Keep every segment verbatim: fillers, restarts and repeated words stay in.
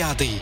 الرياضي.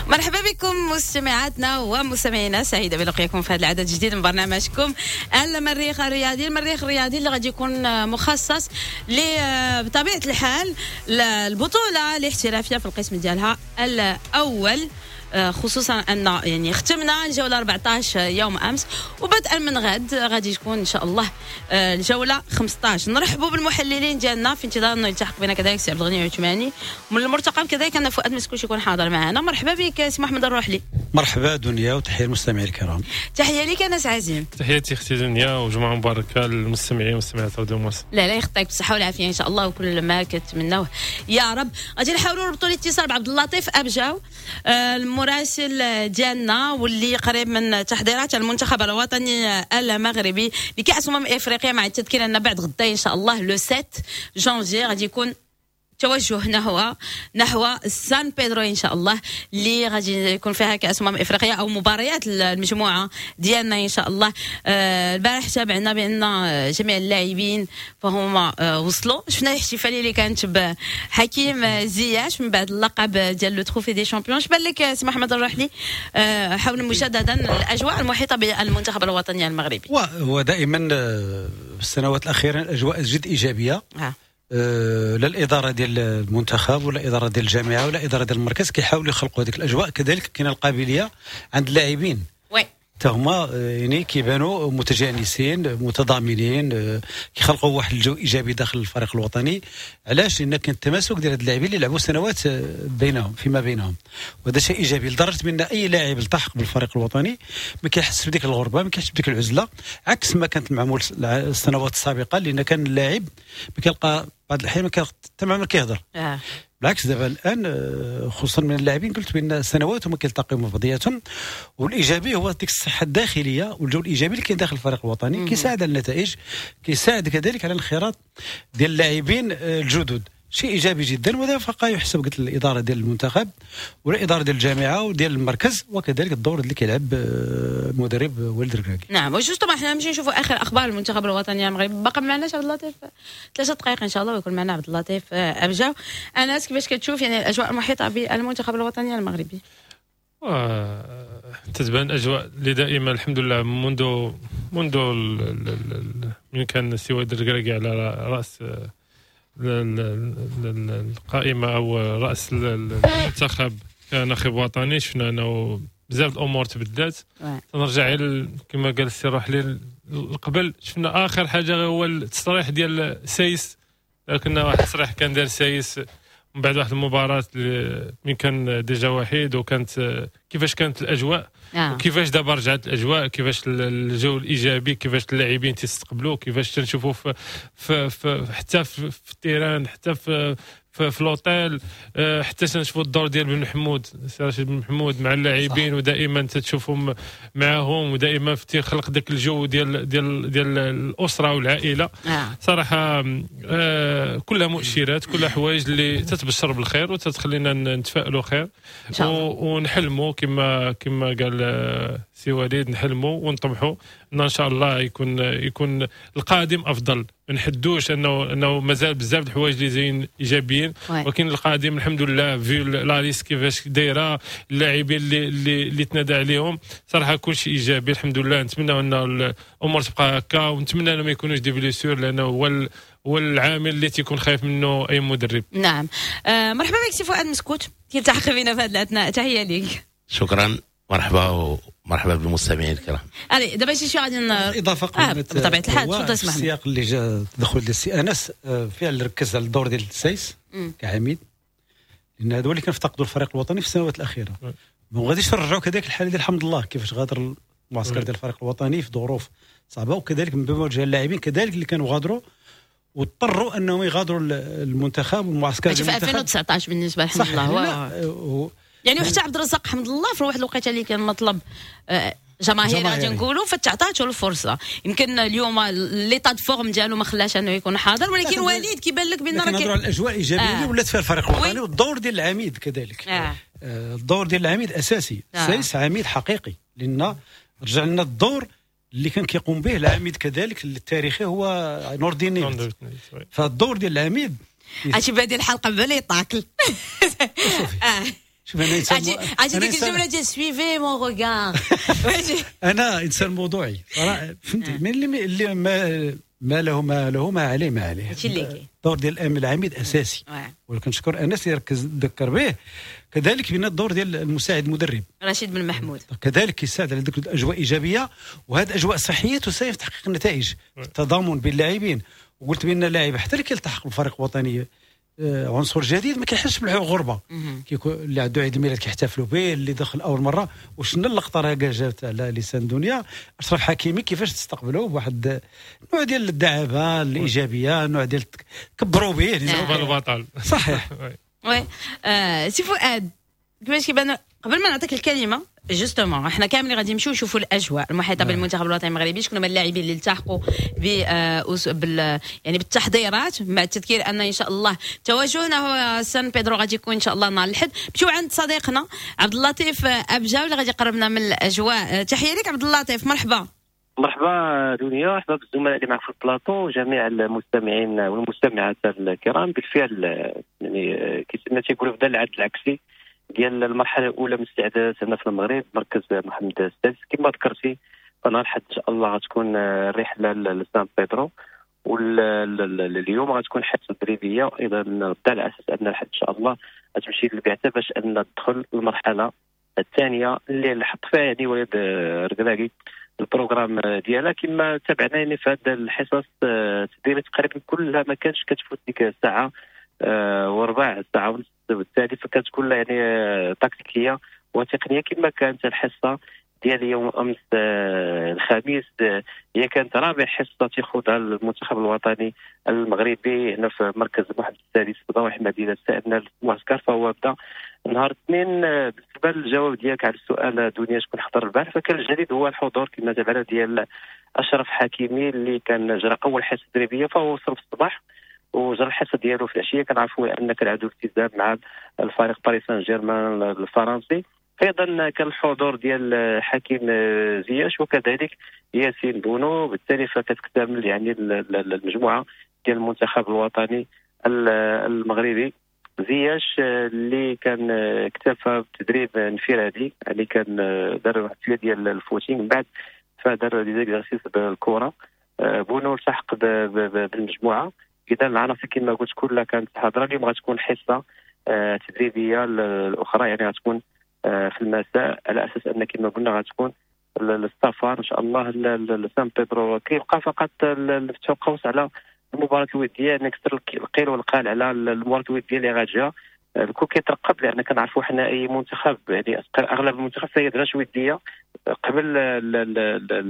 مرحبا بكم مستمعاتنا ومستمعينا، سعيدة بلقيكم في هذا العدد الجديد من برنامجكم المريخ الرياضي. المريخ الرياضي اللي غادي يكون مخصص بطبيعة الحال البطولة الاحترافية في القسم ديالها الاول، خصوصا ان يعني ختمنا الجولة أربعة عشر يوم امس، وبدءا من غد غادي تكون ان شاء الله الجولة خمسة عشر. نرحبوا بالمحللين ديالنا في انتظار انه يلتحق بنا كذلك سي عبد الغني عثماني، ومن المرتقب كذلك ان فؤاد مسكوش يكون حاضر معنا. مرحبا بك سي محمد الروحلي. مرحبا دنيا وتحية للمستمعين الكرام. تحية لك انس عزيم. تحياتي اختي دنيا وجمعه مباركة للمستمعين والمستمعات راديو مارس. لا لا يخطيك بالصحة والعافية ان شاء الله وكل ما كتمناوه يا رب. غادي نحاولوا نربطوا الاتصال بعبد اللطيف ابجاو آه، المراسل ديالنا واللي قريب من تحضيرات المنتخب الوطني المغربي لكأس أمم افريقيا، مع التذكير ان بعد غدا ان شاء الله le sept janvier غادي يكون توجه نحو نحو سان بيدرو ان شاء الله، اللي غادي يكون فيها كاس امم افريقيا او مباريات المجموعة ديالنا ان شاء الله. آه، البارح تابعنا بان جميع اللاعبين فهما آه، وصلوا، شفنا الاحتفالية اللي كانت بحكيم زياش من بعد اللقب ديال le trophée des champions. اش بان لك سي محمد الرحلي آه، حول مجددا الاجواء المحيطة بالمنتخب الوطني المغربي؟ هو دائما في السنوات الاخيرة الاجواء جد ايجابية آه. آه، لا الادارة ديال المنتخب ولا الادارة ديال الجامعة ولا الادارة ديال المركز كيحاولوا يخلقوا هذيك الاجواء. كذلك كاين القابلية عند اللاعبين oui حتى هما آه، يعني كيبانوا متجانسين متضامنين، آه، كيخلقوا واحد الجو ايجابي داخل الفريق الوطني. علاش؟ لان كان التماسك ديال هاد اللاعبين اللي لعبوا سنوات آه، بينهم فيما بينهم، وهذا شيء ايجابي لدرجة بان اي لاعب التحق بالفريق الوطني ما كيحسش بديك الغربه، ما كيحسش بديك العزله، عكس ما كانت المعمول السنوات السابقه، لان كان اللاعب ما كيلقى بعض الاحيان ما حتى ما كيهضر. آه. بالعكس دابا الان آه، خصوصا من اللاعبين، قلت بان سنوات هما كيلتقيو مع بعضياتهم، والايجابي هو ديك الصحة الداخلية والجو الايجابي اللي كاين داخل الفريق الوطني، كيساعد على النتائج، كيساعد كذلك على الانخراط ديال اللاعبين آه، الجدد، شيء ايجابي جدا. وهذا فقط يحسب قلت الادارة ديال المنتخب والادارة ديال الجامعة وديال المركز، وكذلك الدور اللي كيلعب المدرب آه، وليد الركراكي. نعم، و justement حنا نمشي نشوفوا اخر اخبار المنتخب الوطني المغربي. باقي معنا عبد اللطيف ثلاثة دقائق ان شاء الله ويكون معنا عبد اللطيف آه، ابجاو. انس، كيفاش كتشوف يعني الاجواء المحيطة بالمنتخب الوطني المغربي؟ تتبان اجواء اللي دائما الحمد لله منذ منذ من كان السي وليد الركراكي على راس القائمة او راس المنتخب كناخب وطني، شفنا انه بزاف الامور تبدلات. نرجع كما قال السي روحلي قبل، شفنا اخر حاجة هو التصريح ديال سايس، كنا واحد التصريح كان دار سايس من بعد واحد المباراة من كان déjà وحيد، وكانت كيفاش كانت الاجواء آه. وكيفاش دابا رجعت الاجواء، كيفاش الجو الايجابي، كيفاش اللاعبين تيستقبلوا، كيفاش تنشوفوا في, في, في حتى في, في ال terrain، حتى في في, في l'hôtel، آه، حتى تنشوفوا الدور ديال بن محمود، سي رشيد بن محمود مع اللاعبين، ودائما تتشوفهم معاهم، ودائما تيخلق ذاك الجو ديال ديال ديال الاسرة والعائله آه. صراحة آه كلها مؤشرات، كلها حوايج اللي تتبشر بالخير وتتخلينا نتفائلوا خير ونحلموا كما كما قال آه، سي وليد، نحلموا ونطمحوا ان ان شاء الله يكون يكون القادم افضل. ما نحدوش انه انه مازال بزاف الحوايج اللي زين ايجابيين، ولكن القادم الحمد لله، vu la liste كيفاش دايره، اللاعبين اللي اللي, اللي تنادى عليهم، صراحة كل شيء ايجابي الحمد لله. نتمنى ان الامور تبقى هكا، ونتمنى انه ما يكونوش des blessures، لانه هو هو العامل اللي تيكون خايف منه اي مدرب. نعم، آه مرحبا بك سي فؤاد مسكوت، كيلتحق بنا في هذه الاثناء، تحية لك. شكرا، مرحبا ومرحبا بالمستمعين الكرام. allez دابا شي شوية غادي اضافه قبل آه بطبيعة الحال، تفضل. اسمح. السياق اللي جا التدخل ديال السي انس، آه، فعلا ركز على الدور ديال السايس كعميد، لان هذا هو اللي كنفتقدوا الفريق الوطني في السنوات الاخيرة. ما غاديش نرجعوا كذلك الحالة ديال الحمد الله، كيفاش غادر المعسكر ديال الفريق الوطني في ظروف صعبه، وكذلك من بمواجهة اللاعبين كذلك اللي كانوا غادروا واضطروا انهم يغادروا المنتخب والمعسكر. في ألفين وتسعطاش بالنسبة لحمد الله هو يعني، وحتى عبد الرزاق حمد الله في واحد الوقيته اللي كان مطلب آه، جماهيري غادي نقولوا، فتعطاتو الفرصة. يمكن اليوم l'état de forme ديالو ما خلاش انه يكون حاضر، ولكن وليد كيبان لك بان راه كنهضروا على الاجواء الايجابية اللي ولات فيها الفريق الوطني، والدور ديال العميد كذلك. آه. الدور ديال العميد اساسي. آه. سايس عميد حقيقي، لان رجع لنا الدور اللي كان كيقوم به العميد كذلك التاريخي هو نور الدين نيبت. فالدور ديال العميد عرفتي بادي الحلقة بلا يطاكل. اه شوف انا انسان، عرفتي ديك الجملة ديال suivez mon regard. انا انسان موضوعي، فهمتي؟ من اللي اللي ما ما له ما له ما عليه ما عليه. هادشي اللي كاين. الدور ديال العميد اساسي، ولكن نشكر انس اللي ركز ذكر به كذلك بان الدور ديال المساعد المدرب رشيد بن محمود كذلك كيساعد على ذيك الاجواء ايجابية، وهذه الاجواء الصحية تساهم في تحقيق النتائج، التضامن بين اللاعبين. وقلت بان اللاعب حتى اللي كيلتحق بالفريق الوطني عنصر جديد ما كيحسش بالغربة، كيكون اللي عنده عيد الميلاد كيحتفلوا به، اللي دخل اول مرة. وشنا اللقطة راه جات على لسان دنيا اشرف حكيمي كيفاش تستقبلوه بواحد النوع ديال الدعابة الايجابية، نوع ديال كبروا به البطل. صحيح. oui آه سي فؤاد، كيفاش كيبان قبل ما نعطيك الكلمة justement احنا كاملين غادي نمشيو نشوفوا الاجواء المحيطة بالمنتخب الوطني المغربي، شكون هما اللاعبين اللي التحقوا ب بال يعني بالتحضيرات، مع التذكير ان ان شاء الله توجهنا هو سان بيدرو غادي يكون ان شاء الله نهار الاحد. نمشيو عند صديقنا عبد اللطيف ابجاو اللي غادي يقربنا من الاجواء. تحية لك عبد اللطيف، مرحبا. مرحبا دنيا، مرحبا بالزملاء اللي معك في البلاطو وجميع المستمعين والمستمعات الكرام. بالفعل يعني كما تيقولوا بدا العد العكسي ديال المرحلة الاولى من الاستعدادات هنا في المغرب، مركز محمد السادس. كما ذكرتي فنهار الأحد ان شاء الله غتكون الرحلة لسان بيدرو، واليوم غتكون حصة تدريبية، وايضا غدا على اساس ان الحد ان شاء الله غتمشي للبعثه باش ان تدخل المرحلة الثانية اللي حط فيها يعني وليد الركراكي ال programme ديالها. كما تابعنا يعني في هذه الحصص التدريبية تقريبا كلها ما كانش كتفوت ديك الساعة وربع، ساعة ونص، بالتالي فكانت كلها يعني تكتيكية وتقنية. كما كانت الحصة ديال يوم امس الخميس هي كانت رابع حصة تيخوضها المنتخب الوطني المغربي هنا في مركز محمد السادس بضواحي مدينة سائدنا المعسكر، فهو بدا نهار الاثنين. بالنسبة للجواب ديالك على السؤال دنيا شكون حضر البارح، فكان الجديد هو الحضور كما تابعنا ديال اشرف حكيمي اللي كان جرى اول حصة تدريبية، فهو وصل في الصباح وجرى الحصة ديالو في العشية. كنعرفوا ان كان عنده التزام مع الفريق باريس سان جيرمان الفرنسي. ايضا كان الحضور ديال حكيم زياش وكذلك ياسين بونو، بالتالي فكتكتمل يعني المجموعة ديال المنتخب الوطني المغربي. زياش اللي كان اكتفى بتدريب انفرادي، يعني كان دار واحد شوية ديال ال footing، من بعد فدار des exercices بالكرة. بونو التحق بالمجموعة. اذا العناصر كما قلت كلها كانت حاضره. اليوم غتكون حصة تدريبية الاخرى، يعني غتكون في المساء، على اساس ان كما قلنا غتكون السفر ان شاء الله لسان بيدرو. كيبقى فقط نفتحوا قوس على المباراة الودية، نكسر القيل والقال على المباراة الودية اللي غتجي. الكل كيترقب، لان كنعرفوا حنا اي منتخب يعني اغلب المنتخب فهي وديه قبل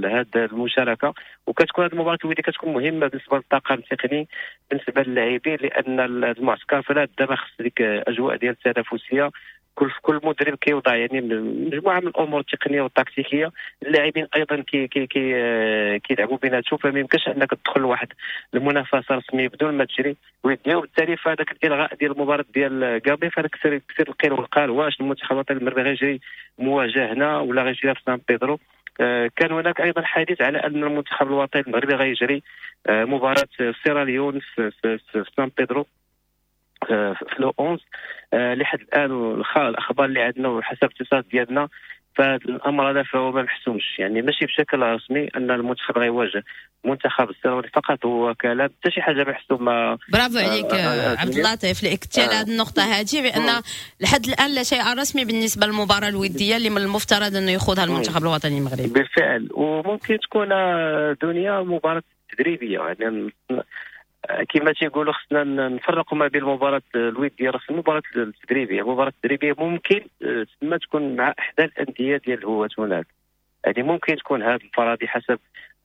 هذه المشاركة، وكتكون هذه المباراة الودية كتكون مهمة بالنسبة للطاقم التقني، بالنسبة للاعبين، لان المعسكر فلا دابا خص ديك اجواء ديال التنافسية. كل كل مدرب كيوضع يعني مجموعة من الامور التقنية والتكتيكيه، اللاعبين ايضا كي كي كي كيلعبوا بيناتهم، فما يمكنش انك تدخل لواحد المنافسة رسمية بدون ما تجري وديه. وبالتالي فهذاك الالغاء ديال المباراة ديال كابي فهذاك كثير كثير القيل والقال واش المنتخب الوطني المغربي غيجري مواجهة هنا ولا غيجري في سان بيدرو. كان هناك ايضا حديث على ان المنتخب الوطني المغربي غيجري مباراة سيراليون في, في, في سان بيدرو في le onze. لحد الان الاخبار اللي عندنا وحسب الاتصالات ديالنا فالامر هذا فهو ما محسومش، يعني ماشي بشكل رسمي ان المنتخب غيواجه منتخب السيراليون، فقط هو كلام، حتى شي حاجة محسومة. برافو عليك آه عبد اللطيف لاكتشاف هذه النقطة هذه، بان لحد الان لا شيء رسمي بالنسبة للمباراة الودية اللي من المفترض انه يخوضها المنتخب الوطني المغربي. بالفعل، وممكن تكون دنيا مباراة تدريبية، يعني كما تيقولوا خصنا نفرقوا ما بين المباراة الودية الرسمية والمباراة التدريبية. المباراة التدريبية ممكن تما تكون مع احدى الاندية ديال الهواة هناك، يعني ممكن تكون هذا الفرادي حسب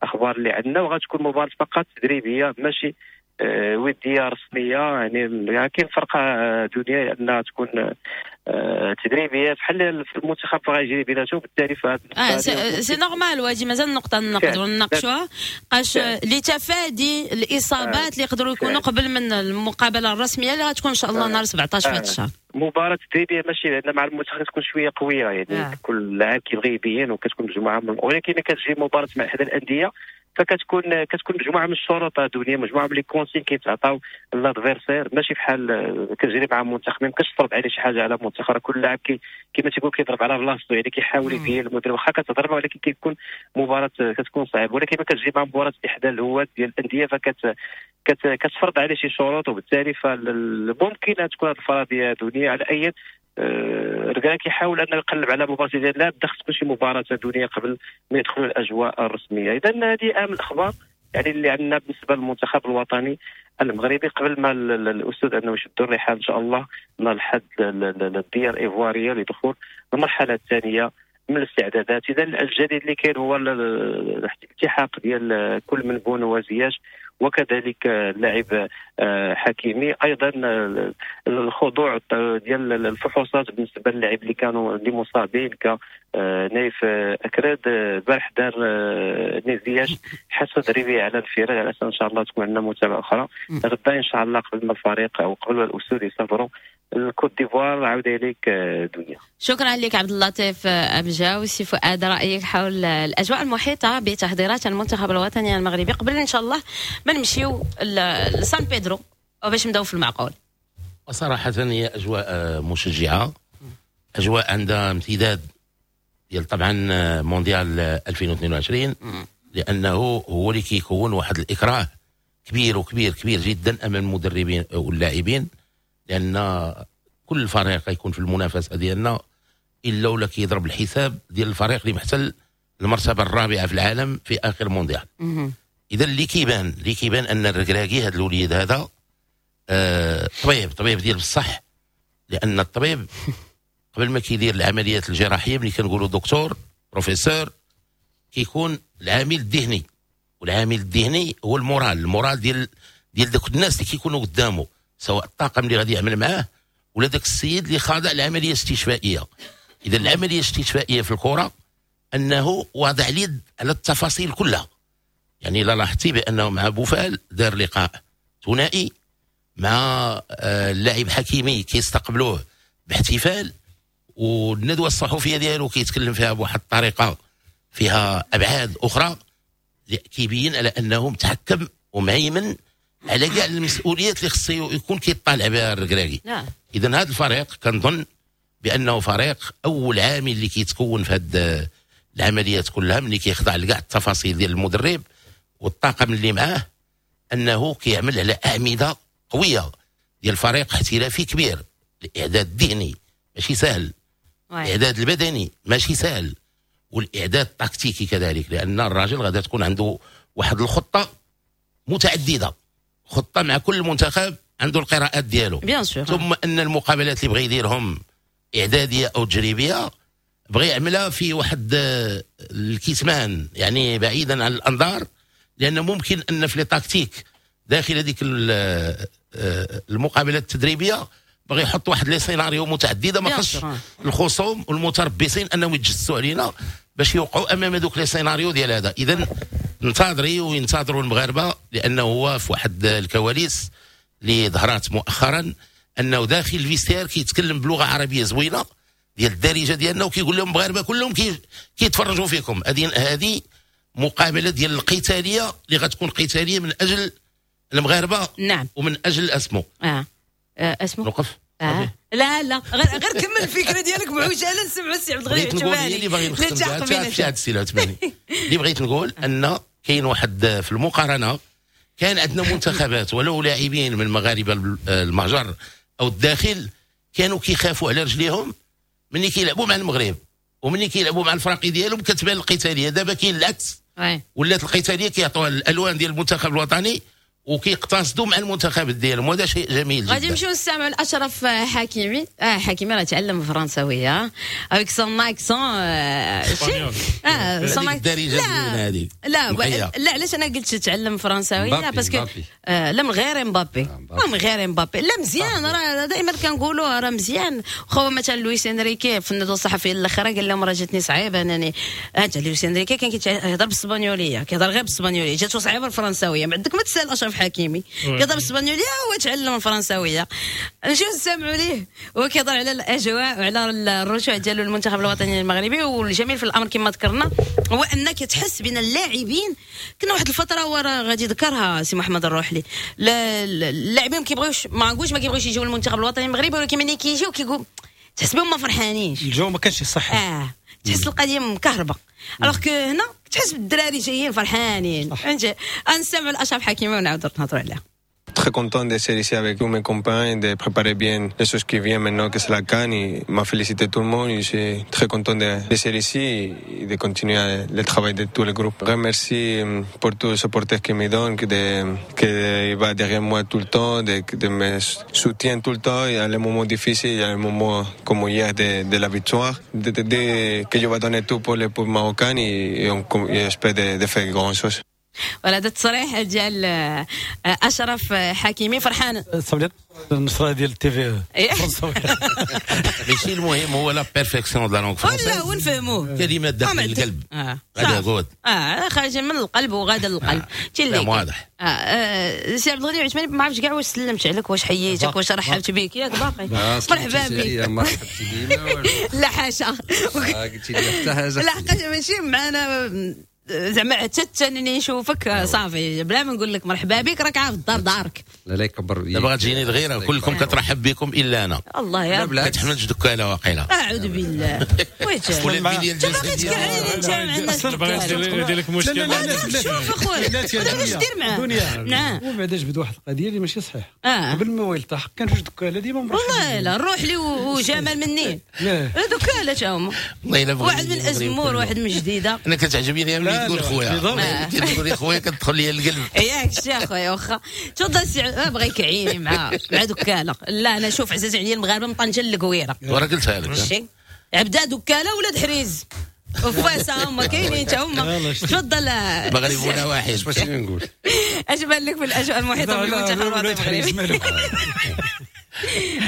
الاخبار اللي عندنا، وغتكون مباراة فقط تدريبية ماشي وديه رسمية، يعني كاين فرقه دنيا انها تكون تدريبية بحال في المنتخب غيجري بيناتهم، بالتالي فهاد اه c'est normal. وهادي مازال نقطة نقدروا نناقشوها قاش لتفادي الاصابات اللي يقدروا يكونوا قبل من المقابلة الرسمية اللي غتكون ان شاء الله نهار سبعطاش في هذا الشهر. مباراة تدريبية ماشي لان مع المنتخب تكون شوية قوية، يعني آه. كل لاعب كيبغي يبين وكتكون مجموعة من، ولكن كتجي مباراة مع احد الاندية فكتكون كتكون مجموعة من الشروط الدولية، مجموعة من les consignes كيتعطاو l'adversaire، ماشي بحال كتجري مع منتخب ما يمكنش تفرض عليه شي حاجة على منتخب. كل لاعب كي كما تيقول كيضرب على بلاصتو، يعني كيحاول يبين المدرب واخا كتضرب، ولكن كيكون مباراة كتكون صعيبة. ولكن ما كتجي مع مباراة احدى الهواة ديال الاندية فكت كتفرض عليه شي شروط، وبالتالي فممكن تكون هذه الفرضية دنيا. على اي ركراكي كيحاول انه يقلب على مباراة ديال لا بدا تكون شي مباراة دولية قبل ما يدخلوا الاجواء الرسمية. اذا هذه اهم الاخبار يعني اللي عندنا بالنسبة للمنتخب الوطني المغربي قبل ما الاسود انه يشدوا الرحال ان شاء الله نهار الحد للديار الايفواريه لدخول المرحلة الثانية من الاستعدادات. اذا الجديد اللي كاين هو الالتحاق ديال كل من بونو وزياش وكذلك اللاعب حكيمي، ايضا الخضوع ديال الفحوصات بالنسبة للاعب اللي كانوا اللي مصابين كنايف اكراد. البارح دار نيزياش حصة تدريبية على الفرق على اساس ان شاء الله تكون عندنا متابعه اخرى غدا ان شاء الله قبل ما الفريق او قبل الاسود يسافروا الكوت ديفوار. عاودة لك دنيا. شكرا لك عبد اللطيف أبجاو. سي فؤاد، رأيك حول الأجواء المحيطة بتحضيرات المنتخب الوطني المغربي قبل إن شاء الله ما نمشيو لسان بيدرو باش نبداو في المعقول؟ صراحة هي أجواء مشجعة، أجواء عندها امتداد ديال طبعا مونديال ألفين واثنين وعشرين، لأنه هو اللي كيكون واحد الإكراه كبير وكبير كبير جدا أمام المدربين واللاعبين، لأن كل فريق يكون في المنافسة ديالنا الا ولا كيضرب الحساب ديال الفريق اللي محتل المرتبة الرابعة في العالم في اخر مونديال. اذا اللي كيبان اللي كيبان ان الركراكي هذا الوليد هذا آه طبيب طبيب ديال بصح، لان الطبيب قبل ما كيدير العمليات الجراحية ملي كنقولوا دكتور بروفيسور كيكون العامل الذهني، والعامل الذهني هو ال moral، ال moral ديال ديال دوك الناس اللي كيكونوا قدامه، سواء الطاقم اللي غادي يعمل معاه ولا داك السيد اللي خاضع العملية الاستشفائيه. اذا العملية الاستشفائيه في الكره انه واضع اليد على التفاصيل كلها. يعني لا لاحظتي بانه مع بوفال دار لقاء ثنائي مع اللاعب حكيمي كيستقبلوه باحتفال، والندوه الصحفية ديالو كيتكلم فيها بواحد الطريقة فيها ابعاد اخرى كيبين على انه متحكم ومهيمن على كاع المسؤوليات اللي خصو يكون كيطالع بها الركراكي. نعم. اذا هذا الفريق كنظن بانه فريق اول عامل اللي كيتكون في هذه العمليات كلها ملي كيخضع لكاع التفاصيل ديال المدرب والطاقم اللي معاه، انه كيعمل على اعمدة قوية ديال فريق احترافي كبير. الاعداد الذهني ماشي سهل، الاعداد البدني ماشي سهل، والاعداد التكتيكي كذلك، لان الراجل غادي تكون عنده واحد الخطة متعددة، خطه مع كل منتخب عنده القراءات ديالو. ثم ان المقابلات اللي بغى يديرهم اعدادية او تجريبية بغى يعملها في واحد الكتمان، يعني بعيدا عن الانظار، لان ممكن ان في les tactiques داخل هذيك المقابلات التدريبية بغى يحط واحد les scénarios متعددة، ما خصش الخصوم والمتربصين انهم يتجسسوا علينا باش يوقعوا امام هذوك les scénarios ديال هذا. اذا ننتظري وينتظروا المغاربة، لانه هو في واحد الكواليس اللي ظهرت مؤخرا انه داخل ال vestiaire كيتكلم بلغه عربية زوينة ديال الدارجة ديالنا، وكيقول لهم المغاربة كلهم كيتفرجوا فيكم. هذه هذه مقابله ديال القتالية اللي غتكون قتالية من اجل المغاربة. نعم. ومن اجل اسمو اه, آه اسمو نوقف. آه. لا لا غير غير كمل الفكرة ديالك بعجاله نسمعوا السي عبد الغني العثماني. اللي باغي نختم بها هذا السي العثماني، اللي بغيت نقول ان كاين واحد في المقارنة، كان عندنا منتخبات ولو لاعبين من المغاربة المهجر او الداخل كانوا كيخافوا على رجليهم ملي كيلعبوا مع المغرب، وملي كيلعبوا مع الفراقي ديالهم كتبان القتالية. دابا كاين العكس، ولات القتالية كيعطوها الالوان ديال المنتخب الوطني وكيقتصدوا مع المنتخب ديالهم، وهذا شيء جميل جدا. غادي نمشيو نستمعوا لاشرف حكيمي. اه حكيمي راه تعلم الفرنساويه avec son accent. اه son الدارجة هذيك. لا لا، علاش انا قلت تعلم فرنساويه؟ parce que آه لا من غير مبابي، من غير مبابي. لا مزيان، راه دائما كنقولوا راه مزيان. خو مثلا لويس انريكي في الندوة الصحفية الاخرى قال لهم راه جاتني صعيبة انني انت لويس انريكي كان كيهضر بالاسبانيوليه، كيهضر غير بالاسبانيوليه، جاتو صعيبة الفرنساويه. ما عندك ما تسال اشرف حكيمي، كيهضر بالاسبانيوليه هو تعلم الفرنساويه. نمشيو نسمعوا ليه هو كيهضر على الاجواء وعلى الرجوع ديالو للمنتخب الوطني المغربي. والجميل في الامر كما ذكرنا هو انك تحس بين اللاعبين، كنا واحد الفترة ورا غادي ذكرها سي محمد الروحلي، اللاعبين ما كيبغيوش، ما نقولش ما كيبغيوش يجيو للمنتخب الوطني المغربي، ولكن ملي كيجيو كيقول تحس بهم ما فرحانينش، الجو ما كانش صحي. اه تحس القضية مكهربه، alors que هنا تحس بالدراري جايين فرحانين. فهمتي؟ نسمعوا لاشرف حكيمي ونعاودوا نهضروا عليها. Très content de ser ici avec tous mes copains et de préparer bien les choses qui viennent maintenant que c'est la CAN et m'a félicité tout le monde et je suis très content de, de ser ici et de continuer le travail de tout le groupe. Remercie pour tous les supporters qui me donnent, que, de, que va derrière moi tout le temps, de, de me soutient tout le temps et à les moments difficiles, et à les moments comme hier de, de la victoire, de, de, de, que je vais donner tout pour le peuple marocain et, et, on, et j'espère de, de faire grand chose. ولا هذا التصريح ديال اشرف حكيمي فرحان. النشرة ديال ال TV ماشي المهم هو la perfection de la langue française، ولا ونفهموه كلمات داخل القلب. هذا قود اه خارجه من القلب وغادا للقلب. اللي واضح. اه سي عبد الغني عثماني، ما عرفتش كاع واش سلمت عليك، واش حييتك، واش رحبت بك، ياك باقي؟ مرحبا بك. مرحبتي بي. لا حاشا، قلتي لي حتى حاجة. لا حقاش ماشي معنا زعما حتى انني نشوفك صافي بلا ما نقول لك مرحبا بك، راك عارف الدار دارك. لا لا يكبر. دابا غتجيني الغيرة، كلكم كترحب بكم الا انا. الله يا رب. كتحملش دكاله واقيلا. اعوذ بالله. ولا البنية الجسدية باغي انت مع الناس. باغي يدير لك مشكل. شوف اخويا واش دير معاه. نعم. وبعدا جبد واحد القضية اللي ماشي صحيح. قبل ما يلتحق كان جوج دكاله ديما مرحبا. والله لا نروح لي وجمال مني دكاله تا هما. واحد من ازمور واحد من جديدة. انا كتعجبني ملي تقول خويا، كتقول خويا كتدخل لي القلب. ياك شي اخويا واخا تفضل سي بغا يكعيني مع مع دكاله. لا انا شوف عزاز عليا المغاربة من طنجه للقويره. وراه قلتها لك. عبدا دكاله ولاد حريز وفاسا هما كاينين تا هما. تفضل. المغرب ولا واحد. واش نقول؟ اش بان لك في الاجواء المحيطة بالمنتخب الوطني المغربي؟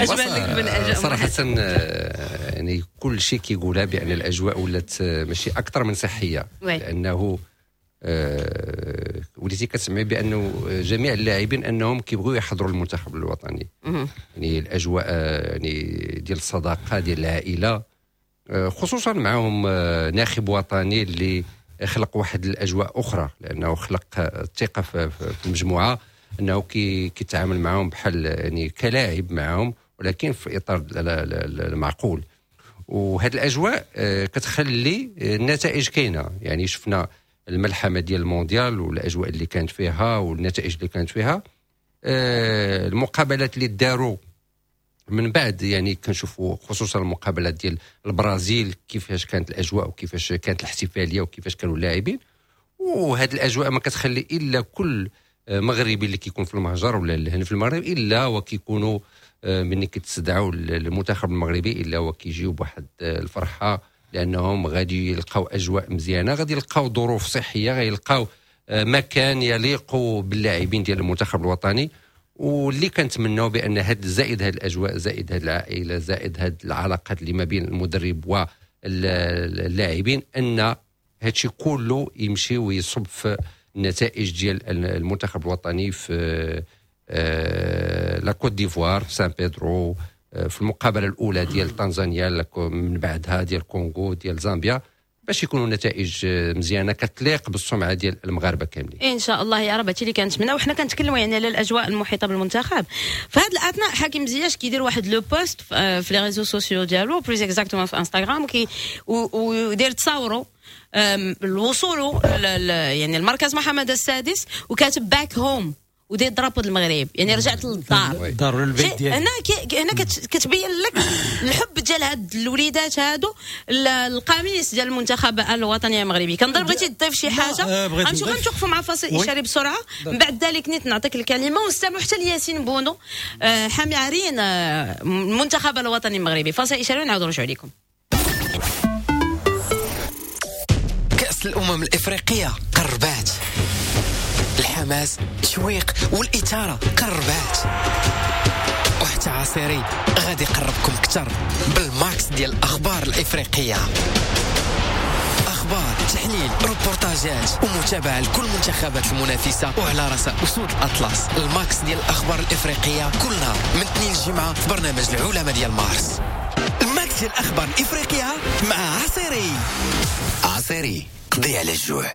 اش بان لك في الاجواء؟ صراحة يعني كل شيء كيقولها بان الاجواء ولات ماشي اكثر من صحية، لانه أه وليتي كتسمعي بانه جميع اللاعبين انهم كيبغيو يحضروا المنتخب الوطني. يعني الاجواء يعني ديال الصداقة ديال العائلة، خصوصا معهم ناخب وطني اللي خلق واحد الاجواء اخرى، لانه خلق الثقة في المجموعة، انه كيتعامل معهم بحال يعني كلاعب معهم، ولكن في اطار المعقول. وهذه الاجواء كتخلي النتائج كاينه. يعني شفنا الملحمة ديال المونديال والاجواء اللي كانت فيها والنتائج اللي كانت فيها، المقابلات اللي داروا من بعد، يعني كنشوفوا خصوصا المقابلات ديال البرازيل كيفاش كانت الاجواء وكيفاش كانت الاحتفالية وكيفاش كانوا اللاعبين. وهذه الاجواء ما كتخلي الا كل مغربي اللي كيكون في المهجر ولا هنا في المغرب الا وكيكونوا ملي كيتستدعوا المنتخب المغربي الا وكيجيو بواحد الفرحة، لانهم غادي يلقاو اجواء مزيانه، غادي يلقاو ظروف صحية، غيلقاو مكان يليق باللاعبين ديال المنتخب الوطني. واللي كنتمناو بان هاد زائد هاد الاجواء، زائد هاد العائلة، زائد هاد العلاقات اللي ما بين المدرب واللاعبين، ان هادشي كله يمشي ويصب في النتائج ديال المنتخب الوطني في la Côte d'Ivoire، في سان بيدرو، في المقابلة الاولى ديال تنزانيا، من بعدها ديال كونغو، ديال زامبيا، باش يكونوا نتائج مزيانه كتليق بالسمعه ديال المغاربة كاملين ان شاء الله يا رب. هادشي اللي كنتمنى. وحنا كنتكلموا يعني على الاجواء المحيطة بالمنتخب. في هذا الاثناء حكيم زياش كيدير واحد le post في les réseaux sociaux ديالو، plus exactement في انستغرام، كي ودير تصاورو الوصول يعني المركز محمد السادس، وكاتب back home، وداير drapeau المغرب، يعني رجعت للدار الدار ولا البيت ديالك. هنا كي هنا كتبين لك الحب ديال هاد الوليدات هادو القميص ديال المنتخب الوطني المغربي. كنظن بغيتي تضيف شي حاجة؟ غنمشيو غنتوقفوا مع فاصل اشاري بسرعة، من بعد ذلك نيت نعطيك الكلمة ونستمعوا حتى لياسين بونو حامي عرين المنتخب الوطني المغربي. فاصل اشاري ونعاودوا نرجعوا لكم. كأس الأمم الإفريقية قربات، الحماس التشويق والإثارة قربات، وحتى عصيري غادي يقربكم أكثر بال max ديال الأخبار الإفريقية. أخبار، تحليل، روبورتاجات ومتابعة لكل منتخبات المنافسة وعلى رأس أسود الأطلس. ال max ديال الأخبار الإفريقية كل نهار من اثنين الجمعة في برنامج العلماء ديال مارس. ال max ديال الأخبار الإفريقية مع عصيري. عصيري قضي على الجوع.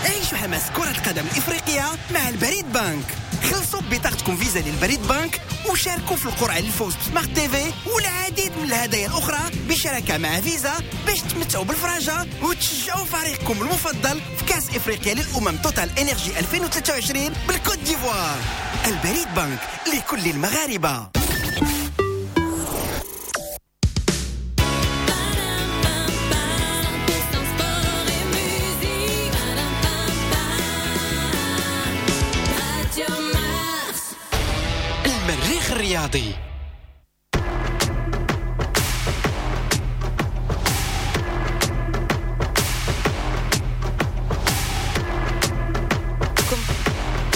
عيشوا حماس كرة القدم الإفريقية مع البريد بانك. خلصوا ببطاقتكم فيزا للبريد بانك وشاركوا في القرعة للفوز ب smart TV والعديد من الهدايا الأخرى بشراكة مع فيزا باش تمتعوا بالفراجة وتشجعوا فريقكم المفضل في كأس إفريقيا للأمم توتال إنرجي ألفين وثلاثة وعشرين بالكوت ديفوار. البريد بانك لكل المغاربة. المريخ الرياضي.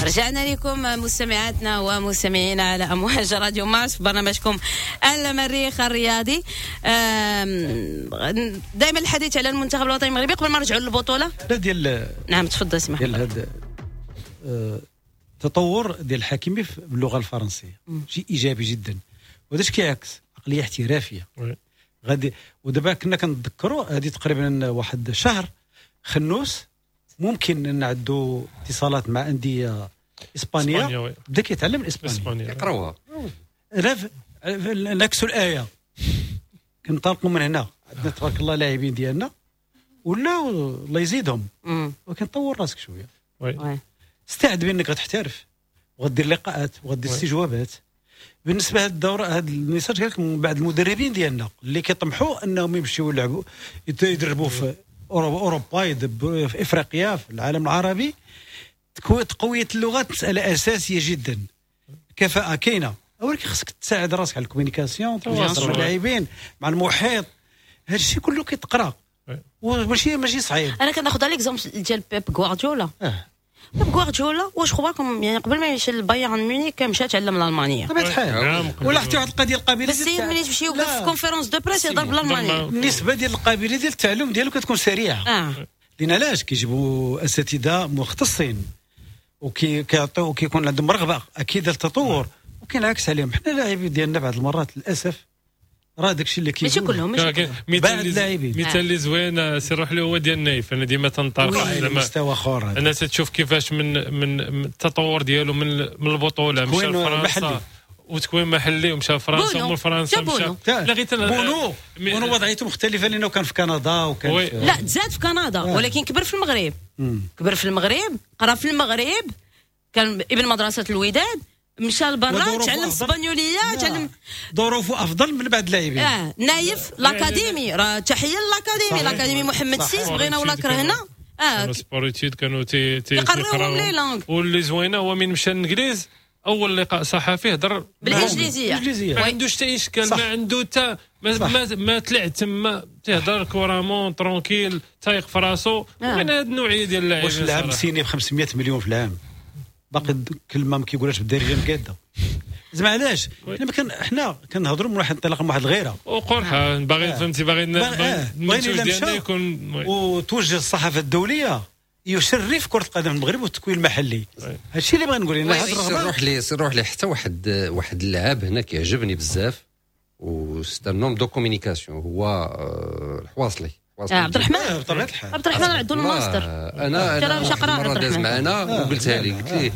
رجعنا لكم مستمعاتنا ومستمعينا على أمواج راديو مارس في برنامجكم المريخ الرياضي. دائما الحديث على المنتخب الوطني المغربي قبل ما نرجعوا للبطولة. لا ديال نعم تفضل سمح. ديال هذا التطور ديال الحكيمي باللغة الفرنسية شيء ايجابي جدا، وهذا اش كيعكس عقلية احترافية غادي. ودابا كنا كنتذكروا هذه تقريبا واحد شهر خنوس ممكن نعدوا اتصالات مع اندية اسبانيا، بدا كيتعلم الاسبانية يقراوها راه نعكسوا الايه كنطلقوا من هنا. عندنا تبارك الله لاعبين ديالنا ولا الله يزيدهم، ولكن طور راسك شوية، استعد بانك غتحترف وغدير لقاءات وغدير استجوابات. بالنسبة لهذا الدورة هذا ال message قالك من بعض المدربين ديالنا اللي كيطمحوا انهم يمشيو يلعبوا يدربوا في اوروبا، يدربوا في افريقيا، في العالم العربي. تقوية اللغات مسالة اساسية جدا. كفاءة كاينه، ولكن خصك تساعد راسك على ال communication، تواصل مع اللاعبين، مع المحيط، هذا الشيء كله كيتقرا وماشي ماشي صعيب. انا كناخذ l'exemple ديال بيب غوارديولا. آه. بيب غوارديولا واش خباكم يعني قبل ما يمشي للبايرن ميونخ كان مشى تعلم الالمانية بطبيعة الحال، ولا حتى واحد القضية القابلة بس ملي تمشي يوقف في conférence de presse يهضر بالالمانيه. النسبة ديال القابلية ديال التعلم ديالو كتكون سريعة. آه. لان علاش كيجيبوا اساتذة مختصين وكيعطيو وكيكون عندهم رغبة اكيد للتطور، وكينعكس عليهم. حنا اللاعبين ديالنا بعض المرات للاسف راه داكشي اللي كيقول ماشي كلهم، ماشي مثال مثال اللي زوين سي روح له هو ديال نايف. انا ديما تنطرح زعما مستوى اخر. انا تشوف كيفاش من من التطور ديالو من من البطولة مشى لفرنسا وتكوين محلي ومشى فرنسا ومن فرنسا مشى لا غير بونو بونو وضعيته مختلفة لانه كان في كندا وكان في... لا تزاد في كندا ولكن كبر في المغرب. مم. كبر في المغرب، قرا في المغرب، كان ابن مدرسه الوداد، مشى لبرا تعلم الاسبانيوليه، تعلم ظروفه افضل من بعض اللاعبين. اه نايف l'académie، راه تحية l'académie، l'académie محمد السادس بغينا ولا كرهنا. اه sport-études كانوا تي تي يقراو. واللي زوينة هو من مشى للانجليز اول لقاء صحفي هضر بالانجليزية، ما عندوش حتى اشكال، ما عنده حتى ما, ما, ما طلع تما تيهضر couramment tranquille تايق في راسو. من هاد النوعية ديال اللاعبين. واش اللاعب signé ب خمسمية مليون في العام باقي كلمة ما كيقولهاش بالدارجة مقاده زعما علاش؟ حنا كان حنا كنهضروا من واحد الانطلاقة من واحد الغيرة وقرحه باغي فهمتي باغي المنتوج ديالنا يكون وتوجه الصحافة الدولية يشرف كره القدم المغرب والتكوين المحلي. هادشي اللي بغا نقول. انا هاد الرغبة روح لي روح لي حتى واحد واحد اللاعب هنا كيعجبني بزاف و c'est un homme de communication، هو الحواصلي. عبد الرحمن بطبيعة الحال عبد الرحمن عنده الماستر. انا انا مرة داز معنا وقلتها لي، قلت لي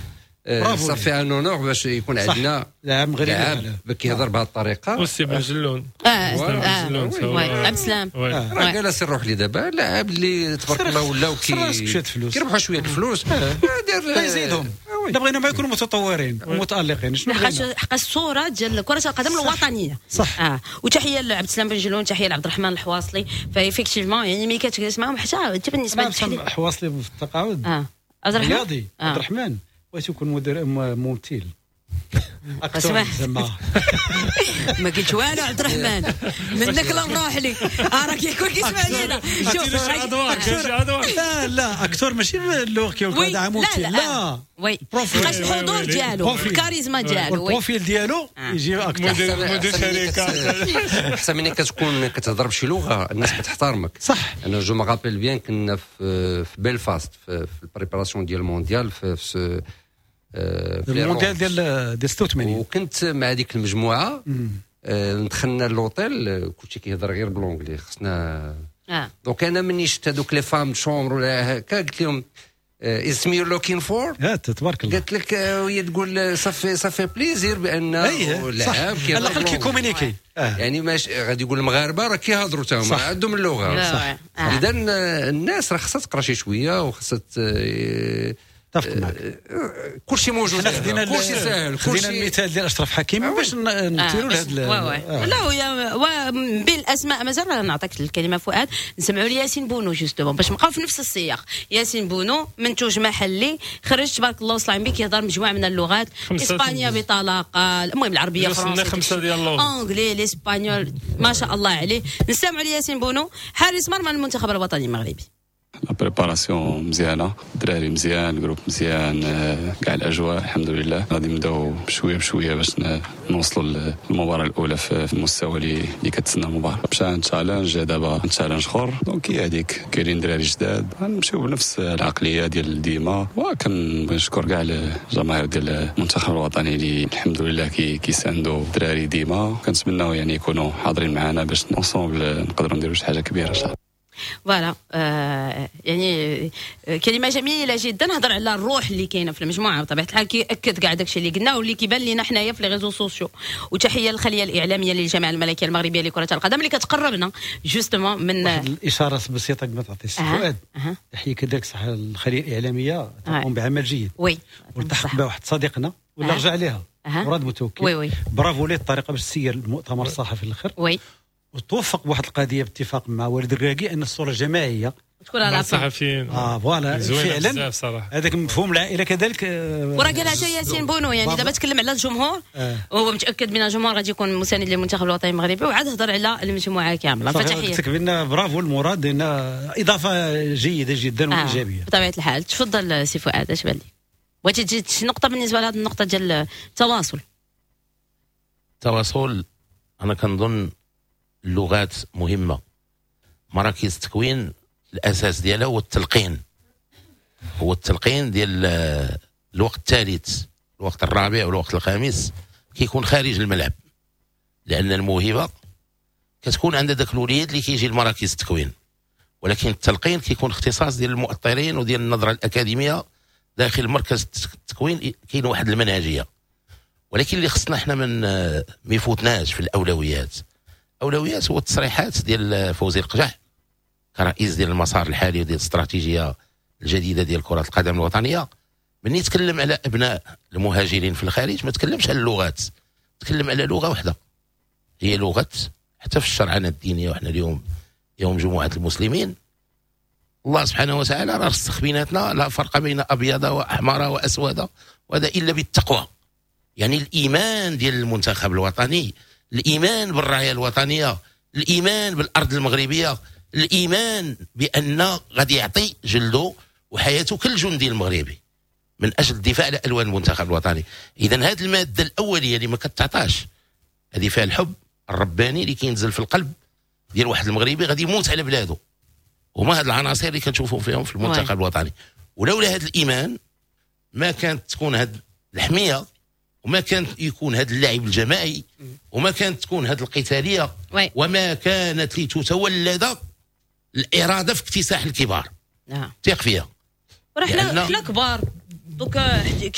ça fait un honneur باش يكون عندنا لاعب مغربي لاعب كيهضر بهذه الطريقة. وسي بن جلون اه اه عبد السلام راه قال سي الروح لي دابا لاعب اللي تبارك الله ولاو كيربحوا شوية الفلوس دير يزيدهم. لا بغينا ما يكونوا متطورين ومتالقين. شنو بغينا؟ حق الصورة ديال كره القدم الوطنية صح. اه وتحية لعبد السلام بن جلون، تحية لعبد الرحمن الحواصلي. ف effectivement يعني ملي كتجلس معاهم حتى انت بالنسبة للتحليل الحواصلي في التقاعد اه عبد الرحمن رياضي عبد الرحمن بغيت يكون مدير ممثل acteur زعما ما قلت والو عبد الرحمن منك لا نروح لي راه كيكون كيسمع لينا. شوف لا لا acteur ماشي اللغة كيقول هذا ممثل لا oui حقاش الحضور ديالو الكاريزما ديالو ال profil ديالو يجي acteur مدير شركة. احسن ملي كتكون كتهضر بشي لغة الناس كتحترمك صح. انا je me rappelle bien كنا في بلفاست في ال préparation ديال المونديال في المونديال ديال ديال ستة وثمانين وكنت مع هذيك المجموعة. دخلنا l'hôtel كلشي كيهضر غير ب l'anglais خصنا آه. donc انا مني شفت هذوك les femmes de chambre ولا هكا قلت لهم is me you're looking for تبارك الله. قالت لك وهي تقول ça fait ça fait plaisir بان لاعب كيهضر على الاقل كي communiquer آه. يعني ماش غادي يقول المغاربة راه كيهضروا تا هما عندهم اللغة صح. اذا الناس راه خصها تقرا شي شوية وخصها اتفق معك. كلشي موجود كلشي ساهل. خدينا المثال ديال اشرف حكيمي باش نثيروا لهذا. لا ويا بين الاسماء مازال نعطيك الكلمة فؤاد. نسمعوا لياسين بونو justement باش نبقاو في نفس السياق. ياسين بونو منتوج محلي خرج تبارك الله وصل عم بك يهضر مجموعة من اللغات، اسبانيا بطلاقه، المهم العربية فرنسية خمسة ديال اللغات، anglais l'espagnol، ما شاء الله عليه. نسمعوا لياسين بونو حارس مرمى المنتخب الوطني المغربي. la préparation مزيانه، الدراري مزيان، ال groupe مزيان، كاع الاجواء الحمد لله. غادي نبداو بشوية بشوية باش نوصلوا للمباراة الاولى في المستوى اللي كتسنى المباراة. مشى challenge دابا challenge اخر، donc هي هذيك كاينين دراري جداد غنمشيو بنفس العقلية ديال ديما. وكنبغي نشكر كاع الجماهير ديال المنتخب الوطني اللي الحمد لله كيساندوا الدراري ديما. كنتمناو يعني يكونوا حاضرين معنا باش ensemble نقدروا نديروا شي حاجة كبيرة ان شاء الله. voilà آه يعني كلمة جميلة جدا. هضر على الروح اللي كاينه في المجموعة بطبيعة الحال كياكد كاع داكشي اللي قلنا واللي كيبان لينا حنايا في les réseaux sociaux. وتحية للخليه الاعلامية للجامعة الملكية المغربية لكرة القدم اللي كتقربنا justement من واحد الاشارة بسيطة قبل ما تعطي السؤال. أه. تحية كذلك صح الخلية الاعلامية تقوم بعمل جيد oui والتحق بها واحد صديقنا ولا أه. رجع لها أه. مراد متوكل oui oui. برافو ليه الطريقة باش تسير المؤتمر الصحفي الاخر oui وتوفق بواحد القضية باتفاق مع وليد الركراكي ان الصورة الجماعية تكون على الصحفيين اه voilà فعلا هذاك مفهوم العائلة كذلك. وراه قالها حتى ياسين بونو يعني دابا تكلم على الجمهور آه. وهو متاكد من الجمهور غادي يكون مساند للمنتخب الوطني المغربي وعاد هضر على المجموعة كاملة. فتحيه قلت لك بان برافو المراد لان اضافه جيدة جدا آه. وايجابية بطبيعة الحال. تفضل سي فؤاد اش بان لك؟ بغيتي تزيد شي نقطة بالنسبة لهذه النقطة ديال التواصل؟ التواصل انا كنظن اللغات مهمة. مراكز التكوين الاساس ديالها هو التلقين، هو التلقين ديال الوقت الثالث، الوقت الرابع والوقت الخامس كيكون خارج الملعب، لان الموهبة كتكون عند ذاك الوليد اللي كيجي لمراكز التكوين، ولكن التلقين كيكون اختصاص ديال المؤطرين وديال النظرة الاكاديمية داخل مركز التكوين. كاين واحد المنهجية، ولكن اللي خصنا حنا من ما يفوتناش في الاولويات. اولويات هو التصريحات ديال فوزي القجع كرئيس ديال المسار الحالي وديال الاستراتيجية الجديدة ديال كره القدم الوطنية. من يتكلم على ابناء المهاجرين في الخارج ما تكلمش على اللغات، تكلم على لغة واحدة هي لغة حتى في الشرعنه الدينية. وحنا اليوم يوم جمعه المسلمين، الله سبحانه وتعالى راه رسخ بيناتنا لا فرق بين ابيض واحمر واسود، وهذا الا بالتقوى. يعني الايمان ديال المنتخب الوطني، الايمان بالرايه الوطنية، الايمان بالارض المغربية، الايمان بان غادي يعطي جلده وحياته كل جندي المغربي من اجل الدفاع على الوان المنتخب الوطني. اذا هذه المادة الاولية اللي ما كتعطاش، هذه فيها الحب الرباني اللي كينزل في القلب ديال واحد المغربي غادي يموت على بلاده. وما هاد العناصر اللي كنشوفوا فيهم في المنتخب الوطني. ولولا هذا الايمان ما كانت تكون هاد الحمية، وما كانت يكون هذا اللعب الجماعي، وما كانت تكون هذه القتالية، وما كانت لتتولد الارادة في اكتساح الكبار. ثق فيها. راه حنا حنا كبار. donc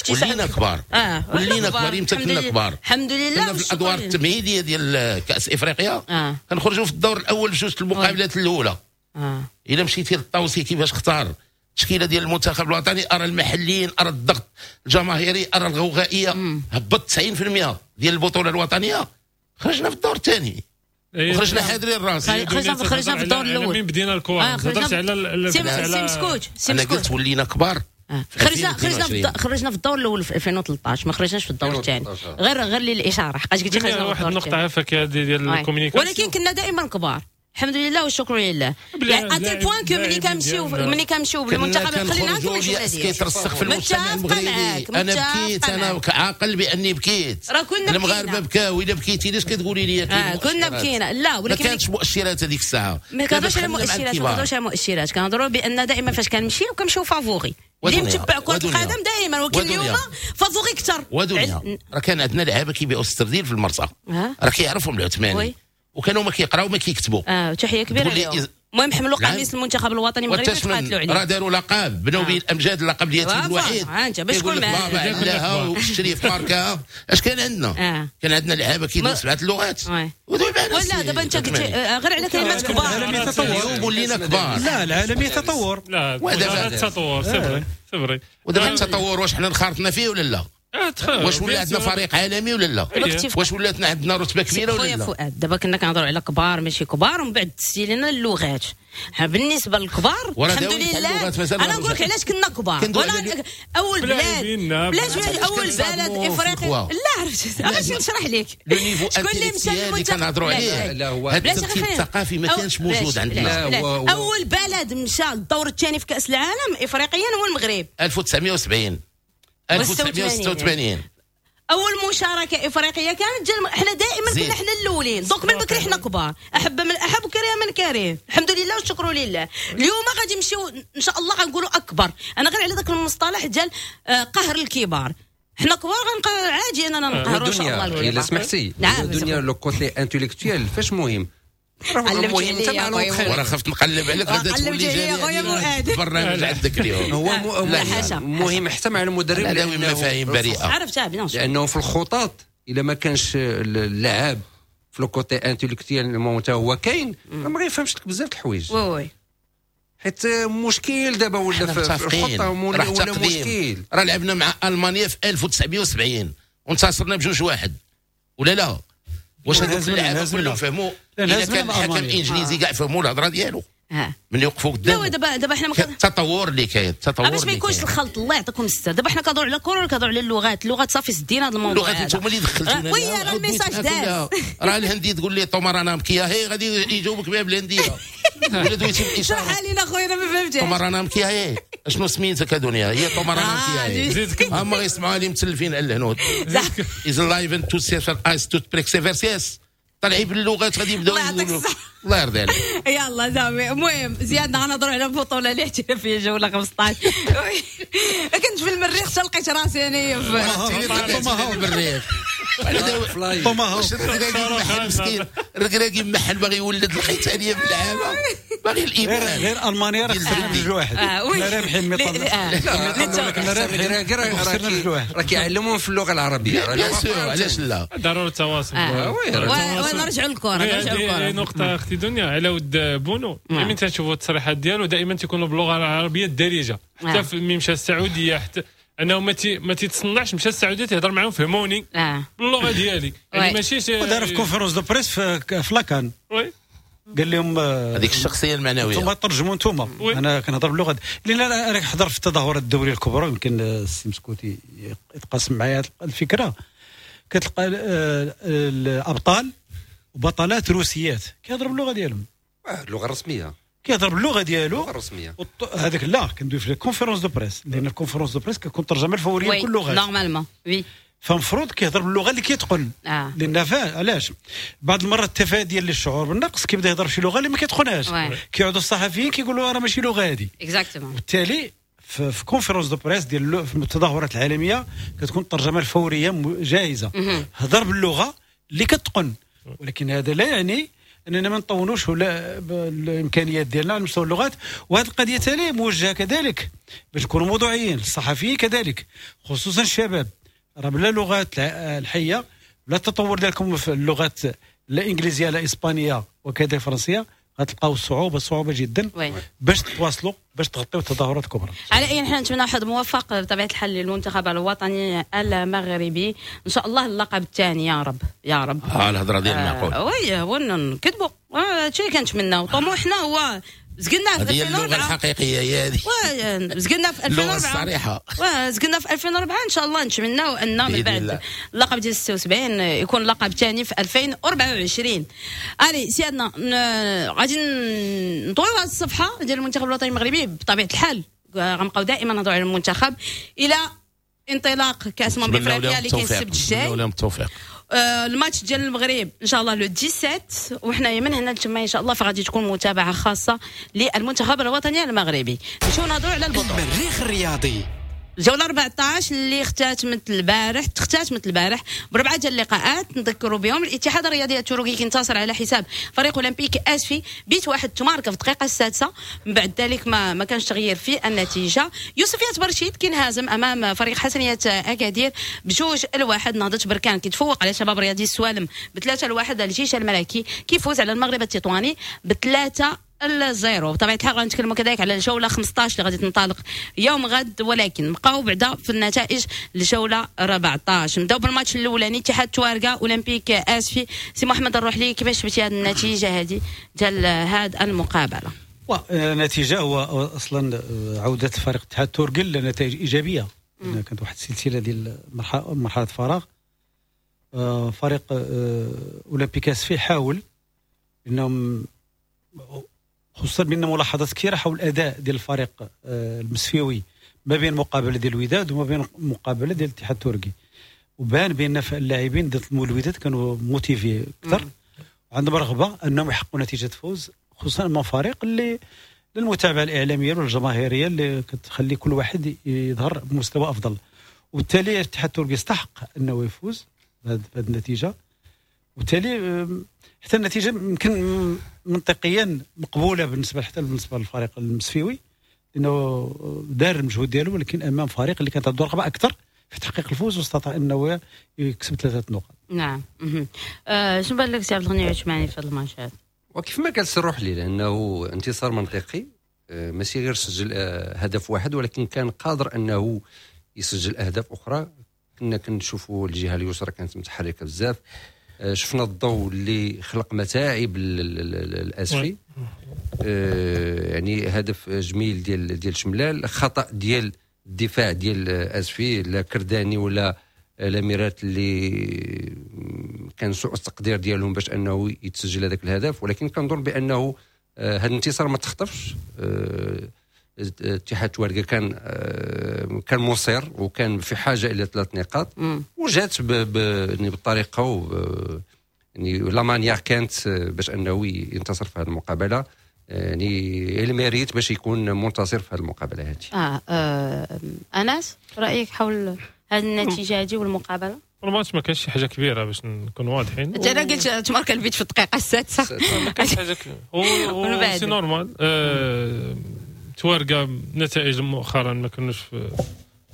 ولينا كبار. اه ولينا كبار. امتى كنا كبار؟ الحمد لله. كنا في الادوار التمهيدية ديال كاس افريقيا. آه. كنخرجوا في الدور الاول بجوج المقابلات الاولى. آه. الا مشيتي للطوسي كيفاش اختار التشكيلة ديال المنتخب الوطني، ارى المحليين، ارى الضغط الجماهيري، ارى الغوغائيه، هبط تسعين بالمية ديال البطولة الوطنية. خرجنا في الدور الثاني وخرجنا حاضرين الراس. خرجنا خرجنا في الدور الاول. من بدينا الكره هضرت على سي مسكوت. انا قلت ولينا كبار. خرجنا خرجنا خرجنا في الدور الاول في ألفين وثلاثطاش، ما خرجناش في الدور الثاني. غير غير للاشارة حقاش قلتي خرجنا في واحد النقطة عافاك ديال ال communication، ولكن كنا دائما كبار الحمد لله والشكر لله. يعني à tel point que ملي كنمشيو ملي كنمشيو بالمنتخب خلينا نكمل الجملة ديالي. كيترسخ في المجتمع المغربي. انا بكيت، انا عاقل باني بكيت. راه كنا المغاربة بكاو. الا بكيتي علاش كتقولي لي آه كنا بكينا؟ لا، ولكن ما كانتش مؤشرات هذيك الساعة. ما كنهضروش على مؤشرات، ما كنهضروش على مؤشرات، كنهضروا بان دائما فاش كنمشيو كنمشيو favoris. اللي متبع كرة القدم دائما، ولكن اليوم favori اكثر. ودنيا راه كان عندنا لعابه كيبيعوا السردين في المرسى، راه كيعرفهم العثماني، وكانوا ما كيقراو ما كيكتبوا. اه تحية كبيرة لهم. المهم حملوا قميص المنتخب الوطني المغربي وتقاتلوا عليه. راه داروا لقب، بناو به الامجاد، اللقب اليتيم الوحيد. انت باش تكون معاه بابا علاها والشريف ماركا. اش كان عندنا؟ آه. كان عندنا لعابه كيديروا سبعة اللغات. ولا دابا انت قلت غير على كلمات كبار. العالم يتطور ولينا كبار. لا العالم يتطور. لا التطور c'est vrai c'est vrai. ودابا التطور واش حنا انخرطنا فيه ولا لا؟ واش ولا عندنا فريق عالمي ولا لا؟ واش ولات عندنا رتبه كبيرة ولا لا؟ خويا فؤاد دابا كنا كنهضروا على كبار ماشي كبار، ومن بعد تسي لنا اللغات. بالنسبة للكبار الحمد لله انا نقول لك علاش كنا كبار. ولا اول بلاد بلاش اول بلد افريقي. لا عرفت باش نشرح لك شكون اللي مشى للمنتخب كنهضروا عليه. هذا الترتيب الثقافي ما كانش موجود عندنا. اول بلد مشى للدور الثاني في كاس العالم افريقيا هو المغرب ألف وتسعمية وسبعين ألف وتسعمية وستة وثمانين. اول مشاركة افريقية كانت جل... احنا دائما كنا احنا الاولين. donc من بكري احنا كبار، احب من احب وكره من كره، الحمد لله والشكر لله. اليوم غادي نمشيو ان شاء الله غنقولوا اكبر. انا غير على ذاك المصطلح ديال قهر الكبار، حنا كبار غنبقى عادي اننا نقهروا ان شاء الله الكبار. الا سمحتي دنيا le côté intellectuel فاش مهم المهم تبع وراه خفت نقلب عليك غدا تولي جاري البرنامج عندك اليوم. هو مهم حتى مع المدرب لانه مفاهيم بريئة عرفتها bien sûr، لانه في الخطط الا ما كانش اللاعب في le côté intellectuel حتى هو كاين ما غيفهمش لك بزاف الحوايج. oui oui حيت مشكل دابا ولا في الخطة ولا مشكل. راه لعبنا مع المانيا في ألف وتسعمية وسبعين وانتصرنا بجوج واحد ولا لا؟ واش هذوك اللعابه كلهم فهموا؟ الا كان الحكم الانجليزي كاع فهموا الهضرة ديالو من يوقفوا قدام. لا دابا دابا حنا التطور اللي كاين، التطور باش ما يكونش الخلط. الله يعطيكم الستر. دابا حنا كنهضروا على الكره ولا كنهضروا على اللغات؟ اللغات صافي سدينا هذا الموضوع. اللغات انتم اللي دخلتونا. oui راه ال message داز. راه الهندي تقول لي तुम्हारा नाम क्या है غادي يجاوبك بها بالهنديه ولا دويتي بالاشارة. شرحها لينا خويا انا ما فهمتش. तुम्हारा नाम क्या है شنو سميتك دنيا؟ هي तुम्हारा नाम क्या है. هما غيسمعوها لي متلفين على الهنود. از لايفن تو سيفر ايس تو بريك سيفر سيس طالعين باللغات غادي يبداو يقولوا الله يرضي عليك. يلا زعما المهم زياد غنهضروا على البطولة الاحترافية جولة خمسطاش. كنت في المريخ حتى لقيت راسي انايا في المريخ. طوماهوك مسكين الركراكي محل باغي يولد لقيت عليا في اللعابه باغي الايمان. غير المانيا راه خسرنا بجوج واحد، كنا رابحين ميطال راه كيعلموهم في اللغة العربية. bien sûr علاش لا، ضروري التواصل. ونرجعوا للكرة، نرجعوا للكرة. نقطة اختي دنيا على ود بونو، ملي تنشوفوا التصريحات ديالو دائما تيكونوا باللغة العربية الدارجة، حتى ملي مشى السعودية حتى انه ما تي ما تيتصنعش، مشى السعودية تيهضر معاهم فهموني باللغة ديالي يعني ماشي. ودار في conférence de presse في la CAN قال لهم هذيك الشخصية المعنوية انتم ترجموا انتم، انا كنهضر باللغة لان انا حضر في التظاهرات الدولية الكبرى، يمكن السي مسكوتي يتقاسم معايا الفكرة. كتلقى الابطال وبطلات روسيات كيهضروا باللغة ديالهم، اللغة الرسمية، كيهضر باللغة ديالو اللغة الرسمية. هذاك لا كندوي في ال conférence de presse، لان ال conférence de presse كتكون ترجمه الفورية بكل اللغات normalement. oui فمفروض كيهضر باللغة اللي كيتقن. آه. لان علاش بعض المرات التفادي للشعور بالنقص كيبدا يهضر بشي لغة اللي ما كيتقنهاش، كيعودوا الصحفيين كيقولوا راه ماشي لغة هذه exactement. وبالتالي في conférence de presse ديال في التظاهرات العالمية كتكون الترجمة الفورية جاهزة، هضر باللغة اللي كتقن، ولكن هذا لا يعني اننا ما نطونوش ولا الامكانيات ديالنا على مستوى اللغات. وهذه القضية ثاني موجهة كذلك باش نكونوا موضوعيين، الصحفيين كذلك خصوصا الشباب، راه بلا لغات الحية بلا التطور ديالكم في اللغات لا انجليزية لا اسبانية وكذا الفرنسية غتلقاو صعوبة صعوبة جدا باش تواصلوا باش تغطيو التظاهرات الكبرى. على اي حال نتمنى حظ موفق بطبيعة الحال للمنتخب الوطني المغربي ان شاء الله، اللقب الثاني يا رب يا رب. اه الهضرة ديال المعقول. آه oui هو نكذبوا هادشي اللي كنتمناو، طموحنا هو زقلنا في ألفين وأربعة. اللغة الحقيقية هي هذه. زقلنا في ألفين وأربعة. الصريحة. زقلنا في ألفين وأربعة ان شاء الله نتمناو ان من بعد اللقب ديال ستة وسبعين يكون لقب ثاني في ألفين وأربعة وعشرين. الي سيادنا غادي نطويو هذه الصفحة ديال المنتخب الوطني المغربي بطبيعة الحال، غنبقاو دائما نهضروا على المنتخب الى انطلاق كاس امم افريقيا اللي كاين السبت الجاي. التوفيق. الماتش ديال المغرب ان شاء الله le سبعطاش، وحنايا من هنا لتما ان شاء الله فغادي تكون متابعه خاصة للمنتخب الوطني المغربي. نمشيو نهضروا على البطولة. المريخ الرياضي الجولة أربعطاش اللي اختتمت البارح، اختتمت البارح بربعه ديال اللقاءات نذكروا بهم. الاتحاد الرياضي التركي كينتصر على حساب فريق اولمبيك اسفي بيت واحد تماركه في الدقيقة السادسة، من بعد ذلك ما ما كانش تغيير في النتيجة. يوسفية برشيد كينهزم امام فريق حسنيه اكادير بجوج الواحد. نهضة بركان كيتفوق على شباب رياضي السوالم بثلاثة الواحد. الجيش الملكي كيفوز على المغرب التطواني بثلاثة ال zéro. بطبيعة الحال غنتكلموا كذلك على الجولة خمسطاش اللي غادي تنطلق يوم غد، ولكن نبقاو بعدا في النتائج الجولة أربعطاش. نبداو بالماتش الاولاني اتحاد تواركا اولمبيك اسفي. سي محمد الروحلي، كيفاش شفتي هذه النتيجة هذه ديال هذه المقابلة؟ النتيجة هو اصلا عوده فريق اتحاد توركا لنتائج ايجابية، كانت واحد السلسلة ديال مرحلة فراغ. فريق اولمبيك اسفي حاول انهم خصوصا بان ملاحظات كثيرة حول الاداء ديال الفريق المسفيوي ما بين مقابله ديال الوداد وما بين مقابله ديال الاتحاد التركي، وبان بان اللاعبين ديال الوداد كانوا motivés اكثر وعندهم رغبة انهم يحققوا نتيجة فوز، خصوصا امام فريق اللي للمتابعة الاعلامية والجماهيريه اللي كتخلي كل واحد يظهر بمستوى افضل. وبالتالي الاتحاد التركي استحق انه يفوز بهذه النتيجة، وبالتالي حتى النتيجة يمكن منطقيا مقبولة بالنسبة حتى بالنسبة للفريق المسفيوي، لانه دار المجهود ديالو، ولكن امام فريق اللي كانت عنده رغبة اكثر في تحقيق الفوز واستطاع انه يكسب ثلاثة نقاط. نعم. أه شنو بان لك سي عبد الغني عثماني في هذا الماتش هذا؟ وكيف ما قال سي الروحلي، لانه انتصار منطقي، ماشي غير سجل هدف واحد ولكن كان قادر انه يسجل اهداف اخرى. كنا كنشوفوا الجهة اليسرى كانت متحركة بزاف، شفنا الضوء اللي خلق متاعب الاسفي، يعني هدف جميل ديال ديال شملال، خطا ديال الدفاع ديال اسفي، لا كرداني ولا الاميرات اللي كان سوء التقدير ديالهم باش انه يتسجل هذاك الهدف. ولكن كنظن بانه هذا الانتصار ما تخطفش. اتحاد تواركا كان كان مصير وكان في حاجة الى ثلاث نقاط، وجات يعني بالطريقة و يعني la manière كانت باش انه ينتصر في هذه المقابلة، يعني il mérite باش يكون منتصر في هذه المقابلة هذه. اه, آه انس، رايك حول هذه النتيجة هذه والمقابلة؟ الماتش ما كانش شي حاجة كبيرة باش نكون واضحين. انت انا قلت تمارك البيت في الدقيقة السادسة، ما كانش حاجة كبيرة، c'est normal. آه تواركا نتائج مؤخرا ما كانوش في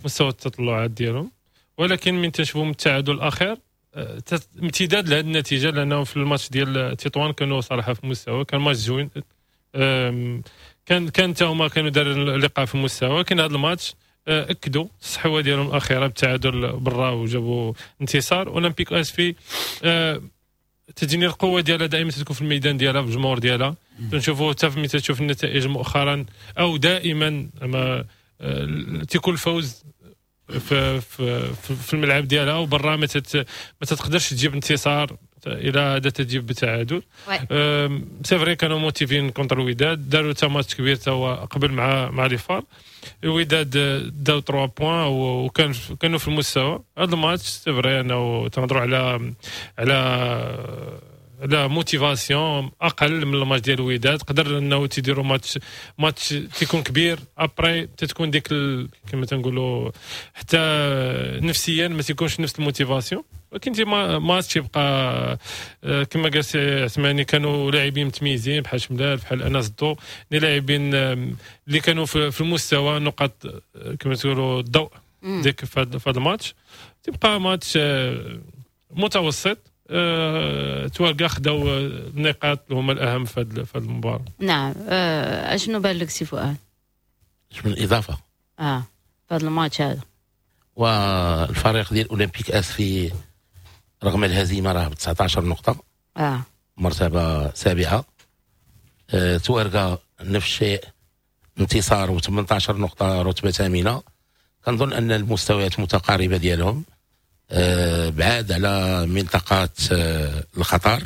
مستوى التطلعات ديالهم، ولكن من تشوفوا التعادل الاخير امتداد لهذه النتيجة، لانه في الماتش ديال تطوان كانوا صراحة في مستوى، كان ماتش زوين، كان كان حتى هما كانوا داروا اللقاء في مستوى، ولكن هذا الماتش اكدوا الصحوة ديالهم الاخيرة بالتعادل برا وجابوا انتصار. اولمبيك اسفي تجيني القوة ديالها دائما تكون في الميدان ديالها في الجمهور ديالها، تنشوفوا حتى ملي تشوف النتائج مؤخرا او دائما ما تيكون الفوز في في في الملعب ديالها وبرا ما ما تقدرش تجيب انتصار الى هذا تجيب بتعادل. c'est vrai كانوا motivés contre الوداد، داروا تا ماتش كبير تا هو قبل مع مع les FAR، الوداد داو ثلاثة points وكان كانوا في المستوى. هذا الماتش c'est vrai انه تنهضروا على على على motivation اقل من الماتش ديال الوداد، قدر انه تيديروا match match تيكون كبير، après تتكون ديك ال... كما تنقولوا حتى نفسيا ما تيكونش نفس ال motivation. ولكن ديما ماتش يبقى كما قال سي عثماني كانوا لاعبين متميزين بحال شملال بحال انس الضو، لاعبين اللي كانوا في المستوى، نقاط كما تقولوا الضوء ديك في هذا الماتش. تبقى ماتش متوسط، أه، تواركا خداو النقاط اللي هما الاهم في هذه المباراة. نعم. أه، اشنو بان لك سي فؤاد؟ اش من اضافه؟ اه في هذا الماتش هذا والفريق ديال اولمبيك اسفي رغم الهزيمة راه ب تسعطاش نقطة، اه مرتبه سابعه. أه، تواركا نفس الشيء، انتصار و ثمنطاش نقطة، رتبه ثامنه. كنظن ان المستويات متقاربة ديالهم، أه بعاد على منطقة أه الخطر،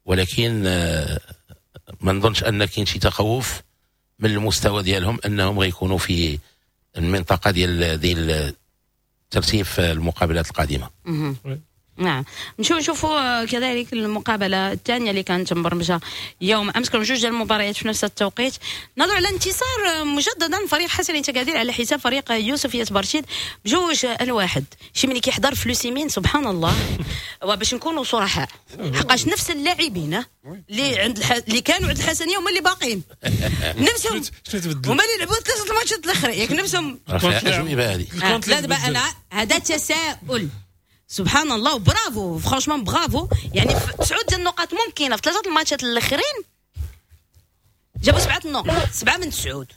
ولكن أه ما نظنش ان كاين شي تخوف من المستوى ديالهم انهم غيكونوا في المنطقة ديال ديال ترتيب المقابلات القادمة. نعم. نمشيو نشوفوا كذلك المقابلة الثانية اللي كانت مبرمجه يوم امس، كانوا جوج ديال المباريات في نفس التوقيت. نهضروا على انتصار مجددا فريق حسنية أكادير على حساب فريق يوسفية برشيد بجوج الواحد. شي ملي كيحضر فلوسيمين سبحان الله، وباش نكونوا صرحاء حقاش نفس اللاعبين اللي عند الح... اللي كانوا عند الحسنيه هما اللي باقيين نفسهم، هما اللي لعبوا ثلاثة الماتشات الاخرين، ياك نفسهم. لا دابا انا هذا تساؤل سبحان الله، bravo franchement bravo. يعني تسعود ديال النقاط ممكنة في ثلاثة الماتشات الاخرين، جابوا سبعة النقط، سبعة من تسعود.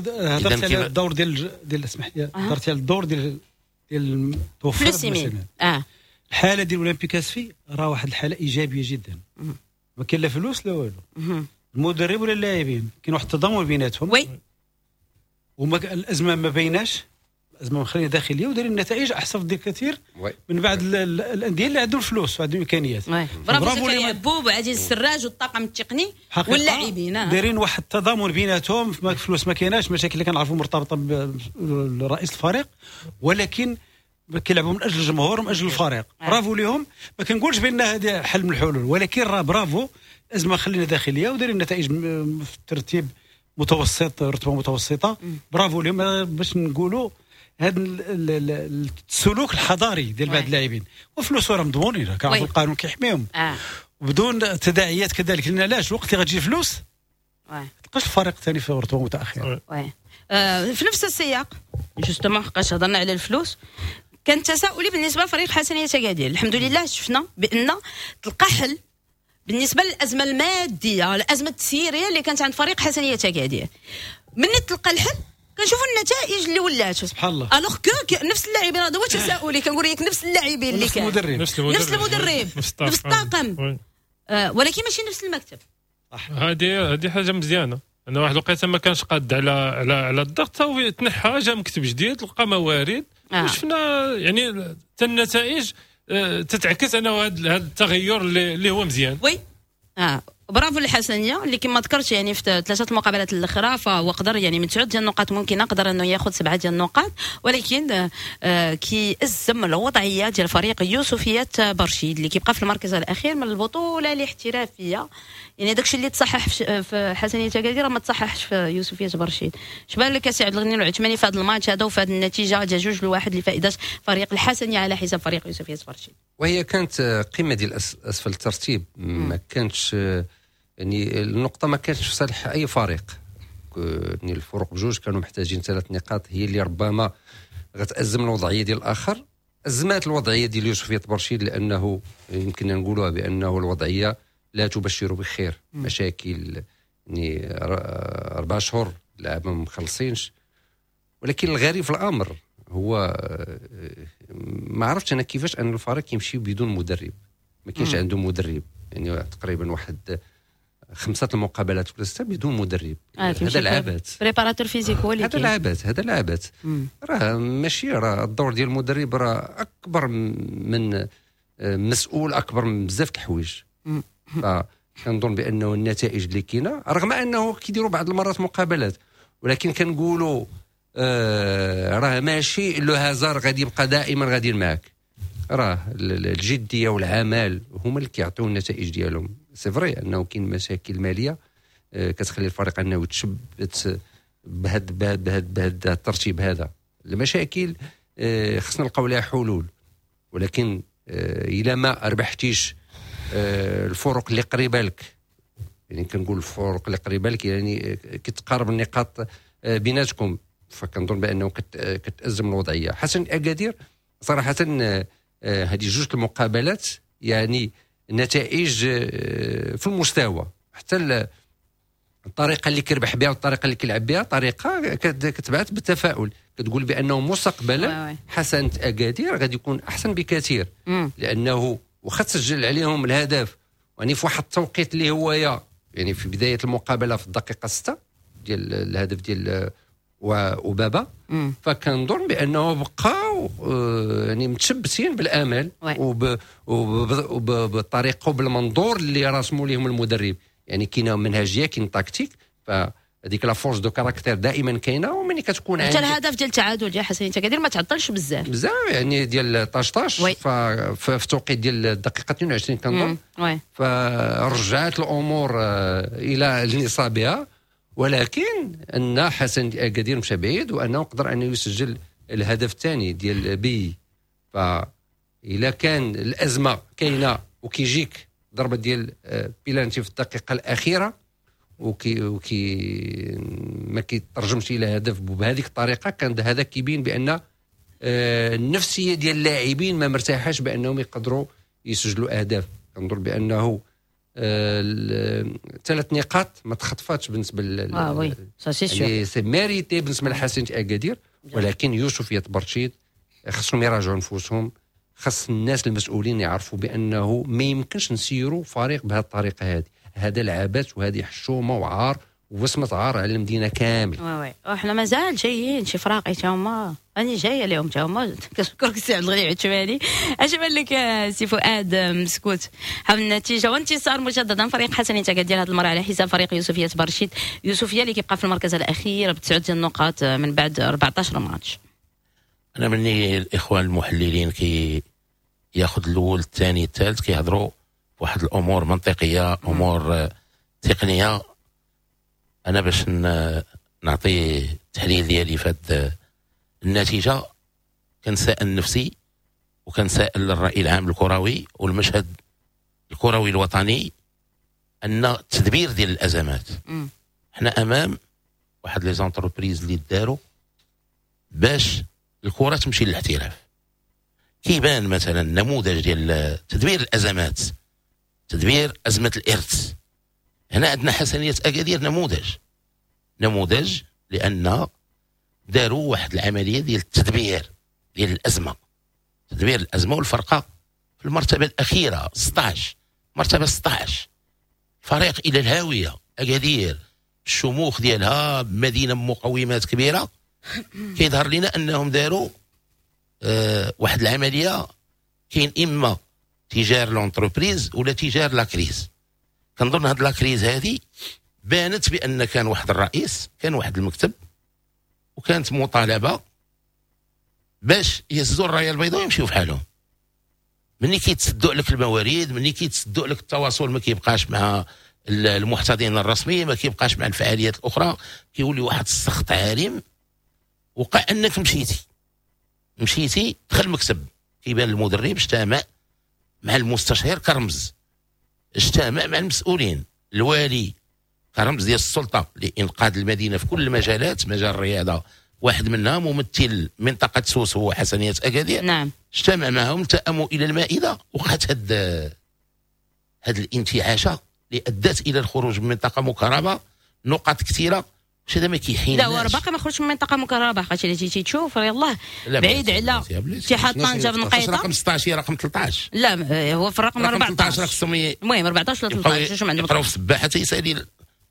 هضرت على الدور ديال ديال اسمح لي، هضرت على الدور ديال ديال توفر اه الحالة ديال اولمبيك اسفي راه واحد الحالة ايجابية جدا، ما كاين لا فلوس لا والو، المدرب ولا اللاعبين كاين واحد التضامن بيناتهم، oui وما الازمة ما بيناش، الازمة مخليه داخلية ودايرين النتائج احسن بكثير من بعد الاندية اللي عندهم الفلوس وعندهم الامكانيات. برافو زكريا بوب وعزيز السراج والطاقم التقني واللاعبين دايرين واحد التضامن بيناتهم، ما فلوس ما كايناش، مشاكل اللي كنعرفوا مرتبطة برئيس الفريق، ولكن كيلعبوا من اجل الجمهور ومن اجل الفريق. برافو لهم، ما كنقولش بان هذا حل من الحلول، ولكن راه برافو، الازمة خلينا داخلية ودايرين النتائج في الترتيب متوسط، رتبه متوسطه. برافو لهم باش نقولوا هذا السلوك الحضاري ديال بعض اللاعبين، وفلوس راه مضمونين، كنعرفوا القانون كيحميهم آه. وبدون تداعيات كذلك، لان علاش الوقت اللي غتجي فلوس ما تلقاش الفريق الثاني في رتبه متاخرة. آه في نفس السياق justement حقاش هضرنا على الفلوس، كان تساؤلي بالنسبة لفريق حسنيه أكادير. الحمد لله شفنا بان تلقى حل بالنسبة للازمة المادية، الازمة التسييريه اللي كانت عند فريق حسنيه أكادير. من تلقى الحل كنشوفوا النتائج اللي ولات سبحان الله. alors que نفس اللاعبين، هذا هو تساؤلي، كنقول لك نفس اللاعبين اللي كان، نفس المدرب، نفس المدرب، نفس الطاقم، آه ولكن ماشي نفس المكتب. هذه هذه حاجة مزيانه، انا واحد الوقيته ما كانش قاد على على على الضغط، هو تنحى، جا مكتب جديد، لقى موارد، آه. وشفنا يعني حتى النتائج آه تتعكس انه هذا التغير اللي, اللي هو مزيان. oui اه برافو الحسنيه اللي كما ذكرت يعني في ثلاثة المقابلات الاخرى فهو قدر يعني من تسعود ديال النقاط ممكن قدر انه ياخذ سبعة ديال النقاط، ولكن آه كي ازم الوضعية ديال فريق يوسفيه برشيد اللي كيبقى في المركز الاخير من البطولة الاحترافية. يعني داكشي اللي تصحح في حسنيه أكادير ما تصححش في يوسفيه برشيد. اش بان لك سي عبد الغني العثماني في هذا الماتش هذا وفي هذه النتيجة ديال جوج لواحد لفائدة فريق الحسنيه على حساب فريق يوسفيه برشيد؟ وهي كانت قمة ديال اسفل الترتيب، ما كانتش يعني النقطة ما كانتش في صالح اي فريق، يعني الفرق بجوج كانوا محتاجين ثلاث نقاط هي اللي ربما غتأزم الوضعية ديال الاخر. ازمات الوضعية ديال يوسفيه برشيد لانه يمكن نقولوها بانه الوضعية لا تبشر بخير، مشاكل يعني اربع شهور لعبه ما مخلصينش. ولكن الغريب في الامر هو ما عرفتش انا كيفاش ان الفريق يمشي بدون مدرب، ما كاينش عنده مدرب، يعني تقريبا واحد خمسة المقابلات ولا ستة بدون مدرب. آه هذا العبث، préparateur physique هو اللي هذا العبث، هذا العبث راه ماشي، راه الدور ديال المدرب راه اكبر من مسؤول، اكبر من بزاف د الحوايج. فكنظن بانه النتائج اللي كاينه رغم انه كيديروا بعض المرات مقابلات، ولكن كنقولوا آه راه ماشي le hasard غادي يبقى دائما غادي معاك، راه الجدية والعمل هما اللي كيعطيو النتائج ديالهم. c'est vrai انه كاين مشاكل ماليه آه كتخلي الفريق انه يتشبت بهاد بهاد بهاد بهاد الترتيب هذا. المشاكل آه خصنا نلقاو لها حلول، ولكن الا ما ربحتيش الفرق اللي قريبه لك، يعني كنقول الفرق اللي قريبه لك يعني كتقارب النقاط بيناتكم، فكنظن بانه كتازم الوضعية. حسن اكادير صراحة هذه جوج المقابلات يعني نتائج في المستوى، حتى الطريقة اللي كيربح بها والطريقة اللي كيلعب بها طريقه كتبعث بالتفاؤل، كتقول بانه مستقبلا حسن اكادير غادي يكون احسن بكثير، لانه واخا تسجل عليهم الهدف يعني في واحد التوقيت اللي هو يا يعني في بداية المقابلة في الدقيقة ستة ديال الهدف ديال وبابا، فكنظن بانه بقاو يعني متشبثين بالامل وبالطريقه وبالمنظور اللي راسموا لهم المدرب. يعني كاينه منهجيه، كاين tactique، فهذيك la force de caractère دائما كاينه. وملي كتكون عندك حتى الهدف ديال التعادل ديال حسنية اكادير ما تعطلش بزاف بزاف، يعني ديال طاش طاش في التوقيت ديال الدقيقة اثنين وعشرين كنظن، فرجعت الامور الى نصابها. ولكن ان حسن اكادير مشى بعيد وانه قدر انه يسجل الهدف الثاني ديال بي. فإلا كان الازمة كاينه وكيجيك ضربه ديال بيلانتي في الدقيقة الاخيرة وكي وكي ما كيترجمش الى هدف بهذيك الطريقة، كان هذا كيبين بان النفسية ديال اللاعبين ما مرتاحاش بانهم يقدروا يسجلوا اهداف. كنظن بانه ثلاث نقاط ما تخطفاتش بالنسبة ل اه oui ça c'est sûr، يعني c'est mérité بالنسبة لحسنية اكادير. ولكن يوسفية برشيد خصهم يراجعوا نفوسهم، خص الناس المسؤولين يعرفوا بانه ما يمكنش نسيروا فريق بهذه الطريقة هذه. هذا العبث وهذه حشومه وعار ووسمه عار على المدينة كامل. oui oui وحنا مازال جايين شي فراقي تا هما، راني جاية لهم تا هما. كنشكرك سي عبد الغني عثماني. اش بان لك سي فؤاد مسكوت حول النتيجة وانتصار مجددا فريق حسنية اكادير هذه المرة على حساب فريق يوسفيه برشيد؟ يوسفيه اللي كيبقى في المركز الاخير بتسعة ديال النقاط من بعد أربعة عشر ماتش. انا مني الاخوان المحللين كي ياخذ الاول الثاني الثالث كيهضروا واحد الامور منطقية، امور تقنية. انا باش نعطي التحليل ديالي في هذه النتيجة كنسائل نفسي وكنسائل الراي العام الكروي والمشهد الكروي الوطني ان التدبير ديال الازمات، حنا امام واحد les entreprises اللي داروا باش الكره تمشي للاحتراف. كيبان مثلا نموذج ديال تدبير الازمات، تدبير ازمة الارث. هنا عندنا حسنيه اكادير نموذج، نموذج لان داروا واحد العملية ديال التدبير ديال الازمة، تدبير الازمة، والفرقة في المرتبة الاخيرة ستة عشر، مرتبه ستة عشر، فريق الى الهاوية. اكادير الشموخ ديالها مدينة بمقومات كبيره، كيظهر لنا انهم داروا آه واحد العملية كاين اما tu gères l'entreprise ولا tu gères la crise. كنظن هاد la crise هذه بانت بان كان واحد الرئيس، كان واحد المكتب، وكانت مطالبه باش يهزوا الراية البيضاء ويمشيو في حالهم. ملي كيتسدوا لك الموارد، ملي كيتسدوا لك التواصل، ما كيبقاش مع المحتضن الرسمي، ما كيبقاش مع الفعاليات الاخرى، كيولي واحد السخط عارم. وقع انك مشيتي مشيتي دخل المكتب، كيبان المدرب اجتمع مع المستشير كرمز، اجتمع مع المسؤولين، الوالي كرمز ديال السلطة لانقاذ المدينة في كل المجالات، مجال الرياضة واحد منها، ممثل منطقة سوس هو حسنيه اكادير. نعم اجتمع معهم، التأموا الى المائده، وقعت هاد هاد الانتعاشه اللي ادت الى الخروج من منطقة مكربه، نقاط كثيره. واش هذا ما كيحين؟ لا، هو باقي ما خرجش من منطقة مكربه، خاطر الا جيتي تشوف يلاه بعيد على اتحاد طنجه بنقيطه. رقم ستة عشر، رقم ثلاثة عشر. لا، هو في الرقم أربعة عشر. خصهم المهم أربعة عشر ولا ثلاثة عشر، شو عندهم. يقراو في السباحة تيسالي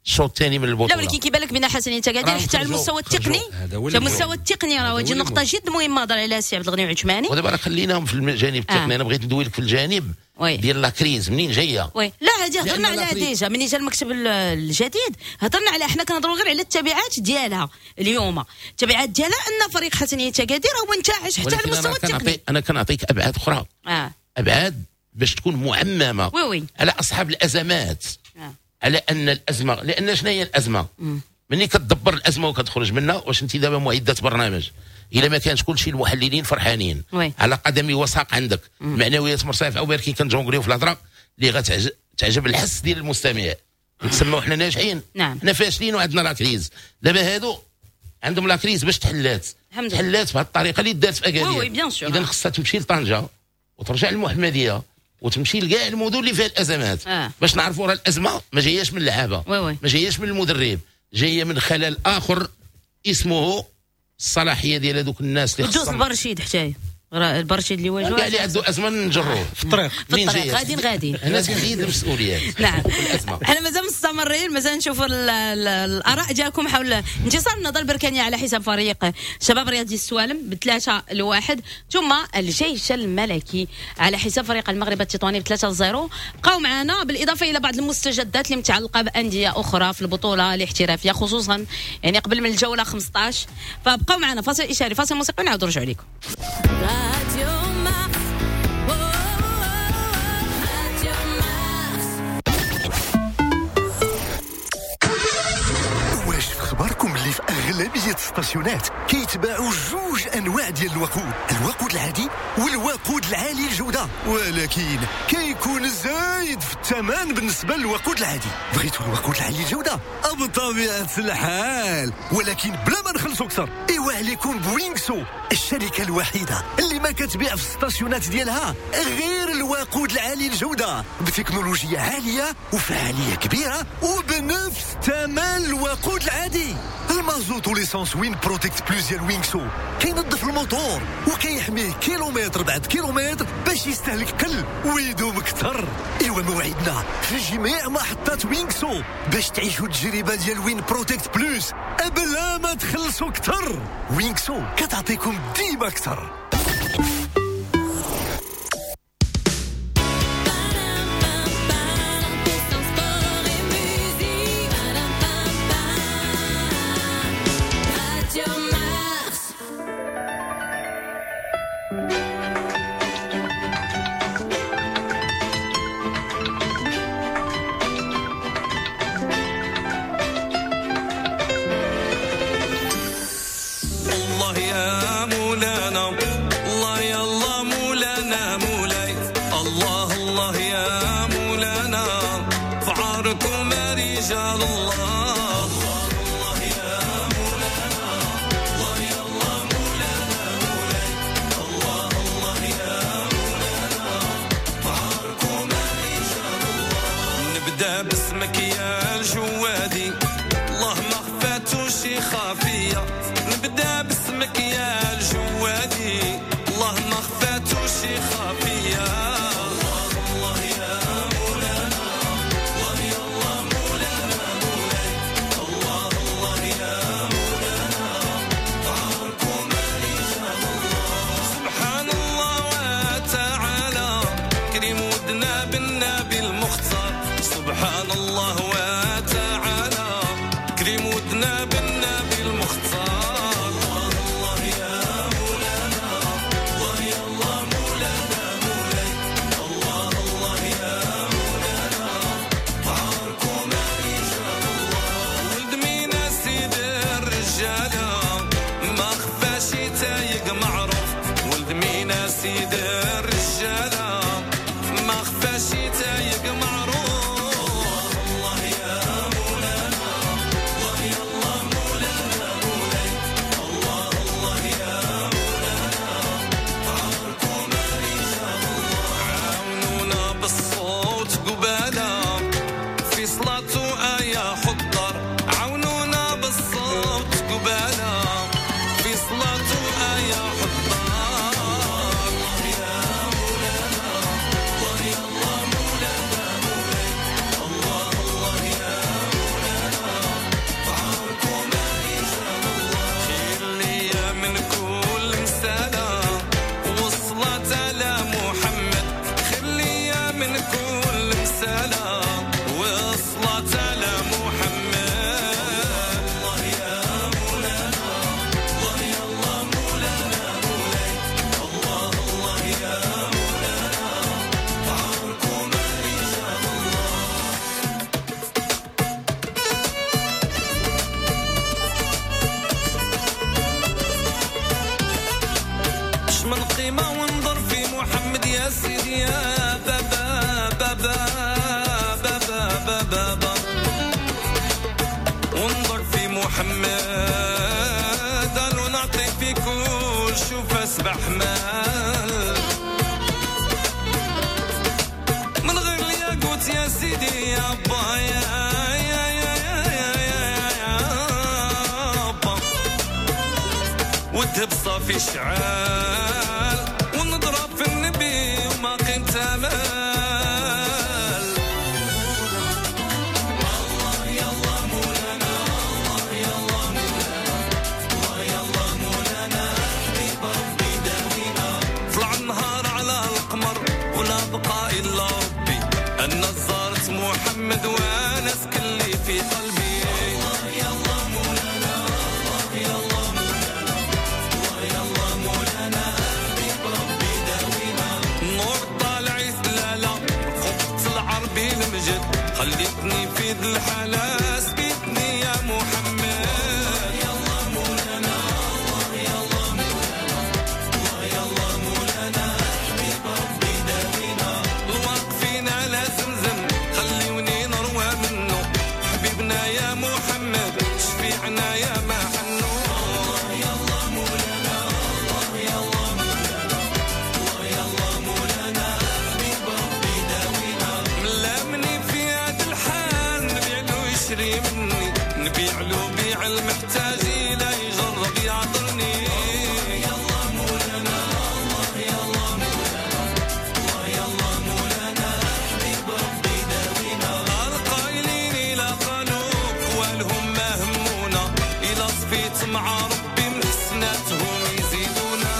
الشوط الثاني من البطوله. لا، ولكن كيبان لك بان حسنية اكادير حتى على المستوى التقني، على المستوى التقني راه هذه نقطة جد مهمة هضر عليها السي عبد الغني عثماني. ودابا راه خليناهم في الجانب التقني. آه. انا بغيت ندوي لك في الجانب oui. ديال la crise منين جايه. oui، لا، هذه هضرنا عليها déjà ملي جا المكتب الجديد هضرنا على، حنا كنهضروا غير على التبعات ديالها اليوم. التبعات ديالها ان فريق حسنيه اكادير هو انتعش حتى على المستوى التقني. انا كنعطيك ابعاد اخرى آه. ابعاد باش تكون معممه oui oui. على اصحاب الازمات آه. على ان الازمه، لان شنو هي الازمة؟ ملي كتدبر الازمة وكتخرج منها، واش انت دابا معده برنامج الا ما كانش كلشي المحللين فرحانين oui. على قدم وساق عندك معنويات مرتفعة، ولكن كنجونغليو في الهضرة اللي غتعجب الحس ديال المستمع، نتسموا حنا ناجحين. نعم. حنا فاشلين وعندنا la crise. دابا هادو عندهم la crise باش تحلات، تحلات بهذه الطريقة اللي دارت في اكادير. اذا خصها تمشي لطنجه وترجع للمحمديه وتمشي لكاع المدن اللي فيها الازمات آه. باش نعرفوا راه الازمة ما جاياش من اللعابه، ما جاياش من المدرب، جاية من خلل اخر اسمه الصلاحية ديال هذوك الناس اللي خصهم. البرشيد حتى البرشيد اللي واجهوا كاع اللي عنده ازمة نجروه في الطريق، في الطريق غاديين غاديين. هنا تحديد المسؤوليات. نعم حنا مازال مستمرين، مازال نشوفوا الاراء ديالكم حول انتصار النهضة البركانيه على حساب فريق شباب رياضي السوالم بثلاثة لواحد، ثم الجيش الملكي على حساب فريق المغرب التطواني بثلاثة لصفر. بقاو معنا، بالاضافة الى بعض المستجدات اللي متعلقه بانديه اخرى في البطولة الاحترافية، خصوصا يعني قبل من الجولة خمسطاش. فبقاو معنا، فاصل اشاري، فاصل موسيقي، ونعاودوا نرجعوا لكم. Radio Mars. Oh, Radio Mars. واش في خبركم اللي في أغلبية الستاسيونات كيتباعوا جوج أنواع ديال الوقود، الوقود العادي والوقود العالي الجودة، ولكن كيكون زايد في الثمن بالنسبة للوقود العادي. بغيتوا الوقود العالي الجودة؟ بطبيعة الحال، ولكن بلا ما نخلصوا أكثر. إيوا عليكم بوينكسو، الشركة الوحيدة اللي ما كتبيع في الستاسيونات ديالها غير الوقود العالي الجودة بتكنولوجيا عالية وفعالية كبيرة وبنفس ثمن الوقود العادي. المازوت و l'essence Win Protect Plus ديال وينكسو كينظف الموتور وكيحميه كيلومتر بعد كيلومتر باش يستهلك قل ويدوم اكثر. ايوا موعدنا في جميع محطات وينكسو باش تعيشوا التجربة ديال Win Protect Plus بلا ما تخلصوا اكثر. وينكسو كتعطيكم ديما اكثر. باسمك يا الجوادي، الله ما خفاتو شي خافية. نبدا باسمك يا الجوادي، الله ما خفاتو شي خافية. الله الله يا مولانا، الله يا الله مولانا مولاي، الله الله يا مولانا عاركم رجال الله. سبحان الله وتعالى كريم ودنا بالنبي المختار. سبحان الله وتعالى كريم ودنا بالنبي المختار. الله الله يا مولانا، الله يا الله مولانا مولاي، الله الله يا مولانا عاركم رجال الله. ولد مينا سيد الرجالة ما خفاش تايق معروف. ولد مينا سيد الرجالة ما خفاش تايق معروف. محمد، قالوا نعطي في كل شوفة سبع حمال، من غير الياقوت يا سيدي يا با يا يا يا يا يا يا با، والذهب صافي شعال، ونضرب في النبي وما قيمته مال. محمد وانا سكلي في قلبي، الله يا الله مولانا، الله يا الله مولانا، الله يا الله مولانا، حبيب ربي داوينا. النور طالع يتلالا قبط العربي المجد، خليتني في ذي الحالة سبيتني يا محمد. الله يا الله مولانا، الله يا الله مولانا، الله يا الله مولانا، حبيب ربي داوينا. الواقفين على زمزم خليوني نروى منه، حبيبنا يا محمد شفيعنا يا محنو. الله يا الله مولانا، الله يا الله مولانا، الله يا الله مولانا، حبيب ربي داوينا. ملامني في هذا الحال نبيع له يشري مني، نبيع له بيع المحتاج لا يجرب يعذرني. الله يا الله مولانا، الله يا الله مولانا، الله يا الله مولانا، حبيب ربي داوينا. القايلين إلى قالوا قوالهم ما همونا، إلى صفيت مع ربي من حسناتهم يزيدونا.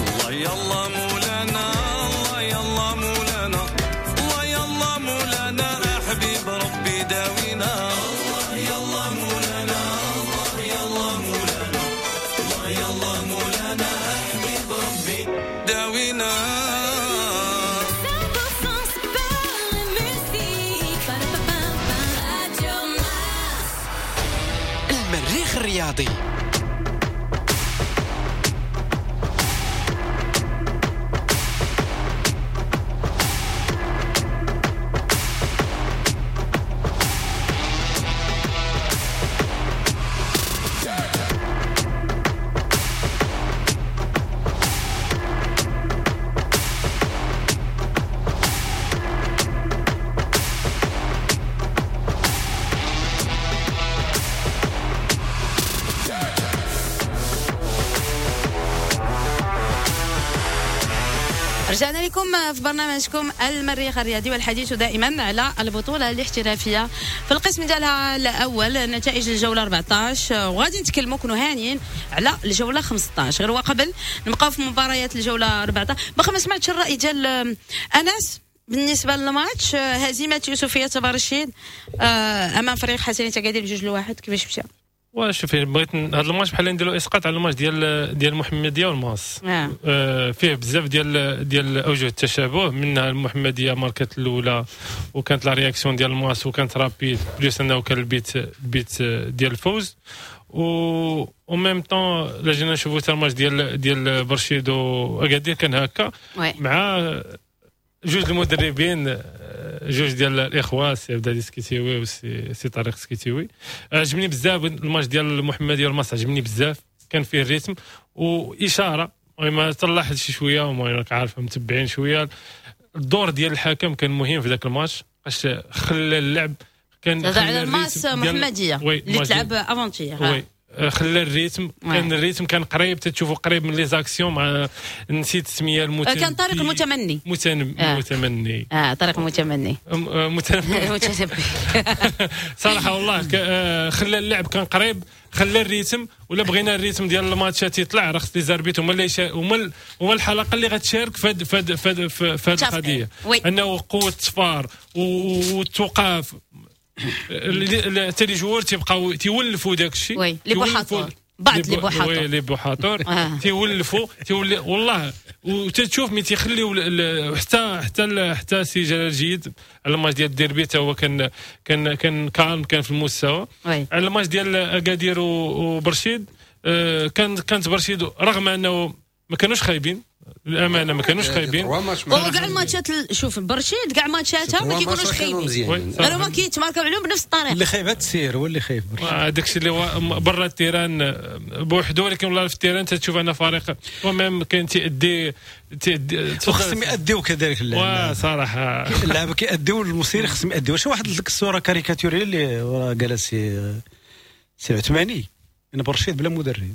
الله يا الله مولانا، الله يا الله مولانا، الله يا الله مولانا، حبيب ربي داوينا. الله يا الله مولانا، الله يا الله مولانا، الله يا الله مولانا، حبيب ربي داوينا. cent pour cent sport et musique. Radio Mars. المريخ الرياضي. رجعنا لكم في برنامجكم المريخ الرياضي، والحديث دائما على البطولة الاحترافية في القسم ديالها الأول، نتائج الجولة أربعطاش، وغادي نتكلموا كونوا هانيين على الجولة خمسطاش. غير وقبل نبقاو في مباريات الجولة أربعطاش. باقي ما سمعتش الرأي ديال أنس بالنسبة للماتش، هزيمة يوسفية برشيد أمام فريق حسنية أكادير بجوج لواحد، كيفاش مشى؟ وشوف بغيت هذا الماتش بحال نديرو اسقاط على الماتش ديال ديال المحمدية والماس. آه. آه فيه بزاف ديال ديال اوجه التشابه، منها المحمدية ماركت الاولى وكانت la réaction ديال الماس وكانت rapide، plus انه كان البيت البيت ديال الفوز، و au même temps لا جينا نشوفو حتى الماتش ديال ديال برشيد واكادير كان هكا مع جوج المدربين، جوج ديال الاخوة سي عبد العزيز سكيتيوي وسي سي طارق سكيتيوي. عجبني بزاف الماتش ديال المحمدية والماس، عجبني بزاف، كان فيه ال rythme واشاره، المهم تلاحظ شي شوية وما راك عارفه متبعين شوية الدور ديال الحكم كان مهم في ذاك الماتش، باش خلى اللعب كان على الماس محمديه اللي تلعب avant-hier، oui خلى ال rythme، كان ال rythme كان قريب، تتشوفوا قريب من les actions مع نسيت السمية المتنبي، كان طارق المتمني متن... آه. متمني اه طارق المتمني متنبي متنبي صراحة والله ك... خلى اللعب كان قريب، خلى ال rythme. ولا بغينا ال rythme ديال الماتشات يطلع راه خص les arbitres هما اللي يشا... هما هما الحلقة اللي غتشارك في هاد في هاد في هاد القضية، انه قوة الصفار والتوقاف حتى les joueurs تيبقاو تيولفوا داك الشيء، oui les بوحاطور، بعض les بوحاطور، oui les بوحاطور تيولفوا تيولي والله. وتتشوف ملي تيخليو حتى حتى حتى سي جلال جيد على الماتش ديال الديربي حتى هو كان كان كان كان كان في المستوى. على الماتش ديال اكادير وبرشيد كان كانت برشيد رغم انه ما كانوش خايبين للامانة، ما كانوش خايبين. وكاع الماتشات، شوف برشيد كاع ماتشاتها ما كيكونوش خايبين، غير هما كيتماركاو عليهم بنفس الطريقة. اللي خايب التسير هو اللي خايب، هذاك الشيء اللي هو برا ال terrain بوحدو، ولكن والله في ال terrain تشوف ان فريق و même كاين تيأدي تيأدي، وخصهم يأديو كذلك اللعب صراحة. اللعابه كيأديو، المسير خصهم يأديو. واش واحد الصورة كاريكاتوريه اللي قالها سي سي عثماني، ان برشيد بلا مدرب،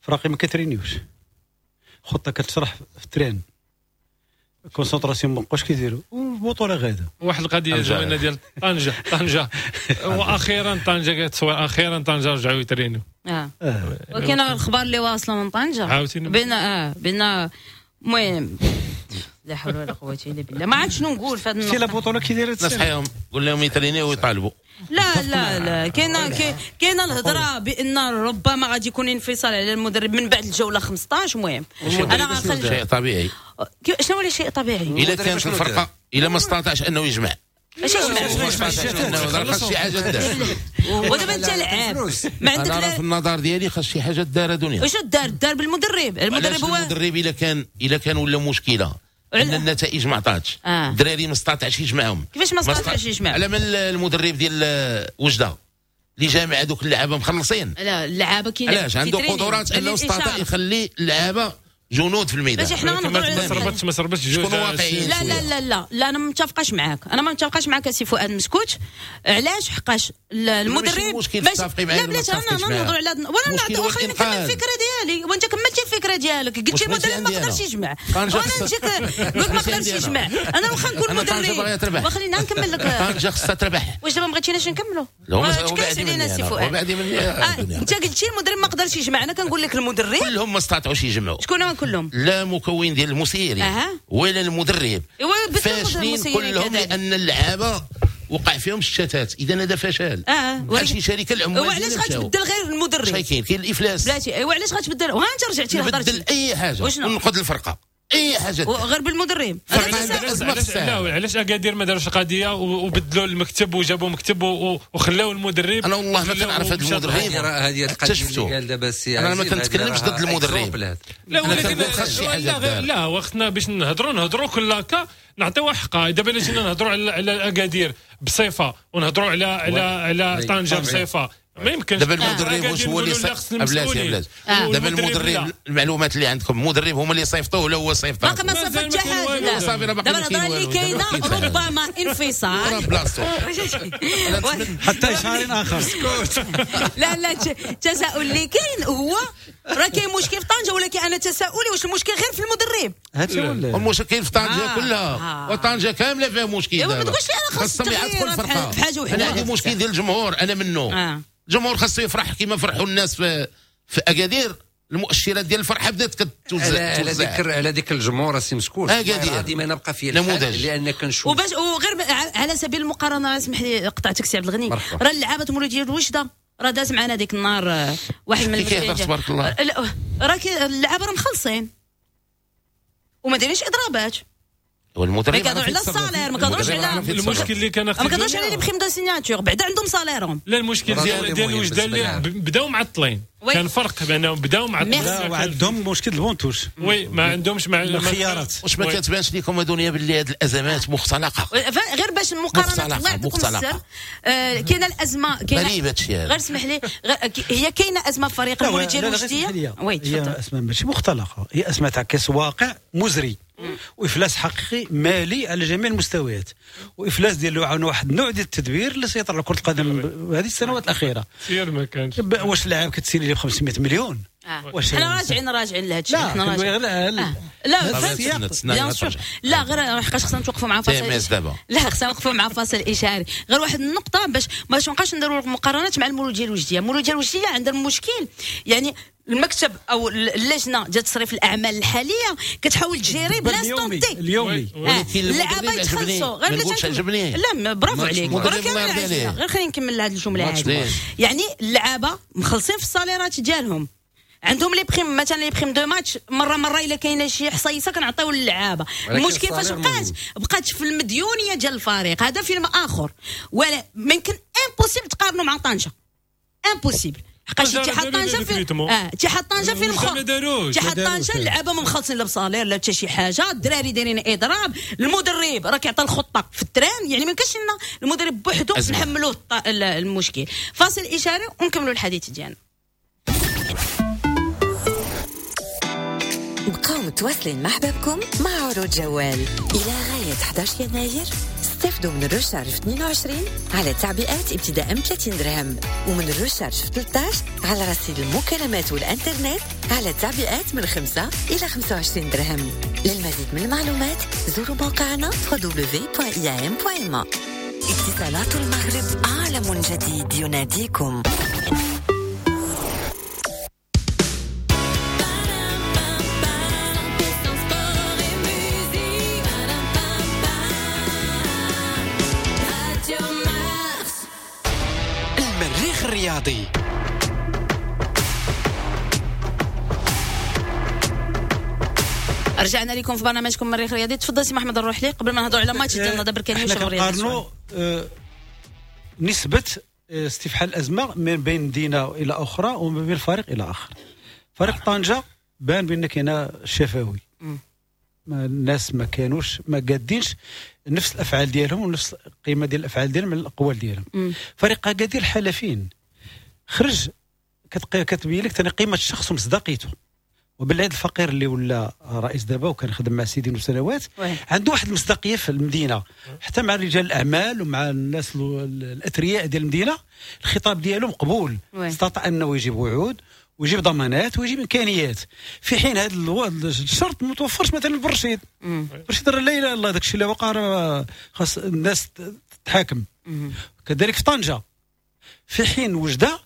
فراقي ما كترينيوش، خطه كتشرح في ال terrain، concentration ما بقاوش كيديروا، والبطوله غاده. واحد القضية زوينة ديال طنجه، طنجه واخيرا طنجه كتصور، اخيرا طنجه رجعوا يترينوا. اه ولكن الخبر اللي واصله من طنجه بين اه بين المهم لا حول ولا قوة الا بالله، ما عرفت شنو نقول في هذا النقطة. البطولة كي دايرة نصحيهم، قول لهم يترينيو ويطالبوا. لا لا لا، كاينه كاينه الهضرة بان ربما غادي يكون انفصال على المدرب من بعد الجولة خمسطاش. المهم انا غنخلي شيء طبيعي. شنو هو شيء طبيعي؟ الا كانت الفرقة الا ما استطاعش انه يجمع، ماشي يجمع خاص شي حاجة دار. ودابا انت لعاب ما عندك، انا في النظر ديالي خاص شي حاجة دار دنيا. واش دار؟ دار بالمدرب. المدرب هو المدرب الا كان الا كان ولا مشكلة ان النتائج ما عطاتش، الدراري ما استطاعش يجمعهم. كيفاش ما استطاعش يجمعهم؟ على من المدرب ديال وجده اللي جامع هذوك اللعابه مخلصين؟ لا اللعابه كاين علاش عنده قدرات انه استطاع يخلي اللعابه جنود في الميدان. ماشي حنا ما صربتش ما صربتش جوج. لا لا لا لا لا انا ما متفقاش معاك، انا ما متفقاش معاك سي فؤاد مسكوت. علاش؟ حقاش المدرب ماشي لا بلاتي، انا نهضروا على وانا نعطي، خليني نكمل الفكرة ديالي وانت كملتي الفكرة ديالك. قلتي المدرب ما قدرش يجمع، وانا نجيك قلت ما قدرش يجمع. انا واخا نكون مدرب وخلينا نكمل لك. طنجه خصها تربح. واش دابا ما بغيتيناش نكملوا؟ تكلمت علينا سي فؤاد. انت قلتي المدرب ما قدرش يجمع، انا كنقول لك المدرب كلهم ما استطاعوش يجمعوا. شكون كلهم؟ لا مكون ديال المسيرين أه. ولا المدرب فاشلين كلهم، لان اللعابه وقع فيهم الشتات. اذا هذا فشل. اه بحال شي شركة العمال. وعلاش غتبدل غير المدرب؟ شي كاين كاين الافلاس بلاتي. ايوا علاش غتبدل؟ وها انت رجعتي لهضرتي. نبدل اي حاجة ونقد الفرقة، اي حاجة غير بالمدرب. لا علاش اكادير ما داروش القضية وبدلوا المكتب وجابوا مكتب وخلاو المدرب؟ انا والله ما كنعرف هذا المدرب. هذه القضية اللي قال دابا السي، انا ما كنتكلمش ضد المدرب. لا ولكن لا لا وقتنا باش نهضروا نهضروا كل cas نعطيوها حقها. دابا الا جينا نهضروا على على اكادير بصفة ونهضروا على على على طنجه بصفة، ما يمكنش. دابا المدرب واش هو اللي بلاتي بلاتي دابا المدرب، المعلومات اللي عندكم المدرب هما اللي صيفطوه ولا هو صيفطه؟ باقي ما صيفط حتى حاجة. دابا الهضرة اللي كاينه ربما انفصال بلاصتو حتى شهر اخر. لا لا التساؤل اللي كاين هو راه كاين مشكل في طنجه، ولكن انا تساؤلي واش المشكل غير في المدرب؟ هادشي ولا المشكل في طنجه كلها، وطنجه كاملة فيها مشكل. ما تقولش لي انا خاص التغيير في حاجة وحده. انا عندي مشكل ديال الجمهور، انا منه. الجمهور خاصو يفرح كما فرحوا الناس في في اكادير. المؤشرات ديال الفرحة بدات كتوزع. على ذكر على ذكر الجمهور السي مسكوت، ديما نبقى فيه نموذج لان كنشوف وباش وغير على سبيل المقارنة، اسمح لي قطعتك سي عبد الغني، راه اللعابه مولوديه الوجده راه داز معنا ديك النهار واحد من كيهضر تبارك الله، راه اللعابه راه مخلصين وما دايرينش اضرابات. والمدرب ما كيهضروا على ال salaire، ما كيهضروش على المشكل اللي كان، ما كيهضروش على les primes de signature، بعدا عندهم salaire هم. لا المشكل ديال ديال الوجده اللي بداو معطلين، كان فرق بانهم بداو معطلين وعندهم مشكل ال banc de touche. oui ما عندهمش مع الخيارات. واش ما كتبانش لكم دنيا باللي هذه الازمات مختلقه؟ غير باش المقارنة الله يعطيكم السر، كاينه الازمة، كاينه غير اسمح لي، هي كاينه ازمة في فريق المولوديه الوجديه. oui هي ازمة ماشي مختلقه، هي ازمة تعكس واقع مزري وافلاس حقيقي مالي على جميع المستويات، وافلاس ديال واحد النوع ديال التدبير اللي سيطر على كره القدم هذه السنوات الاخيرة. سير ما كانش. واش اللاعب كتسيني لي ب خمسمية مليون؟ آه. واش حنا راجعين راجعين لهذا الشيء، حنا راجعين. لا لا bien sûr، لا غير حقاش خصنا نتوقفوا مع فاصل، لا خصنا نوقفوا مع فاصل اشهاري. غير واحد النقطة باش ما نبقاش نديروا مقارنات مع المولوديه الوجديه. المولوديه الوجديه عندها المشكل، يعني المكتب او اللجنة ديال تصريف الاعمال الحالية كتحاول تجيري ب l'instant T اليومي، ولكن اللعابه يتخلصوا غير بلا. لا برافو عليك، غير خليني نكمل هذه الجملة هذه. يعني اللعابه مخلصين في الصاليرات ديالهم، عندهم les primes، مثلا les primes de match مرة مرة الا كاينه شي حصيصه كنعطيو للعابه. المشكل فاش بقات بقات في المديونيه ديال الفريق، هذا فيلم اخر، ولا ممكن impossible تقارنوا مع طنجه، impossible. حقاش اتحاد طنجه في اه اتحاد طنجه في المخ اتحاد طنجه اللعابه ما مخلصين لا ب salaire لا حتى شي حاجة، الدراري دايرين اضراب، المدرب راه كيعطي الخطة في ال terrain، يعني ما يمكنش لنا المدرب بوحدو نحملوه المشكل. فاصل اشاري ونكملوا الحديث ديالنا. بقاو متواصلين مع حبابكم مع عروض جوال إلى غاية أحد عشر يناير. استفدوا من ال recharge في اثنين وعشرين على تعبئات ابتداء من ثلاثين درهم، ومن ال recharge في ثلاثة عشر على رصيد المكالمات والانترنت على تعبئات من خمسة إلى خمسة وعشرين درهم. للمزيد من المعلومات زوروا موقعنا دبليو دبليو دبليو دوت إي إم دوت إم إيه. اتصالات المغرب، عالم جديد يناديكم. المريخ الرياضي. رجعنا لكم في برنامجكم المريخ الرياضي. تفضل سي محمد الروحلي قبل ما نهضروا على ماتش ديال النهضة بركانيه وشباب الرياضي. نقارنوا نسبه استفحال الازمة من بين مدينة الى اخرى ومن بين الفريق الى اخر. فريق طنجه بان بان كاين شفوي، الناس ما كانوش ما قادينش نفس الافعال ديالهم ونفس القيمة ديال الافعال ديالهم من الاقوال ديالهم. فريق اكادير الحلفين خرج كتبين لك ثاني قيمة الشخص ومصداقيته. وبالعيد الفقير اللي ولا رئيس دابا وكان خدم مع سيدي سنوات عنده واحد المصداقية في المدينة، حتى مع رجال الاعمال ومع الناس الاثرياء ديال المدينة الخطاب ديالو مقبول. استطاع انه يجيب وعود ويجيب ضمانات ويجيب امكانيات، في حين هذا الشرط ما توفرش مثلا برشيد. برشيد راه لا اله الا الله، داك الشيء اللي وقع راه خاص الناس تتحاكم. كذلك في طنجه، في حين وجده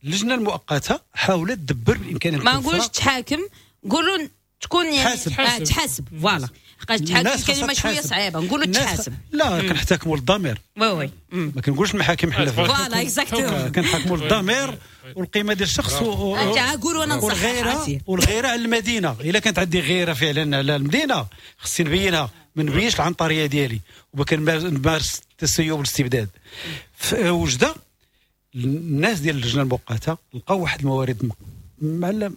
اللجنة المؤقتة حاولت تدبر بالامكانيات. ما نقولش تحاكم، نقولوا تكون يعني تحاسب. آه تحاسب voilà، حقاش تحاكم كلمة شوية صعيبة، نقولوا تحاسب. لا كنحتكموا للضمير. oui oui ما كنقولش المحاكم حنا voilà exactement، كنحكموا للضمير والقيمة ديال الشخص و... قولوا انا والغيرة والغيرة على المدينة. الا كانت عندي غيره فعلا على المدينة خصني نبينها، ما نبينش العنطريه ديالي وما كنمارس التسيب والاستبداد. في وجده الناس ديال اللجنة المؤقتة لقاو واحد الموارد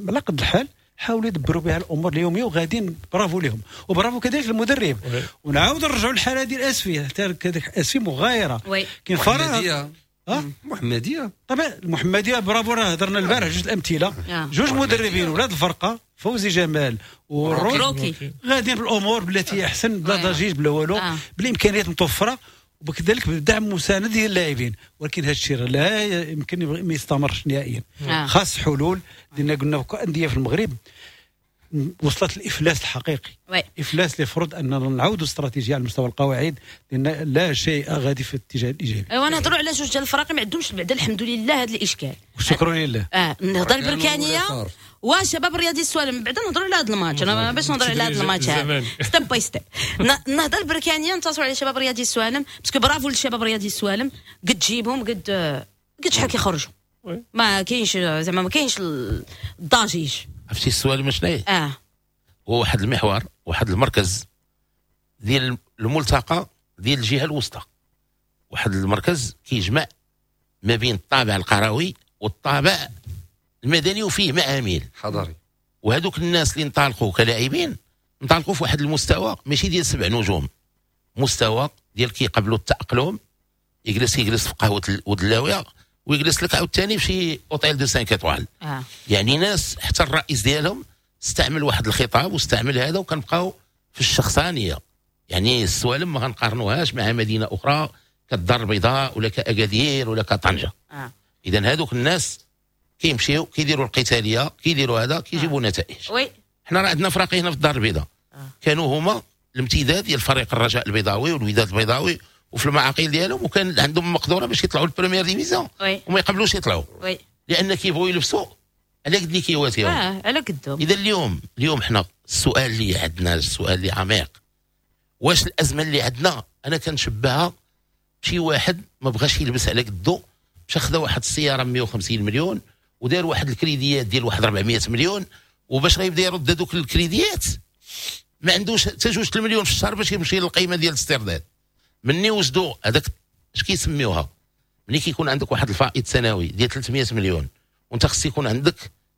على قد الحال، حاولوا يدبروا بها الامور اليومية وغاديين، برافو لهم وبرافو كذلك المدرب. ونعاود نرجعوا للحالة ديال اسفي، حتى كذلك اسفي مغايرة. كاين فرق اه محمديه طبعا المحمدية برافو، راه هضرنا البارح جوج الامثلة، جوج مدربين ولاد الفرقة فوزي جمال وروكي غاديين بالامور بالتي احسن، بلا ضجيج بلا والو، بالامكانيات متوفرة وكذلك بدعم مساند ديال اللاعبين. ولكن هذا الشيء لا يمكن ما يستمرش نهائيا. آه. خاص حلول، لان قلنا اندية في المغرب وصلت الافلاس الحقيقي. oui. افلاس اللي فرض اننا نعاودوا استراتيجية على مستوى القواعد، لان لا شيء غادي في الاتجاه الايجابي. ايوا نهضروا على جوج ديال الفرق ما عندهمش بعدا الحمد لله هذا الاشكال، والشكر لله. اه النهضة البركانيه وشباب الرياضي السوالم. بعدا نهضروا على هذا الماتش، انا باش نهضر على هذا الماتش step by step. النهضة البركانيه انتصروا على شباب الرياضي السوالم، parce que bravo للشباب الرياضي السوالم، قد تجيبهم قد قد شحال كيخرجوا، ما كاينش زعما ما كاينش الضجيج. عرفتي السوالم شنو هي؟ اه هو واحد المحور، واحد المركز ديال الملتقى ديال الجهة الوسطى، واحد المركز كيجمع ما بين الطابع القروي والطابع المدني وفيه معامل حضري. وهذوك الناس اللي انطلقوا كلاعبين انطلقوا في واحد المستوى ماشي ديال سبع نجوم، مستوى ديال كيقبلوا التأقلم، يجلس يجلس في قهوة ودلاويه ويجلس لك عاوتاني في شي hôtel de cinq étoiles. آه. يعني ناس حتى الرئيس ديالهم استعمل واحد الخطاب واستعمل هذا، وكنبقاو في الشخصانيه. يعني السوالم ما غنقارنوهاش مع مدينة اخرى كالدار البيضاء ولا كاكادير ولا كطنجه. آه. اذا هذوك الناس كيمشيو كيديروا القتالية، كيديروا هذا، كيجيبوا آه. نتائج. oui حنا راه عندنا فراقي هنا في الدار البيضاء. آه. كانوا هما الامتداد ديال فريق الرجاء البيضاوي والوداد البيضاوي وفي المعاقل ديالهم، وكان عندهم مقدوره باش يطلعوا ال première division وما يقبلوش يطلعوا. oui لان كيبغوا يلبسوا على قد اللي كيواتيهم. اه على قدهم. اذا اليوم اليوم حنا السؤال اللي عندنا، السؤال اللي عميق، واش الازمة اللي عندنا انا كنشبهها بشي واحد ما بغاش يلبس على قدو، مشى خدا واحد السيارة مية وخمسين مليون ودار واحد الكريديات ديال واحد أربعمية مليون، وباش غيبدا يرد هذوك الكريديات ما عندوش حتى جوج المليون في الشهر باش يمشي للقيمة ديال الاسترداد. مني وجدوا هذاك اش كيسميوها، ملي كيكون عندك واحد الفائض سنوي ديال ثلاثمية مليون وانت خص يكون عندك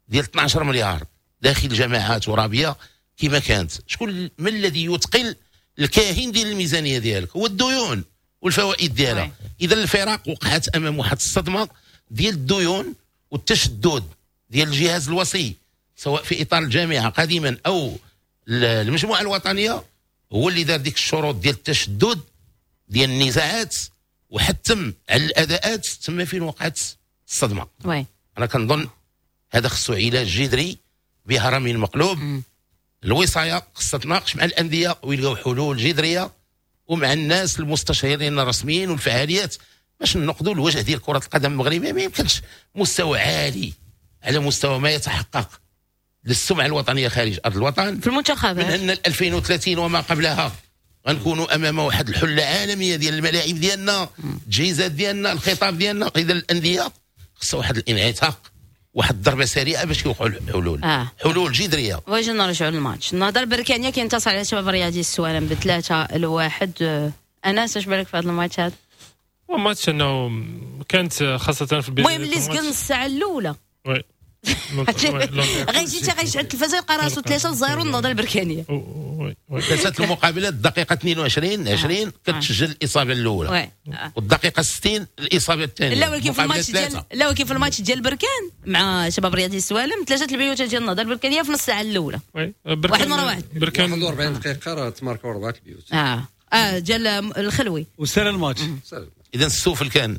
ديال اثنا عشر مليار داخل جماعات ترابيه كما كانت. شكون من الذي يثقل الكاهن ديال الميزانية ديالك؟ هو الديون والفوائد ديالها. اذا الفرق وقعت امام واحد الصدمة ديال الديون والتشدد ديال الجهاز الوصي، سواء في اطار الجامعة قديما او المجموعة الوطنيه، هو اللي دار ديك الشروط ديال التشدد ديال النزاعات وحتم على الاداءات. تما فين وقعت الصدمه. oui. انا كنظن هذا خصو علاج جذري بهرم مقلوب. مم. الوصايه خصها تناقش مع الاندية ويلقاو حلول جذرية ومع الناس المستشارين الرسميين والفعاليات باش ننقذوا الوجه ديال كره القدم المغربيه. ما يمكنش مستوى عالي على مستوى ما يتحقق للسمعه الوطنية خارج ارض الوطن في المنتخبات. من ان ألفين وثلاثين وما قبلها غنكونوا امام واحد الحلة عالمية ديال الملاعب ديالنا، التجهيزات ديالنا، الخطاب ديالنا. اذا الاندية خصها واحد الانعتاق، واحد الضربة سريعة باش يوقعوا الحلول، آه. حلول جذريه. واجي نرجعوا للماتش. النهضة البركانيه كينتصر على شباب الرياضي السوالم بثلاثة لواحد. انس، اش بالك في هذا الماتش هذا؟ ماتش انه كانت خاصة في البدايه، المهم اللي سكن الساعة الاولى oui. غيجي حتى غيشعل التلفازه يلقى راسو ثلاثة صفر النهضة البركانيه. ثلاثة المقابلات، الدقيقة اثنين وعشرين عشرين آه. كتسجل الاصابة الاولى والدقيقة ستين الاصابة الثانيه. لا ولكن في الماتش ديال لا ولكن في الماتش ديال بركان مع شباب رياضي السوالم، ثلاثة البيوت ديال النهضة البركانيه في نص ساعة الاولى، واحد مرة واحد. بركان واحد وأربعين دقيقة راه تماركوا اربعة البيوت. اه اه ديال الخلوي. وسال الماتش. اذا السوفل كان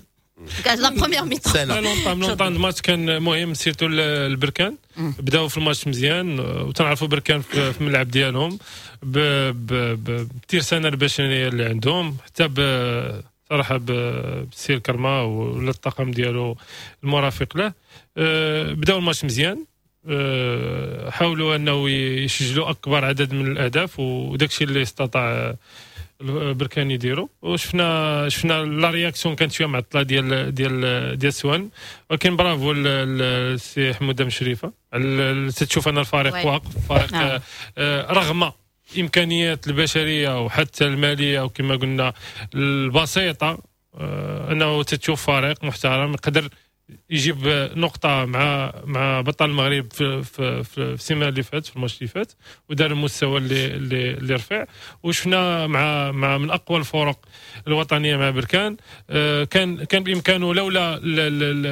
كانت la première mi-temps. l'entame l'entame الماتش كان مهم، surtout البركان بداو في الماتش مزيان، وتنعرفوا بركان في الملعب ديالهم بالترسانه البشرية اللي عندهم، حتى صراحة بالسير كرما ولا الطاقم ديالو المرافق له. أه، بداو الماتش مزيان، أه، حاولوا انه يسجلوا اكبر عدد من الاهداف، وداك الشيء اللي استطاع بركان يديروا. وشفنا شفنا la réaction كانت شوية معطلة ديال ديال ديال سوان، ولكن برافو السي حموده مشرفه. تشوف ان الفريق واقف فريق نعم. آه، رغم الامكانيات البشرية وحتى المالية وكما قلنا البسيطه، آه، انه تتشوف فريق محترم يقدر يجيب نقطة مع مع بطل المغرب في في في السيمانة اللي فات، في الماتش اللي فات، ودار المستوى اللي اللي, اللي رفع. وشفنا مع مع من اقوى الفرق الوطنية مع بركان، آه، كان كان بامكانه لولا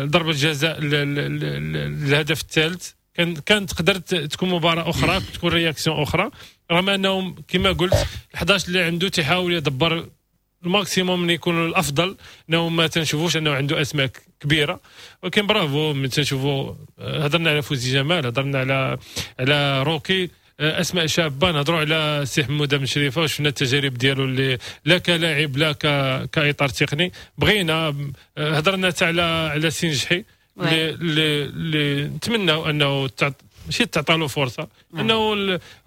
ضربه الجزاء الهدف الثالث كان كان تقدر تكون مباراة اخرى، تكون réaction اخرى، رغم انهم كما قلت احداش اللي عنده تيحاول يدبر ال maximum من يكون الافضل، انه ما تنشوفوش انه عنده اسماء كبيره. ولكن برافو من تنشوفوا، هضرنا على فوزي جمال، هضرنا على على روكي، اسماء شابه، نهضروا على سي حموده بن شريفه وشفنا التجارب ديالو اللي لا كلاعب لا كاطار تقني. بغينا هضرنا حتى على على سي نجحي اللي اللي نتمناو انه ماشي تعطى له فرصه، انه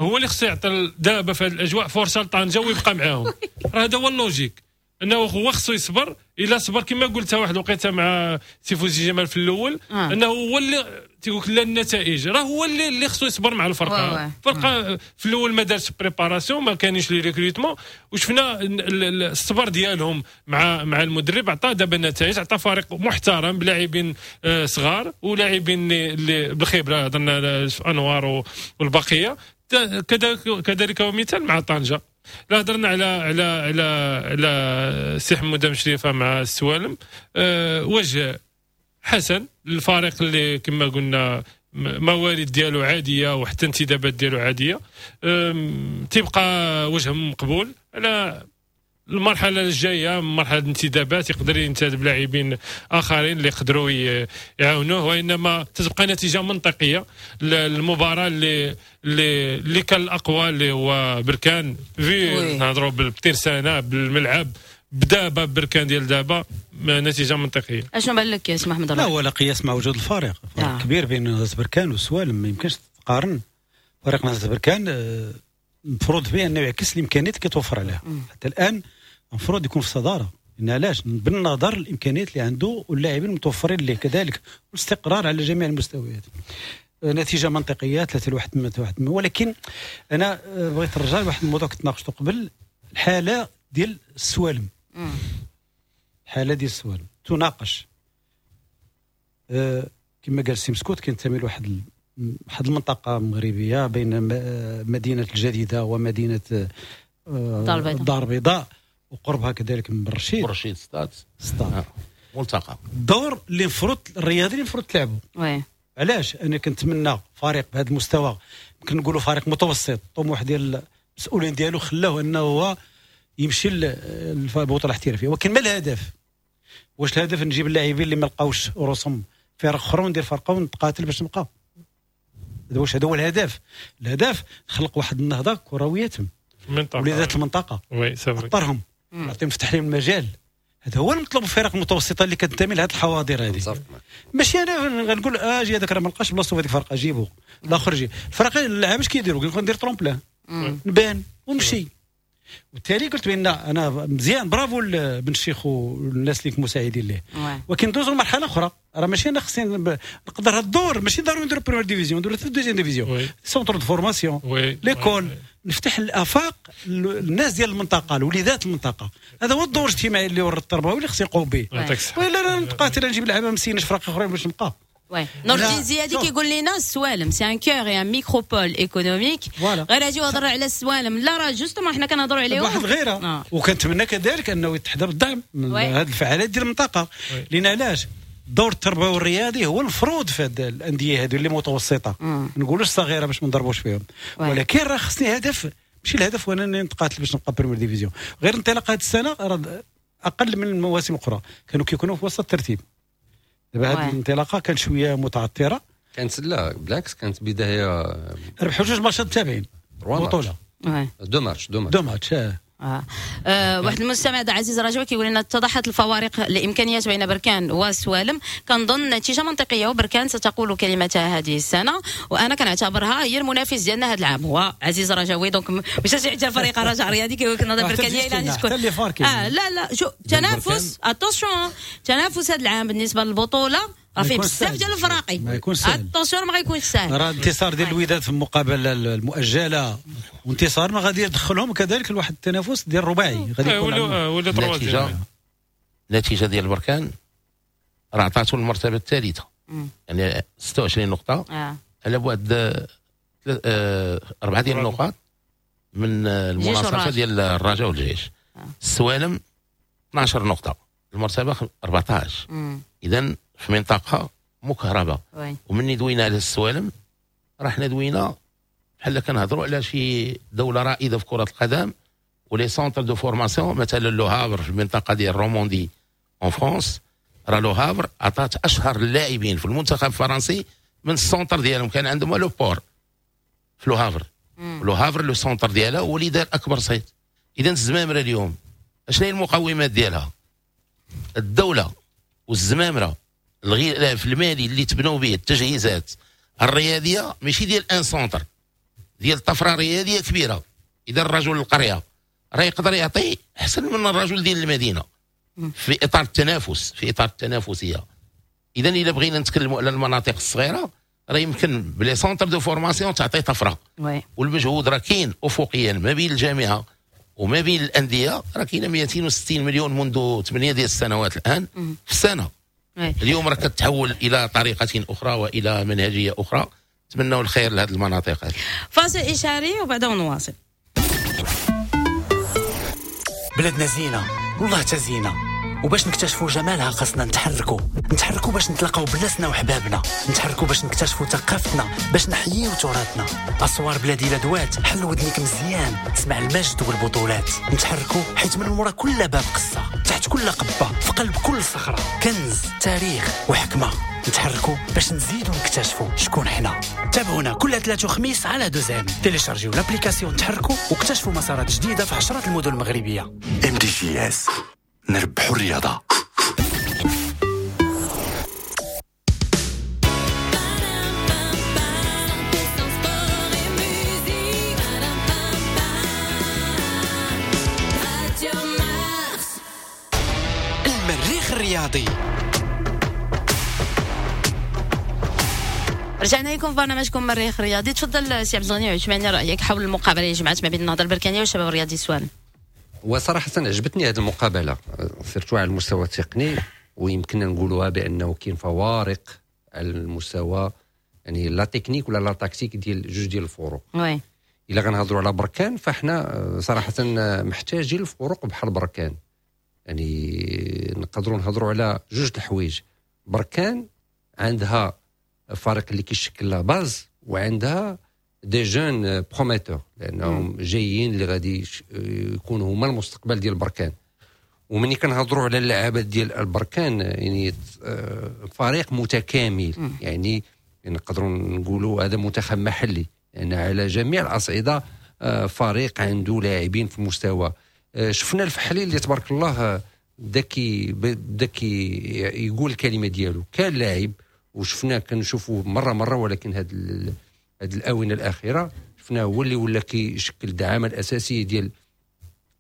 هو اللي خصو يعطي دابا في هذه الاجواء فرصة لطنجه ويبقى معاهم. راه هذا هو ال logique، انه هو خصو يصبر. الا صبر كما قلتها واحد الوقيته مع سي فوزي جمال في الاول آه. انه هو اللي تيقول لا النتائج، راه هو اللي اللي خصو يصبر مع الفرقه. الفرقة في الاول ما دارش préparation، ما كانش les recrutements، وشفنا الصبر ديالهم مع مع المدرب عطى دابا النتائج، عطى فريق محترم بلاعبين آه، صغار ولاعبين اللي بالخبره، هضرنا انوار والبقيه. كذلك مثال مع طنجه. لا هضرنا على على على على سي حموده مشرفة مع السوالم، أه وجه حسن للفريق اللي كما قلنا موارد ديالو عادية وحتى انتدابات ديالو عاديه، تيبقى وجه مقبول على المرحلة الجايه، مرحلة الانتدابات، يقدر ينتدب لاعبين اخرين اللي يقدروا يعاونوه، وانما تتبقى نتيجة منطقية للمباراة اللي اللي اللي كان الاقوى اللي هو بركان في نهضروا بالترسانه بالملعب بدابا بركان ديال دابا، نتيجة منطقيه. اشنو بان لك يا سي محمد؟ لا هو لا قياس مع وجود الفارق، فرق آه. كبير بين نهضة بركان والسوالم، ما يمكنش تقارن. فريق نهضة بركان آه، المفروض به انه يعكس الامكانيات اللي كيتوفر عليها حتى الان، المفروض يكون في الصداره. لان علاش؟ بالنظر الامكانيات اللي عنده واللاعبين المتوفرين ليه كذلك والاستقرار على جميع المستويات. آه، نتيجة منطقية ثلاثة لواحد واحد. ولكن انا آه، بغيت نرجع لواحد الموضوع كنت ناقشته قبل، الحالة ديال السوالم. الحالة ديال السوالم تناقش. أه كما قال سي مسكوت كينتمي لواحد واحد المنطقة مغربية بين مدينة الجديدة ومدينة الدار البيضاء وقربها كذلك من برشيد. برشيد سطات سطات آه. ملتقى. الدور اللي المفروض الرياضي اللي المفروض تلعبوا. oui. علاش؟ انا كنتمنى فريق بهذا المستوى، يمكن نقولوا فريق متوسط، الطموح ديال المسؤولين ديالو خلاه انه هو يمشي للبطولة الاحترافية، ولكن ما الهدف؟ واش الهدف نجيب اللاعبين اللي ما لقاوش رسوم فرق اخرى وندير فرقه ونتقاتل باش نبقى؟ هذا واش هذا هو الهدف؟ الهدف خلق واحد النهضة كروية تم وليدات المنطقة oui c'est vrai اطرهم، نعطيهم نفتح لهم المجال. هذا هو المطلوب الفرق المتوسطة اللي كتنتمي لهذه الحواضر هذه. ماشي انا غنقول اجي هذاك راه ما لقاش بلاصتو في هذيك الفرقة جيبو الاخر جي الفرق. اللعابه اش كيديروا؟ كيقول ندير tremplin نبان ونمشي. وبالتالي قلت بان انا مزيان برافو بن الشيخ والناس اللي مساعدين ليه، ولكن ندوزو لمرحلة اخرى. راه ماشي انا خصني نقدر هاد الدور، ماشي ضروري نديرو première division، نديرو حتى deuxième division، centre de formation، l'école، نفتح الافاق للناس ديال المنطقة، الوليدات المنطقة. هذا هو الدور الاجتماعي اللي ورا التربوي اللي خصني نقوم به. ولا انا نتقاتل نجيب لعابه مسينش فرق اخرين باش نبقى. oui نور الدين زيادي كيقول لنا السوالم c'est un cœur et un micropole économique. غير اجي وهضر على السوالم، لا راه justement حنا كنهضروا عليهم واحد الغيرة. آه. وكنتمنى كذلك انه يتحضر الدعم من هذه الفعاليات ديال المنطقة، لان علاش الدور التربوي والرياضي هو المفروض في هاد الاندية هذو اللي متوسطه، ما نقولوش صغيرة باش ما نضربوش فيهم، ولكن راه خصني هدف، ماشي الهدف هو انني نتقاتل باش نبقى première division. غير انطلاق هذه السنة راه اقل من المواسم الاخرى كانوا كيكونوا في وسط الترتيب. دابا هذه الانطلاقة كانت شوية متعثره. كانت لا بالعكس كانت بداية، ربحوا جوج ماتشات تابعين بطوله، deux matchs deux matchs deux matchs. آه. آه. آه. واحد المستمع عزيز رجوي كيقول لنا اتضحت الفوارق الامكانيات بين بركان وسوالم، كنظن نتيجة منطقية وبركان ستقول كلمتها هذه السنة، وانا كنعتبرها هي المنافس ديالنا هذا العام. هو عزيز رجاوي donc مشجع ديال فريق الرجاء الرياضي كيقول لك نهضة بركانيه الى تكون اه لا لا شو تنافس attention، تنافس هذا العام بالنسبة للبطولة راه فيه بزاف ديال الفراقي، ما يكونش سهل، attention ما غيكونش سهل. راه انتصار ديال الوداد في المقابلة المؤجلة وانتصار ما غادي يدخلهم كذلك لواحد التنافس ديال الرباعي غادي يكون ولا النتيجة. النتيجة ديال بركان راه عطاتو المرتبة الثالثة، يعني ستة وعشرين نقطة آه. على بعد اربعة ديال النقاط من المناصفه ديال الرجاء والجيش. آه. السوالم اثنا عشر نقطة، المرتبة أربعة عشر. اذا في منطقة مكهربه. ومني دوينا على السوالم راه حنا دوينا بحال كنهضروا على شي دولة رائدة في كره القدم و les centres de formation، مثلا Le Havre في المنطقة ديال Normandie en France، راه Le Havre عطات اشهر اللاعبين في المنتخب الفرنسي من ال centre ديالهم، كان عندهم le port في Le Havre. Le Havre le centre ديالها هو اللي دار اكبر صيت. اذا الزمامره اليوم اشنو هي المقومات ديالها؟ الدولة والزمامره، الغلاف المالي اللي تبنوا به التجهيزات الرياضية، ماشي ديال un centre، ديال طفرة رياضية كبيرة. اذا الرجل القرية راه يقدر يعطي احسن من الرجل ديال المدينة في اطار التنافس، في اطار التنافسية. اذا الا بغينا نتكلموا على المناطق الصغيرة راه يمكن ب les centres de formation تعطي طفرة. والمجهود راه كاين افقيا ما بين الجامعة وما بين الاندية، راه كاينه مئتين وستين مليون منذ ثمانية ديال السنوات الان في السنة. اليوم راه كتحول الى طريقه اخرى والى منهجيه اخرى. نتمنوا الخير لهذه المناطق هذه. فاصل اشاري وبعده نواصل. بلادنا زينة والله تزينه، وباش نكتشفوا جمالها خاصنا نتحركوا، نتحركوا باش نتلاقاو بناسنا وحبابنا، نتحركوا باش نكتشفوا ثقافتنا، باش نحييو تراثنا. اسوار بلادي لا دوات، حل ودنيك مزيان تسمع المجد والبطولات. نتحركوا حيت من مورا كل باب قصة، تحت كل قبه، في قلب كل صخرة كنز، تاريخ وحكمه. نتحركوا باش نزيدوا نكتشفوا شكون حنا. تابعونا كل ثلاث وخميس على دوزام. téléchargez l'application تحركوا واكتشفوا مسارات جديدة في عشرات المدن المغربية. ام دي جي اس، نربحوا الرياضة. المريخ الرياضي. رجعنا لكم في برنامجكم مريخ الرياضي. تفضل سي عبد الغني عثماني، رايك حول المقابلة اللي جمعت ما بين النهضة البركانيه والشباب الرياضي السوالم. وصراحة عجبتني هذه المقابلة surtout على المستوى التقني، ويمكننا نقولوها بانه كاين فوارق على المستوى يعني la technique ولا la tactique ديال جوج ديال الفروق. oui الا غنهضروا على بركان فاحنا صراحة محتاجين الفروق بحال بركان، يعني نقدروا نهضروا على جوج الحوايج. بركان عندها فريق اللي كيشكل la base وعندها des jeunes prometteurs، لانهم جايين اللي غادي يكونوا هما المستقبل ديال بركان. ومني كنهضروا على اللعابات ديال البركان يعني فريق متكامل، يعني نقدروا نقولوا هذا منتخب محلي، يعني على جميع الاصعدة فريق عنده لاعبين في المستوى. شفنا الفحلي اللي تبارك الله بدا كي بدا يقول الكلمة ديالو، كان لاعب وشفناه كنشوفوه مرة مرة، ولكن هاد هاد الاونة الاخيرة شفناه هو اللي ولا كيشكل الدعامه الاساسية ديال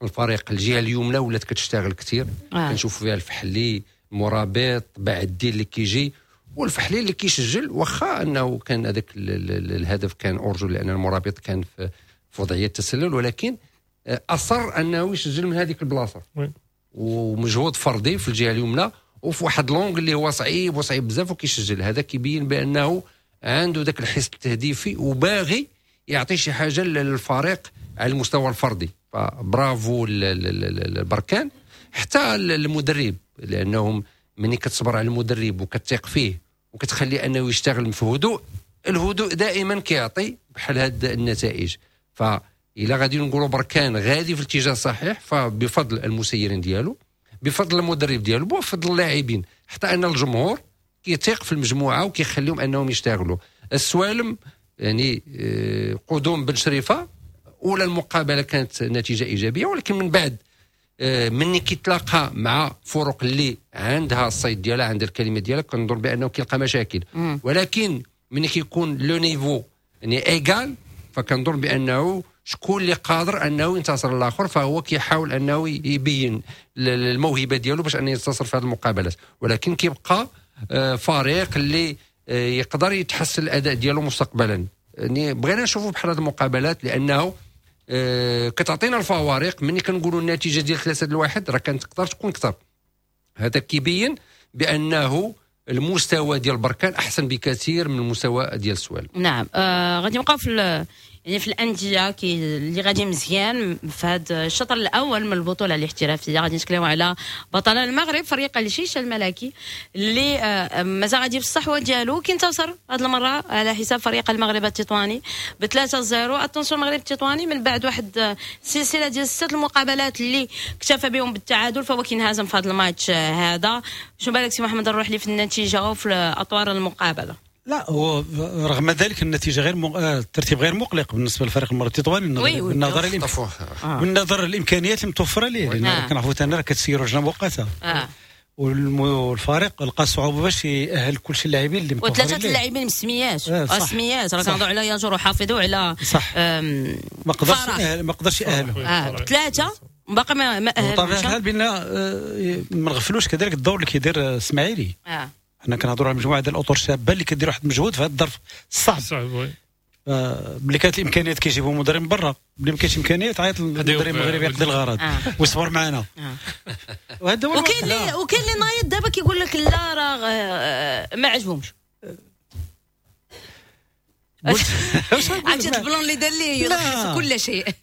الفريق. الجهة اليمنى ولات كتشتغل كثير، آه. كنشوف فيها الفحلي مرابط بعد اللي كيجي، والفحلي اللي كيسجل، واخا انه كان هذاك الهدف كان hors-jeu لان المرابط كان في وضعية التسلل، ولكن اصر انه يسجل من هذيك البلاصة ومجهود فردي في الجهة اليمنى وفي واحد l'angle اللي هو صعيب وصعيب بزاف وكيسجل. هذا كيبين بانه عنده ذاك الحس التهديفي وباغي يعطي شي حاجة للفريق على المستوى الفردي. فبرافو البركان، حتى المدرب، لانهم ملي كتصبر على المدرب وكتثق فيه وكتخلي انه يشتغل في هدوء، الهدوء دائما كيعطي بحال هاد النتائج. فإلا غادي نقولوا بركان غادي في الاتجاه الصحيح فبفضل المسيرين ديالو، بفضل المدرب ديالو، بفضل اللاعبين، حتى ان الجمهور كيثيق في المجموعة وكيخليهم انهم يشتغلوا. السوالم يعني قدوم بن شريفه، اولى المقابلة كانت نتيجة ايجابية، ولكن من بعد مني كيتلاقى مع فرق اللي عندها الصيد ديالها، عندها الكلمة ديالها، كنظن بانه كيلقى مشاكل. مم. ولكن مني كيكون le niveau يعني égal، فكنظن بانه شكون اللي قادر انه ينتصر الاخر، فهو كيحاول انه يبين الموهبة ديالو باش انه ينتصر في هذه المقابلات. ولكن كيبقى فريق اللي يقدر يتحسن الاداء ديالو مستقبلا. يعني بغينا نشوفوا بحال هذه المقابلات لانه كتعطينا الفوارق. ملي كنقولوا النتيجة ديال ثلاثة لواحد راه كانت تقدر تكون اكثر. هذا كيبين بانه المستوى ديال بركان احسن بكثير من المستوى ديال السوالم. نعم، آه غادي نبقاو في يعني في الاندية كي اللي غادي مزيان في هذا الشطر الاول من البطولة الاحترافية. غادي نتكلموا على بطل المغرب فريق الجيش الملكي اللي مازال غادي في الصحوة ديالو، كينتصر هذه المرة على حساب فريق المغرب التطواني ب ثلاثة صفر. attention المغرب التطواني من بعد واحد سلسلة ديال ست المقابلات اللي اكتفى بهم بالتعادل، فهو كينهزم في هذا الماتش هذا. شنو بالك سي محمد الروحلي في النتيجة وفي اطوار المقابلة؟ لا، هو رغم ذلك النتيجة غير مق... الترتيب غير مقلق بالنسبة للفريق المغرب التطواني بالنظر الإمك... آه. بالنظر للامكانيات المتوفرة ليه، لان آه. كنعرفوا ثاني راه كتسيروا لجنة مؤقتة آه. والفريق لقى صعوبة باش يأهل كل شيء اللاعبين اللي متوفرين وثلاثة اللاعبين مسميات آه سميات راه كنهضروا على ياجور وحافظوا على صح ما قدرش ما قدرش يأهلهم آه. ثلاثة باقي ما ما اهلهمش. بطبيعة الحال بان ما نغفلوش كذلك الدور اللي كيدير اسماعيلي. اه حنا كنهضروا على مجموعة ديال الاطر الشابة اللي كدير واحد المجهود في هذا الظرف الصعب. صعب oui. آه ملي كانت الامكانيات كيجيبوا مدرب من برا، ملي ما كاينش امكانيات عيط للمدرب المغربي يقضي الغرض آه. ويصبر معنا. آه. وهذا هو وكاين اللي وكاين اللي نايض دابا كيقول لك لا راه ما عجبهمش. عرفتي ال plan اللي دار ليه يلخص كل شيء.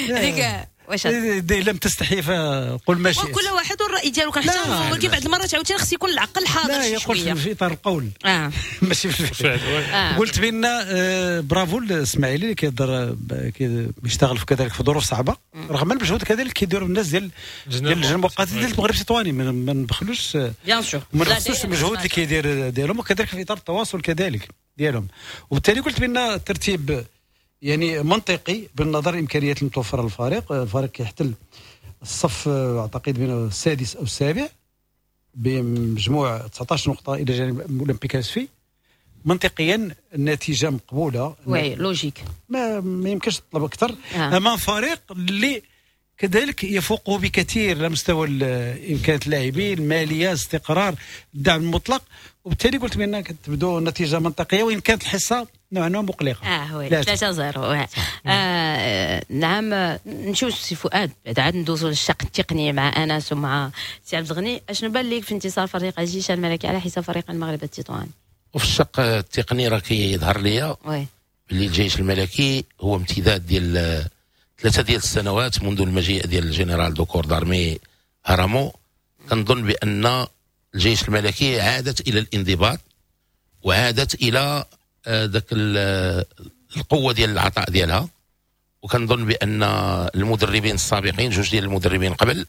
هذيك واش لم تستحي فقل ما شئت. وكل واحد والراي ديالو كنحترمو، ولكن بعض المرات عاوتاني خص يكون العقل حاضر شي شوية. لا يقول في اطار القول آه. ماشي في الفعل. آه. قلت بان آه برافو الاسماعيلي اللي كيقدر كيشتغل في كذلك في ظروف صعبة رغم المجهود كذلك كيديروا الناس ديال ديال اللجنة المؤقتة ديال المغرب التطواني، ما نبخلوش bien sûr ما نبخسوش المجهود اللي كيدير ديالهم، وكذلك في اطار التواصل كذلك ديالهم. وبالتالي قلت بان الترتيب يعني منطقي بالنظر الامكانيات المتوفرة للفريق. الفريق كيحتل الصف اعتقد بين السادس او السابع بمجموع تسعطاش نقطة الى جانب اولمبيك اسفي. منطقيا النتيجة مقبولة، oui logique، ما, ما يمكنش تطلب اكثر. آه. امام فريق اللي كذلك يفوقه بكثير على مستوى امكانيات اللاعبين، المالية، استقرار، الدعم المطلق. وبالتالي قلت بان كتبدو النتيجة منطقية، وان كانت الحصة نوعا ما مقلقة. اه oui، ثلاثة صفر. آه نعم، نمشيو سي فؤاد بعد عاد ندوزو للشق التقني مع انس ومع سي عبد الغني. اشنو بان لك في انتصار فريق الجيش الملكي على حساب فريق المغرب التطواني؟ وفي الشق التقني راه كيظهر ليا باللي الجيش الملكي هو امتداد ديال ثلاثة ديال السنوات منذ المجيء ديال ال général de corps d'armée هرامو. كنظن بان الجيش الملكي عادت الى الانضباط وعادت الى ذاك القوة ديال العطاء ديالها، وكنظن بان المدربين السابقين، جوج ديال المدربين قبل،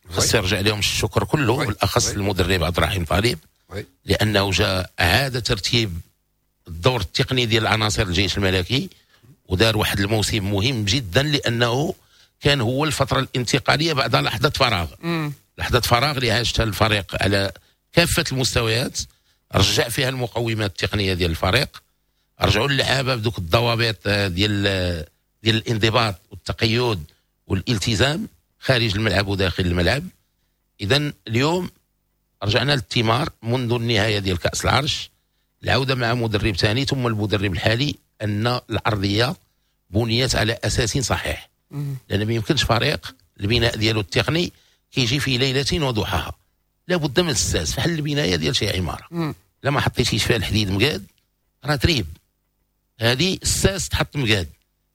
خاص يرجع لهم الشكر كله، بالاخص المدرب عبد الرحيم طالب، لانه جاء اعاد ترتيب الدور التقني ديال عناصر الجيش الملكي ودار واحد الموسم مهم جدا، لانه كان هو الفترة الانتقالية بعد لحظة فراغ. مم. لحظة فراغ اللي عاشتها الفريق على كافة المستويات، رجع فيها المقومات التقنية ديال الفريق، رجعوا اللعابه بدوك الضوابط ديال ديال الانضباط والتقيد والالتزام خارج الملعب وداخل الملعب. اذا اليوم رجعنا للثمار منذ النهاية ديال كاس العرش، العودة مع مدرب ثاني ثم المدرب الحالي، ان الارضية بنيت على اساس صحيح. لان ما يمكنش فريق البناء ديالو التقني كيجي في ليلة وضحاها، لابد من الساس فحال البناية ديال شي عمارة، لا ما حطيتيش فيها الحديد مقاد راه تريب، هذه الساس تحط مقاد.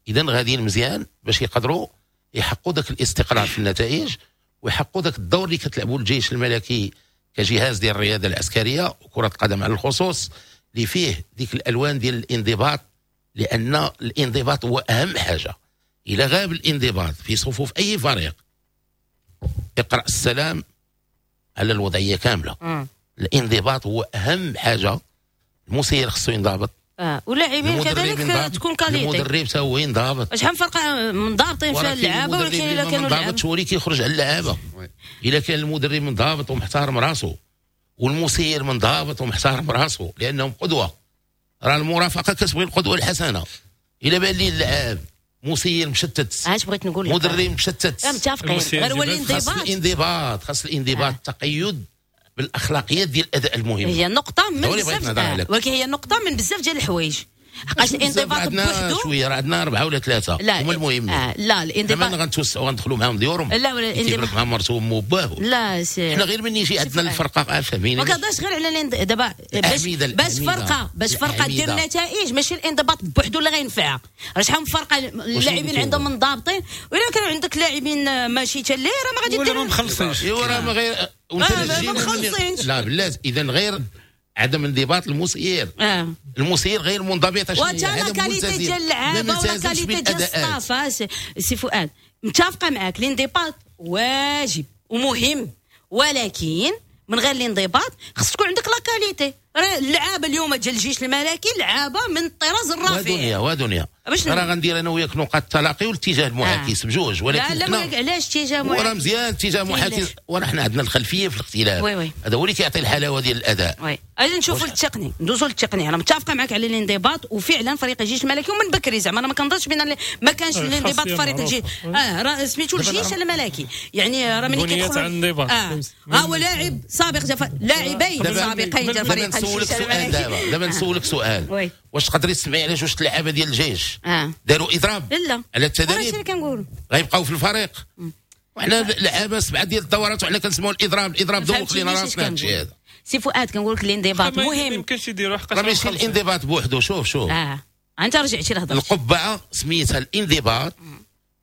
اذا غاديين مزيان باش يقدروا يحققوا ذاك الاستقرار في النتائج ويحققوا ذاك الدور اللي كتلعبوا الجيش الملكي كجهاز ديال الرياضة العسكرية وكره القدم على الخصوص، اللي فيه ديك الالوان ديال الانضباط، لان الانضباط هو اهم حاجة. الى غاب الانضباط في صفوف اي فريق اقرا السلام على الوضعية كاملة. م. الانضباط هو اهم حاجة. المسير خصو ينضبط، اه واللاعبين كذلك تكون qualité، المدرب تا هو ينضبط. شحال من فرقه منضبطين فيها اللعابه، ولكن الا كانوا منضبط هو اللي كيخرج على اللعابه. الا كان المدرب منضبط ومحترم راسو والمسير منضبط ومحترم راسو، لانهم قدوة، راه المرافقة كتبغي القدوة الحسنة. الا بان لي اللعاب مسير مشتت، علاش بغيت نقول لك مدرب مشتت، لا متفقين، غير هو الانضباط، خاص الانضباط، خاص الانضباط، التقيد بالاخلاقيات ديال الاداء المهم. هي نقطة من بزاف، ولكن هي نقطة من بزاف ديال الحوايج، حقاش الانضباط بوحدو شوية راه عندنا اربعة ولا ثلاثة هما المهمين. آه لا الانضباط دابا غنتوسعوا غندخلوا معاهم ديورهم، لا ولا الانضباط مع مرته وامه وباه، لا سي حنا غير من يجي عندنا الفرقة فاهمين، ما كنهضرش غير على دابا باش باش فرقه باش فرقه دير نتائج، ماشي الانضباط بوحدو اللي غينفعها. راه شحال من فرقه اللاعبين عندهم منضبطين، ولا كانوا عندك لاعبين ماشي حتى اللي راه ما غادي دير، ولا ما مخلصينش، ايوا راه ما غير ما مخلصينش. لا بلاتي، اذا غير عدم انضباط المسير. آه. المسير غير منضبط، وتا la qualité ديال اللعابه ولا qualité ديال ال staff. سي فؤاد متفقه معاك، الانضباط واجب ومهم، ولكن من غير الانضباط خص تكون عندك la qualité. راه اللعابه اليوم ديال الجيش الملكي لعابه من الطراز الرفيع. ودنيا ودنيا راه غندير انا وياك نقاط التلاقي والاتجاه المعاكس آه. بجوج، ولكن لا لا علاش اتجاه معاكس؟ وراه مزيان اتجاه معاكس، وراه حنا عندنا الخلفية في الاختلاف، هذا هو اللي كيعطي الحلاوة ديال الاداء. oui اجي نشوفوا التقني، ندوزوا للتقني. انا متفقه معك على الانضباط، وفعلا فريق الجيش الملكي ومن بكري زعما انا ما كنظنش بان ما كانش الانضباط في فريق الجيش. اه راه سميتو الجيش الملكي، يعني راه ملي كيدخلوا اه هو لاعب سابق، لاعبين سابقين ديال فريق نسولك سؤال دابا دابا نسولك سؤال، واش تقدري تسمعي على جوج اللعابه ديال الجيش آه. داروا اضراب لا على التدريب؟ كنقول غيبقاو في الفريق، وحنا لعابه سبعة ديال الدورات وحنا كنسمعوا الاضراب، الاضراب دوخ لينا راسنا هادشي هذا. سي فؤاد كنقول لك الانضباط مهم، ما يمكنش يديروا حقاش راه ماشي الانضباط بوحدو. شوف شوف اه انت رجعتي لهضره القبعة سميتها الانضباط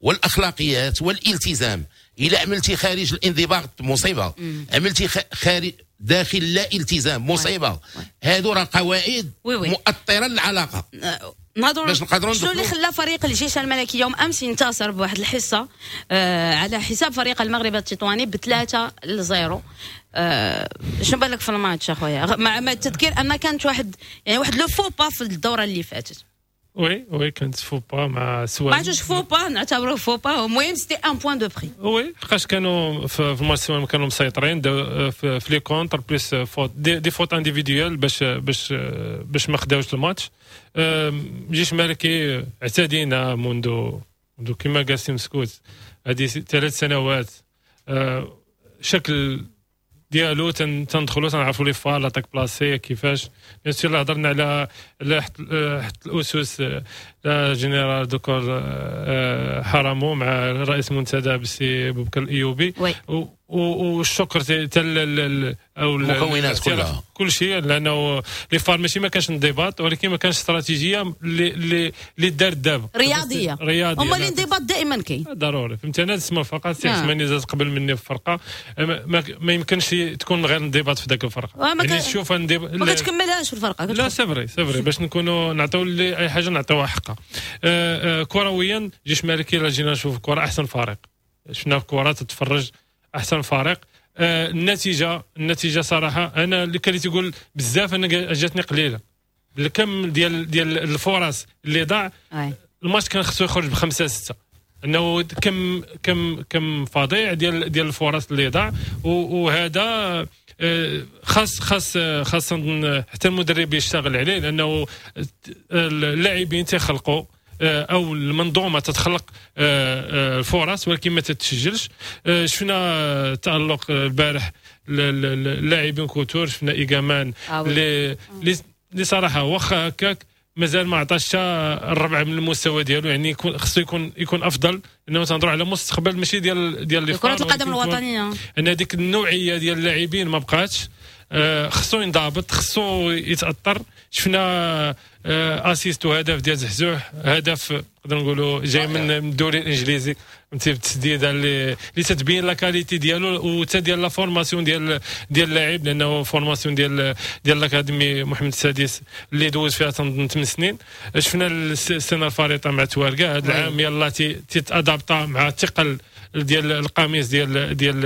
والاخلاقيات والالتزام. الا عملتي خارج الانضباط مصيبة، عملتي خارج داخل لا التزام مصيبة. هادو راه قواعد مؤطره للعلاقة. نهضروا باش نقدروا شنو اللي خلى فريق الجيش الملكي يوم امس ينتصر بواحد الحصة آه على حساب فريق المغرب التطواني بثلاثة لزيرو. آه شنو بالك في الماتش اخويا؟ مع التذكير ان كانت واحد يعني واحد le faux pas في الدورة اللي فاتت. oui oui كانت faux pas مع سوالم، ما عرفتش faux pas نعتبروه faux pas، المهم c'était un point de prix. oui حقاش كانوا في الماتش سوالم كانوا مسيطرين في les contres plus fautes des, des fautes individuelles باش باش باش ما خداوش الماتش. الجيش الملكي اعتدينا منذ منذ كما قال سي مسكوت هذه ثلاث سنوات شكل ديالو، تندخلوا تنعرفوا les FAR، l'attaque placée كيفاش. bien sûr هضرنا على على حط الاسس général de corps حرامو مع رئيس المنتدى بسي بوبكر الايوبي، والشكر تال او المكونات كلها كل شيء، لانه les FAR ماشي ما كانش انضباط، ولكن ما كانش استراتيجية اللي اللي اللي دارت دابا. رياضية. رياضيه. هما الانضباط دائما كاين. ضروري، فهمتي. انا تسمى فقط سي عثماني زاد قبل مني في الفرقه، ما, ما يمكنش تكون غير انضباط في ذاك الفرقه. يعني تشوف انضباط ما كتكملهاش في الفرقه. لا c'est vrai c'est vrai، باش نكونوا نعطيو اي حاجة نعطيوها حقها. آه آه كرويا جيش مالكي لا جينا نشوف الكره احسن فريق شفنا، الكره تتفرج احسن فريق. آه النتيجه النتيجه صراحة انا اللي كان تيقول بزاف انا جاتني قليله الكم ديال ديال الفرص اللي ضاع. الماتش كان خصو يخرج بخمسة ستة، انه كم كم كم فظيع ديال ديال الفرص اللي ضاع. وهذا خاص خاص خاص حتى المدرب يشتغل عليه، لانه اللاعبين تيخلقوا او المنظومة تتخلق الفرص ولكن ما تتسجلش. شفنا تالق البارح اللاعبين كوتور، شفنا ايغامان اللي اللي صراحة واخا هكاك مازال ما عطاش الربع من المستوى ديالو، يعني خصو يكون يكون افضل، لانه تنهضروا على مستقبل ماشي ديال ديال كره القدم الوطنية. ان هذيك النوعية ديال اللاعبين ما بقاتش، خصو ينضبط، خصو يتاثر. شفنا assist وهدف ديال زحزوح، هدف نقدر نقولوا جاي من الدوري الانجليزي، فهمتي، بالتسديده اللي اللي تتبين la qualité ديالو وتا ديال la formation ديال ديال اللاعب، لانه formation ديال ديال l'académie محمد السادس اللي دوز فيها تنظن ثمان سنين. شفنا السنة الفارطه مع تواركه، هذا العام يلاه تيت adapta مع الثقل ديال القميص ديال ديال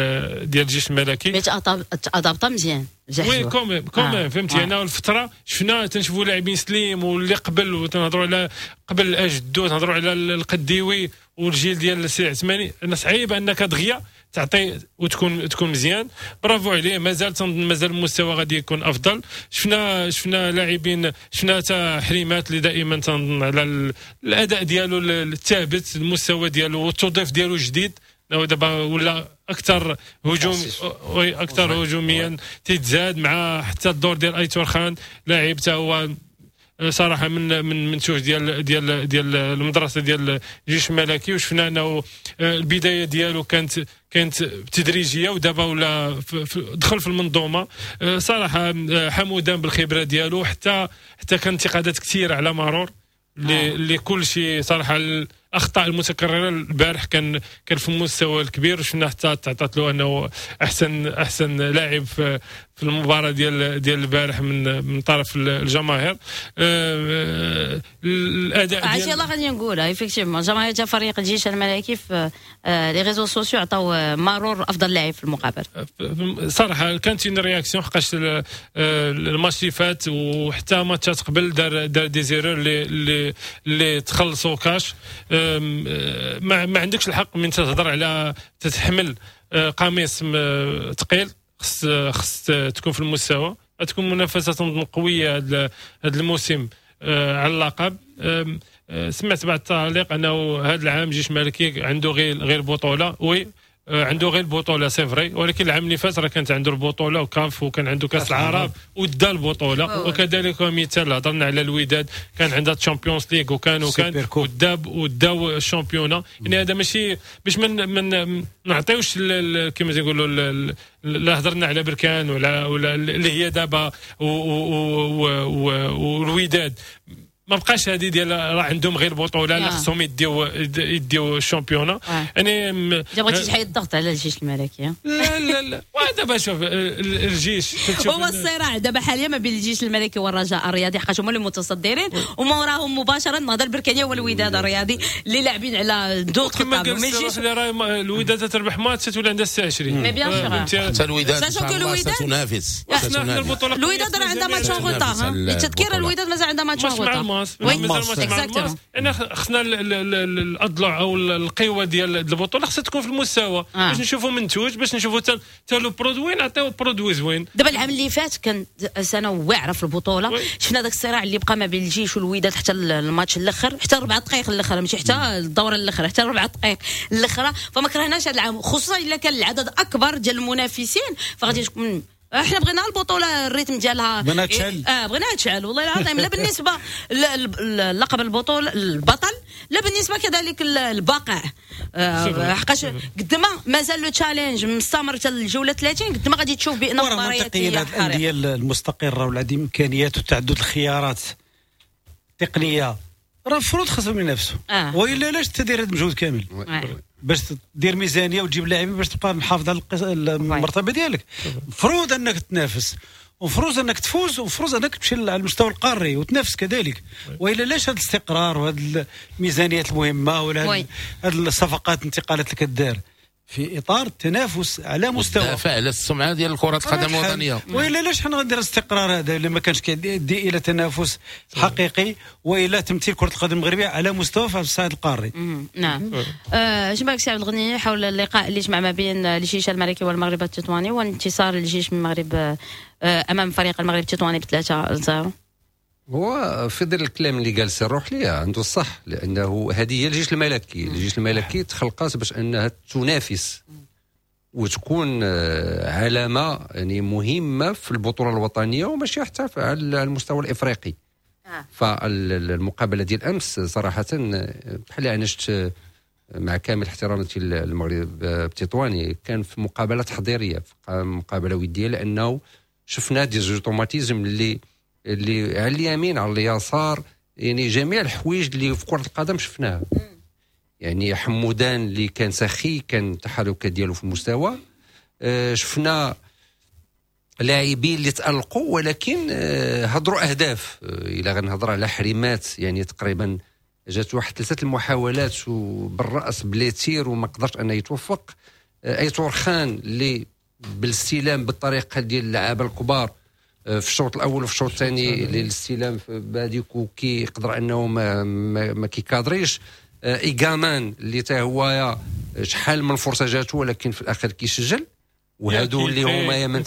ديال الجيش الملكي، mais t'adapta مزيان. oui quand même quand même فهمتي. انا الفترة شفنا تنشوفوا لاعبين سليم واللي قبل، وتنهضروا على قبل الاجدو، تنهضروا على القديوي والجيل ديال السي عثماني، انا صعيب انك دغيا تعطي وتكون تكون مزيان. برافو عليه، مازال مازال المستوى غادي يكون افضل. شفنا شفنا لاعبين، شفنا حتى حريمات اللي دائما تنظن على الاداء ديالو الثابت، المستوى ديالو والتوظيف ديالو جديد، دابا ولا اكثر هجوم اكثر هجوميا تيتزاد مع حتى الدور ديال ايتور خان، لاعب حتى هو صراحة من من منتوج ديال ديال ديال المدرسة ديال الجيش الملكي، وشفنا انه البداية ديالو كانت كانت تدريجيه ودابا ولا دخل في المنظومة. صراحة حمودان بالخبرة ديالو، حتى حتى كان انتقادات كثيرة على مرور اللي اللي كل شيء صراحة الاخطاء المتكررة البارح كان كان في المستوى الكبير، وشفنا حتى تعطات له انه احسن احسن لاعب في في المباراة ديال ديال البارح من من طرف الجماهير. الاداء عرفتي يلاه غادي نقولها effectivement جماهير تاع فريق الجيش الملكي في les réseaux sociaux عطاو مارور افضل لاعب في المقابلة. صراحة كانت une réaction حقاش الماتش اللي فات وحتى ماتشات قبل دار دار des erreurs اللي اللي اللي تخلصوا كاش. ما, ما عندكش الحق من تهضر على تتحمل قميص ثقيل، خص خص تكون في المستوى. تكون منافسه قوية هذا الموسم على اللقب. سمعت بعض التعليق انه هذا العام جيش مالكي عنده غير غير بطوله، oui عنده غير البطولة c'est vrai، ولكن العام اللي فات راه كانت عنده البطولة وكاف وكان عنده كاس العرب ودا البطولة، وكذلك مثال هضرنا على الوداد كان عندها Champions League وكان وكان وداب وداو ال championnat. يعني هذا ماشي باش من من نعطيوش كما تنقولوا، لا هضرنا على بركان ولا ولا اللي هي دابا والوداد ما بقاش هذه ديال راه عندهم غير بطوله، لا خصهم يديو يديو ال championnat. يعني بغيتي تحيد الضغط على الجيش الملكي؟ لا لا لا، ودابا شوف الجيش هو الصراع دابا حاليا ما بين الجيش الملكي والرجاء الرياضي، حقاش هما اللي متصدرين وما وراهم مباشرة النهضة البركانيه والوداد الرياضي اللي لاعبين على دوق كما قال الجيش. الوداد تربح ماتش تولي عندها ستة وعشرين mais bien sûr حتى الوداد تنافس. الوداد راه عندها match en retard، للتذكير الوداد مازال عندها match en retard. الماس، مازال ماتش مع الماس. يعني خصنا الاضلاع او القوة ديال البطولة خصها تكون في المستوى آه. باش نشوفوا منتوج، باش نشوفوا حتى le produit، نعطيو produit زوين. دابا العام اللي فات كان سنة واعرة في البطولة، شفنا داك الصراع اللي بقى ما بين الجيش والوداد حتى الماتش الاخر، حتى ربع دقائق الاخر، ماشي حتى الدورة الاخرى، حتى ربع دقائق الاخرى. فما كرهناش هذا العام، خصوصا الا كان العدد اكبر ديال المنافسين، فغادي تكون احنا بغينا البطولة ال rythme ديالها بغينا تشعل، اه بغينا تشعل والله العظيم. لا بالنسبة للقب البطولة البطل، لا بالنسبة كذلك البقاء، آه حقاش قد ما مازال le challenge مستمر حتى الجولة ثلاثين، قد ما غادي تشوف بان المباريات هي الاندية المستقره والعديد الامكانيات وتعدد الخيارات التقنية، راه المفروض خاصهم ينافسوا آه. والا علاش تدير هذا المجهود كامل آه. باش تدير ميزانية وتجيب لاعبين باش تبقى محافظ على المرتبة ديالك. المفروض انك تنافس، ومفروض انك تفوز، ومفروض انك تمشي على المستوى القاري وتنافس كذلك. والا لاش هذا الاستقرار وهذه الميزانيات المهمة ولا هذه الصفقات الانتقالات اللي كدار في اطار التنافس على مستوى الدفاع على السمعة ديال كره القدم الوطنية. والا علاش حنا غندير الاستقرار هذا الا ما كانش كيدي الى تنافس حقيقي والى تمثيل كره القدم المغربية على مستوى في الصعيد القاري. نعم. اش بالك سي عبد الغني حول اللقاء اللي جمع ما بين الجيش الملكي والمغرب التطواني وانتصار الجيش من المغرب امام فريق المغرب التطواني بثلاثة لصفر؟ هو في ظل الكلام اللي قال سي الروحلي عنده الصح، لانه هذه هي الجيش الملكي. الجيش الملكي تخلقات باش انها تنافس وتكون علامة يعني مهمة في البطولة الوطنية وماشي حتى على المستوى الافريقي. فالمقابله ديال امس صراحة بحال انا شفت مع كامل احتراماتي للمغرب التطواني، كان في مقابله تحضيرية، مقابله وديه، لانه شفنا des automatismes اللي اللي على اليمين على اليسار، يعني جميع الحوايج اللي في كرة القدم شفناها. يعني حمودان اللي كان سخي، كان التحركات ديالو في المستوى. أه شفنا لاعبين اللي تألقوا ولكن أه هضروا اهداف. أه الى غنهضر على حريمات، يعني تقريبا جات واحد ثلاثة المحاولات وبالراس ب les tirs وما قدرش انه يتوفق. أه ايتور خان اللي بالاستلام بالطريقة ديال اللعابه الكبار في الشوط الاول وفي الشوط الثاني للاستلام بهذيك كيقدر انه ما ما, ما كيكادريش. ايغامان اللي تا هو شحال من فرصة جاتو ولكن في الاخير كيسجل. وهادو اللي هما يا من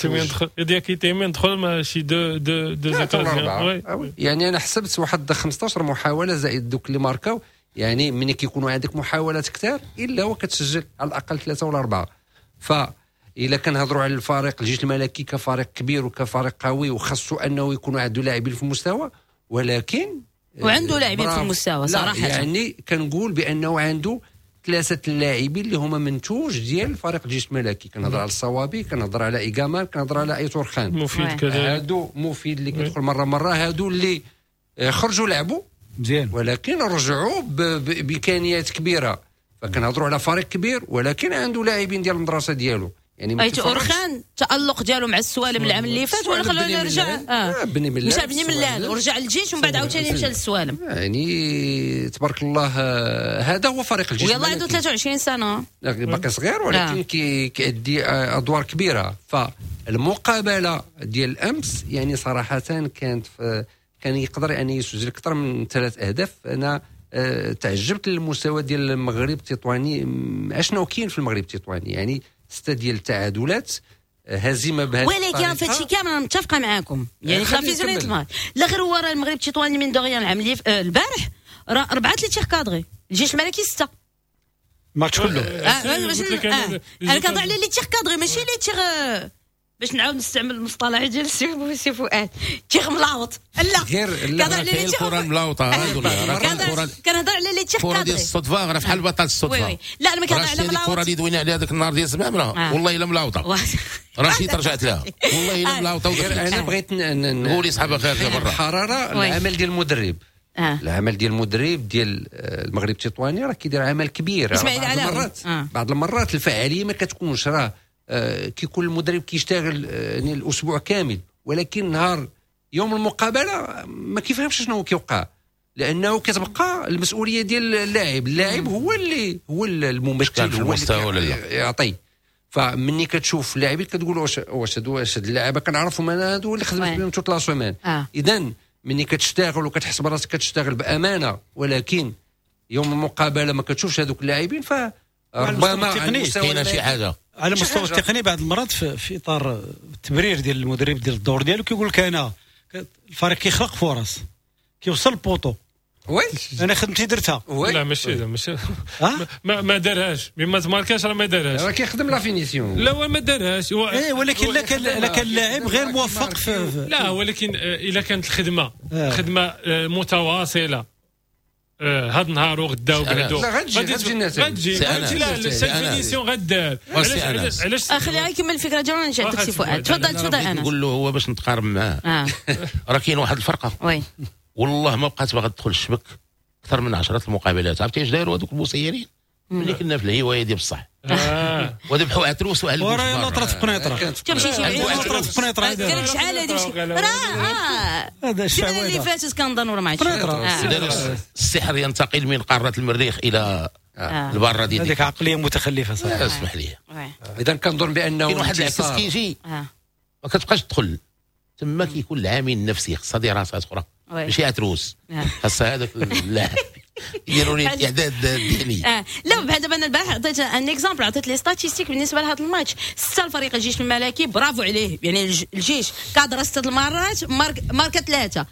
دياكيتي من دخل ماشي deux deux deux occasions. يعني انا حسبت واحد خمسطاش محاولة زائد دوك اللي ماركاو، يعني ملي كيكونوا عندك محاولات كثار الا وكتسجل على الاقل ثلاثة ولا اربعة. ف الا كنهضروا على الفريق الجيش الملكي كفريق كبير وكفريق قوي وخاصو انه يكونوا عنده لاعبين في المستوى، ولكن وعنده لاعبين في المستوى صراحة. يعني كنقول بانه عنده ثلاثة اللاعبين اللي هما منتوج ديال فريق الجيش الملكي. كنهضر على الصوابي، كنهضر على ايغامان، كنهضر على ايتور خان مفيد كذلك. هادو مفيد اللي كيدخل مرة مرة، هادو اللي خرجوا لعبوا مزيان ولكن رجعوا بامكانيات كبيرة. فكنهضروا على فريق كبير ولكن عنده لاعبين ديال المدرسة ديالو. يعني ايتور خان التألق ديالو مع السوالم العام اللي فات ولا خلوه يرجع اه بني ملال، مشى بني ملال ورجع للجيش ومن بعد عاوتاني مشى للسوالم. يعني تبارك الله هذا هو فريق الجيش. ويلا عنده ثلاثة وعشرين سنة باقي صغير ولكن آه. كيأدي ادوار كبيرة. فالمقابله ديال الامس يعني صراحة كانت كان يقدر يعني يسجل اكثر من ثلاث اهداف. انا تعجبت للمستوى ديال المغرب التطواني، اشنو كاين في المغرب التطواني، يعني ستة ديال التعادلات، هزيمة بهذه الطريقة. ولكن في هادشي كامل انا متفقه معاكم، يعني خافي زوين الماتش. لا غير هو راه المغرب التطواني من دغيا العام اللي البارح راه اربعة les tirs cadrés، الجيش الملكي ستة ماتش كله. انا كنهضر على les tirs cadrés ماشي les tirs، باش نعاود نستعمل المصطلح ديال السي فؤاد tir ملاوط. لا كنهضر على les tirs الكره الملاوطه، كنهضر على les tirs cadrés ديال الصدفة، راه بحال بطل الصدفة. لا انا ما كنهضر على ملاوط. الكره اللي دوينا عليها ذاك النهار ديال زمامرة والله الا ملاوطه، رشيد رجعت لها والله الا ملاوطه. انا بغيت نقول صحابه خارجه برا الحرارة. العمل ديال المدرب، العمل ديال المدرب ديال المغرب التطواني راه كيدير عمل كبير. بعض المرات بعض المرات الفعالية ما كتكونش، راه آه كيكون المدرب كيشتغل آه يعني الاسبوع كامل، ولكن نهار يوم المقابلة ما كيفهمش شنو كيوقع، لانه كتبقى المسؤولية ديال اللاعب. اللاعب هو اللي هو الممثل، هو اللي يعطي. فمني كتشوف اللاعبين كتقول واش واش هادو واش هاد اللعابه كنعرفهم انا، هادو اللي خدمت بهم toute la semaine. اذا ملي كتشتغل وكتحس براسك كتشتغل بامانه، ولكن يوم المقابلة ما كتشوفش هذوك اللاعبين، فربما على كاينه شي حاجة على المستوى التقني. بعض المرات في, في اطار التبرير ديال المدرب ديال الدور ديالو كيقول لك انا الفريق كيخلق فرص، كيوصل ال poteau، oui انا خدمتي درتها. لا ماشي ماشي ما ما دارهاش، ما تماركاش راه ما دارهاش، راه كيخدم la finition. لا هو ما دارهاش. ايه ولكن لا كان لا كان اللاعب غير موفق في. لا ولكن الا كانت الخدمة خدمة متواصلة هذا النهار وغدا وبعدو غتجي غتجي غتجي لا ال finition غدار. علاش علاش خليها يكمل الفكرة ديالو نرجع لك سي فؤاد. تفضل تفضل. انا نقول له هو باش نتقارب معاه راه كاين واحد الفرقة oui والله ما بقات باغا تدخل الشبك اكثر من عشرة المقابلات. عرفتي اش داروا هذوك المسيرين ملي كنا في الهواية ديال بصح وذبحوا عتروس وعلى وراه يلا طرات في قنيطره، مشيتي في قنيطره قال لك شحال هذه راه هذا الشعوذة اللي فاتت كنظن ولا ما عرفتش. السحر ينتقل من قارة المريخ الى البرة ديال هذيك عقلية متخلفة صراحة. اسمح لي. اذا كنظن بانه كاين واحد العكس كيجي ما كتبقاش تدخل تما، كيكون العامل النفسي خصها دراسات اخرى ماشي عتروس، خاصها هذاك اللاعب يديروا لي الاعداد الذهني. اه لا بحال دابا انا البارح عطيت un exemple، عطيت les statistiques بالنسبة لهذا الماتش. ستة الفريق الجيش الملكي برافو عليه، يعني الجيش cadra ستة المرات ماركا ثلاثة،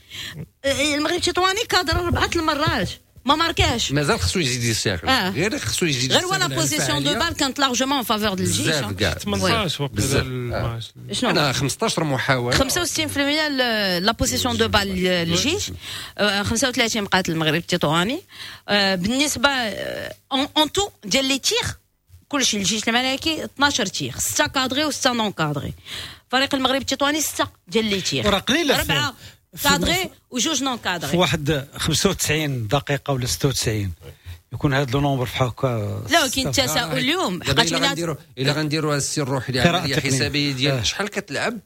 المغرب التطواني cadra اربعة المرات ما ماركاش. مازال خصو يزيد يستغل، آه. غير خصو يزيد غير ولا possession de balle كانت largement en faveur ديال الجيش. بزاف كاع ثمنطاش وقت الماتش. شنو انا خمسطاش محاولة، خمسة وستين بالمية la possession de balle للجيش، خمسة وثلاثين بقات المغرب التطواني. بالنسبة en tout ديال les tirs كلشي الجيش الملكي اثناش tirs، ستة cadrés و ستة non cadrés. فريق المغرب التطواني ستة ديال les tirs، راه قليله، اربعة cadrés وجوج non cadrés. في واحد خمسة وتسعين دقيقة ولا ستة وتسعين يكون هذا le nombre بحال هكا. لا كاين التساؤل اليوم حقاش الا غنديروا الا غنديروا السي الروحي العملية حسابيه ديال شحال كتلعب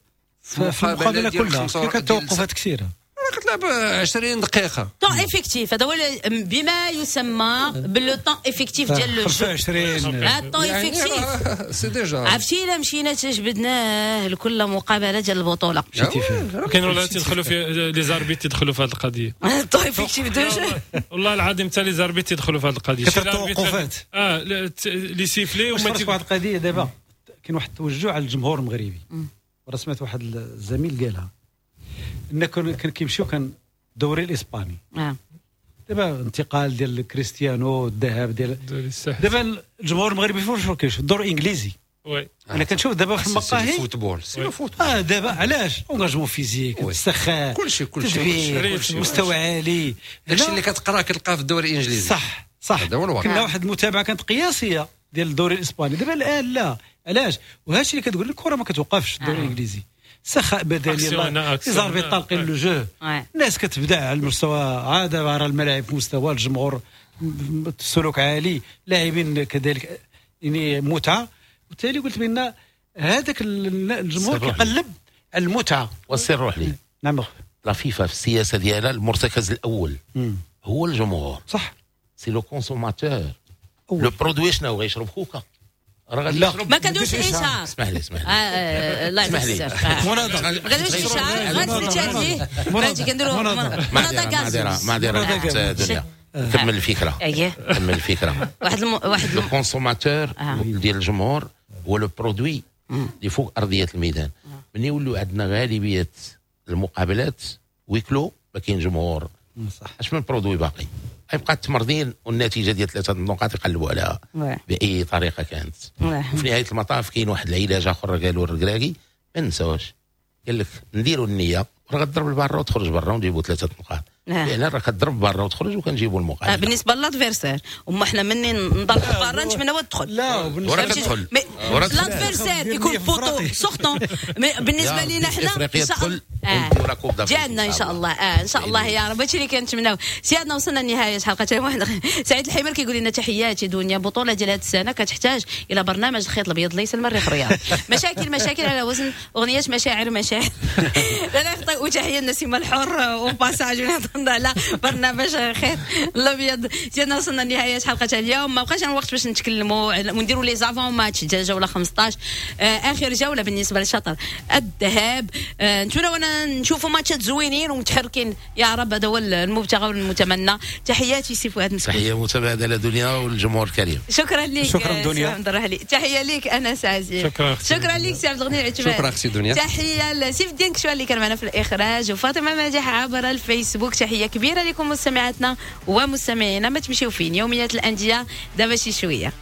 في المقابلة كلها، كاين توقفات كثيرة، راه كتلعب عشرين دقيقة. temps effectif هذا هو بما يسمى ب le temps effectif ديال le خمسة وعشرين temps effectif c'est déjà. عرفتي الا مشينا تجبدناه لكل مقابله ديال البطولة كاين ولا تيدخلوا في les arbitres تيدخلوا في هذه القضية temps effectif de jeu. والله العظيم حتى les arbitres تيدخلوا في هذه القضية، كثر التوقفات اه les sifflets. وما واحد القضية دابا كاين واحد التوجه على الجمهور المغربي، وراه سمعت واحد الزميل قالها ان كان كيمشيو كان الدوري الاسباني آه. دابا انتقال ديال كريستيانو الذهاب ديال دابا الجمهور المغربي فين كيشوف الدوري الانجليزي. oui انا كنشوف دابا في المقاهي football c'est football اه دابا علاش engagement physique، السخاء، كلشي كلشي مستوى عالي، داكشي اللي كتقرا كتلقاه في الدوري الانجليزي. صح صح، كنا واحد المتابعة كانت قياسية ديال الدوري الاسباني. دابا الان لا، علاش؟ وهادشي اللي كتقول الكره ما كتوقفش الدوري الانجليزي، سخاء بدني، les arbitres طالقين le jeu، الناس كتبدع على المستوى، عاد راه الملاعب في مستوى الجمهور، السلوك عالي، لاعبين كذلك، يعني متعه. وبالتالي قلت بان هذاك الجمهور كيقلب على المتعة. والسر روح لي. نعم. la FIFA في السياسة ديالها المرتكز الاول مم. هو الجمهور. صح، c'est le consommateur، le produit شنو غيشرب كوكا راه غادي يشرب. ما كنديروش الاشهار. اسمح لي اسمح لي الله يعطيك الصحة. مناضله ما كنديروش الاشهار، غنسلت عليه فهمتي، كنديروا مناضله غاز. معذرة دنيا، كمل الفكرة. اييه كمل الفكرة. واحد الم... واحد le consommateur ديال الجمهور هو le produit اللي فوق ارضية الميدان. ملي يولوا عندنا غالبية المقابلات huis clos ما كاين جمهور، صح، اش من produit باقي؟ غيبقى التمرضين والنتيجة ديال ثلاثة النقاط يقلبوا عليها باي طريقه كانت. وفي نهاية المطاف كاين واحد العلاج اخر قالوا الركراكي ما نساوش، قال لك نديروا النية راه غتضرب البرا وتخرج برا ونجيبوا ثلاثة نقاط. لان راه كتضرب برا وتخرج وكنجيبوا المقابلة. آه بالنسبة ل l'adversaire وما حنا مني نضربوا برا نتمناو تدخل. لا ورا كتدخل l'adversaire يكون poteau sortant. بالنسبة لينا حنا ان شاء الله آه. ديالنا ان شاء الله اه ان شاء الله يا رب. هادشي اللي كنتمناو. سيادنا وصلنا لنهاية حلقة واحد. سعيد الحمر كيقول لنا تحياتي دنيا، بطوله ديال هذه السنة كتحتاج الى برنامج الخيط الابيض ليس المريخ الرياض. مشاكل مشاكل على وزن اغنية مشاعر مشاعر. لا لا، وتحية لنسيمه الحر au passage. على برنامج خير الابيض. سيدنا وصلنا لنهاية حلقة اليوم، ما بقاش الوقت باش نتكلموا ونديروا les avant-matchs ديال جولة خمسطاش، آه اخر جولة بالنسبة لشطر الذهاب. آه نتمنوا نشوفوا ماتشات زوينين ومتحركين يا رب، هذا هو المبتغى والمتمنى. تحياتي سي فؤاد مسكوت. تحية متبادلة دنيا والجمهور الكريم. شكرا لك. شكرا دنيا. تحية لك انس عزيز. شكرا. شكرا لك سي عبد الغني العثماني. شكرا اختي دنيا. تحية لسيف الدين كشوان اللي كان معنا في الاخراج، وفاطمة ماجح عبر الفيسبوك. تحية كبيرة لكم مستمعاتنا ومستمعينا، ما تمشيو فين، يوميات الاندية دابا شي شوية.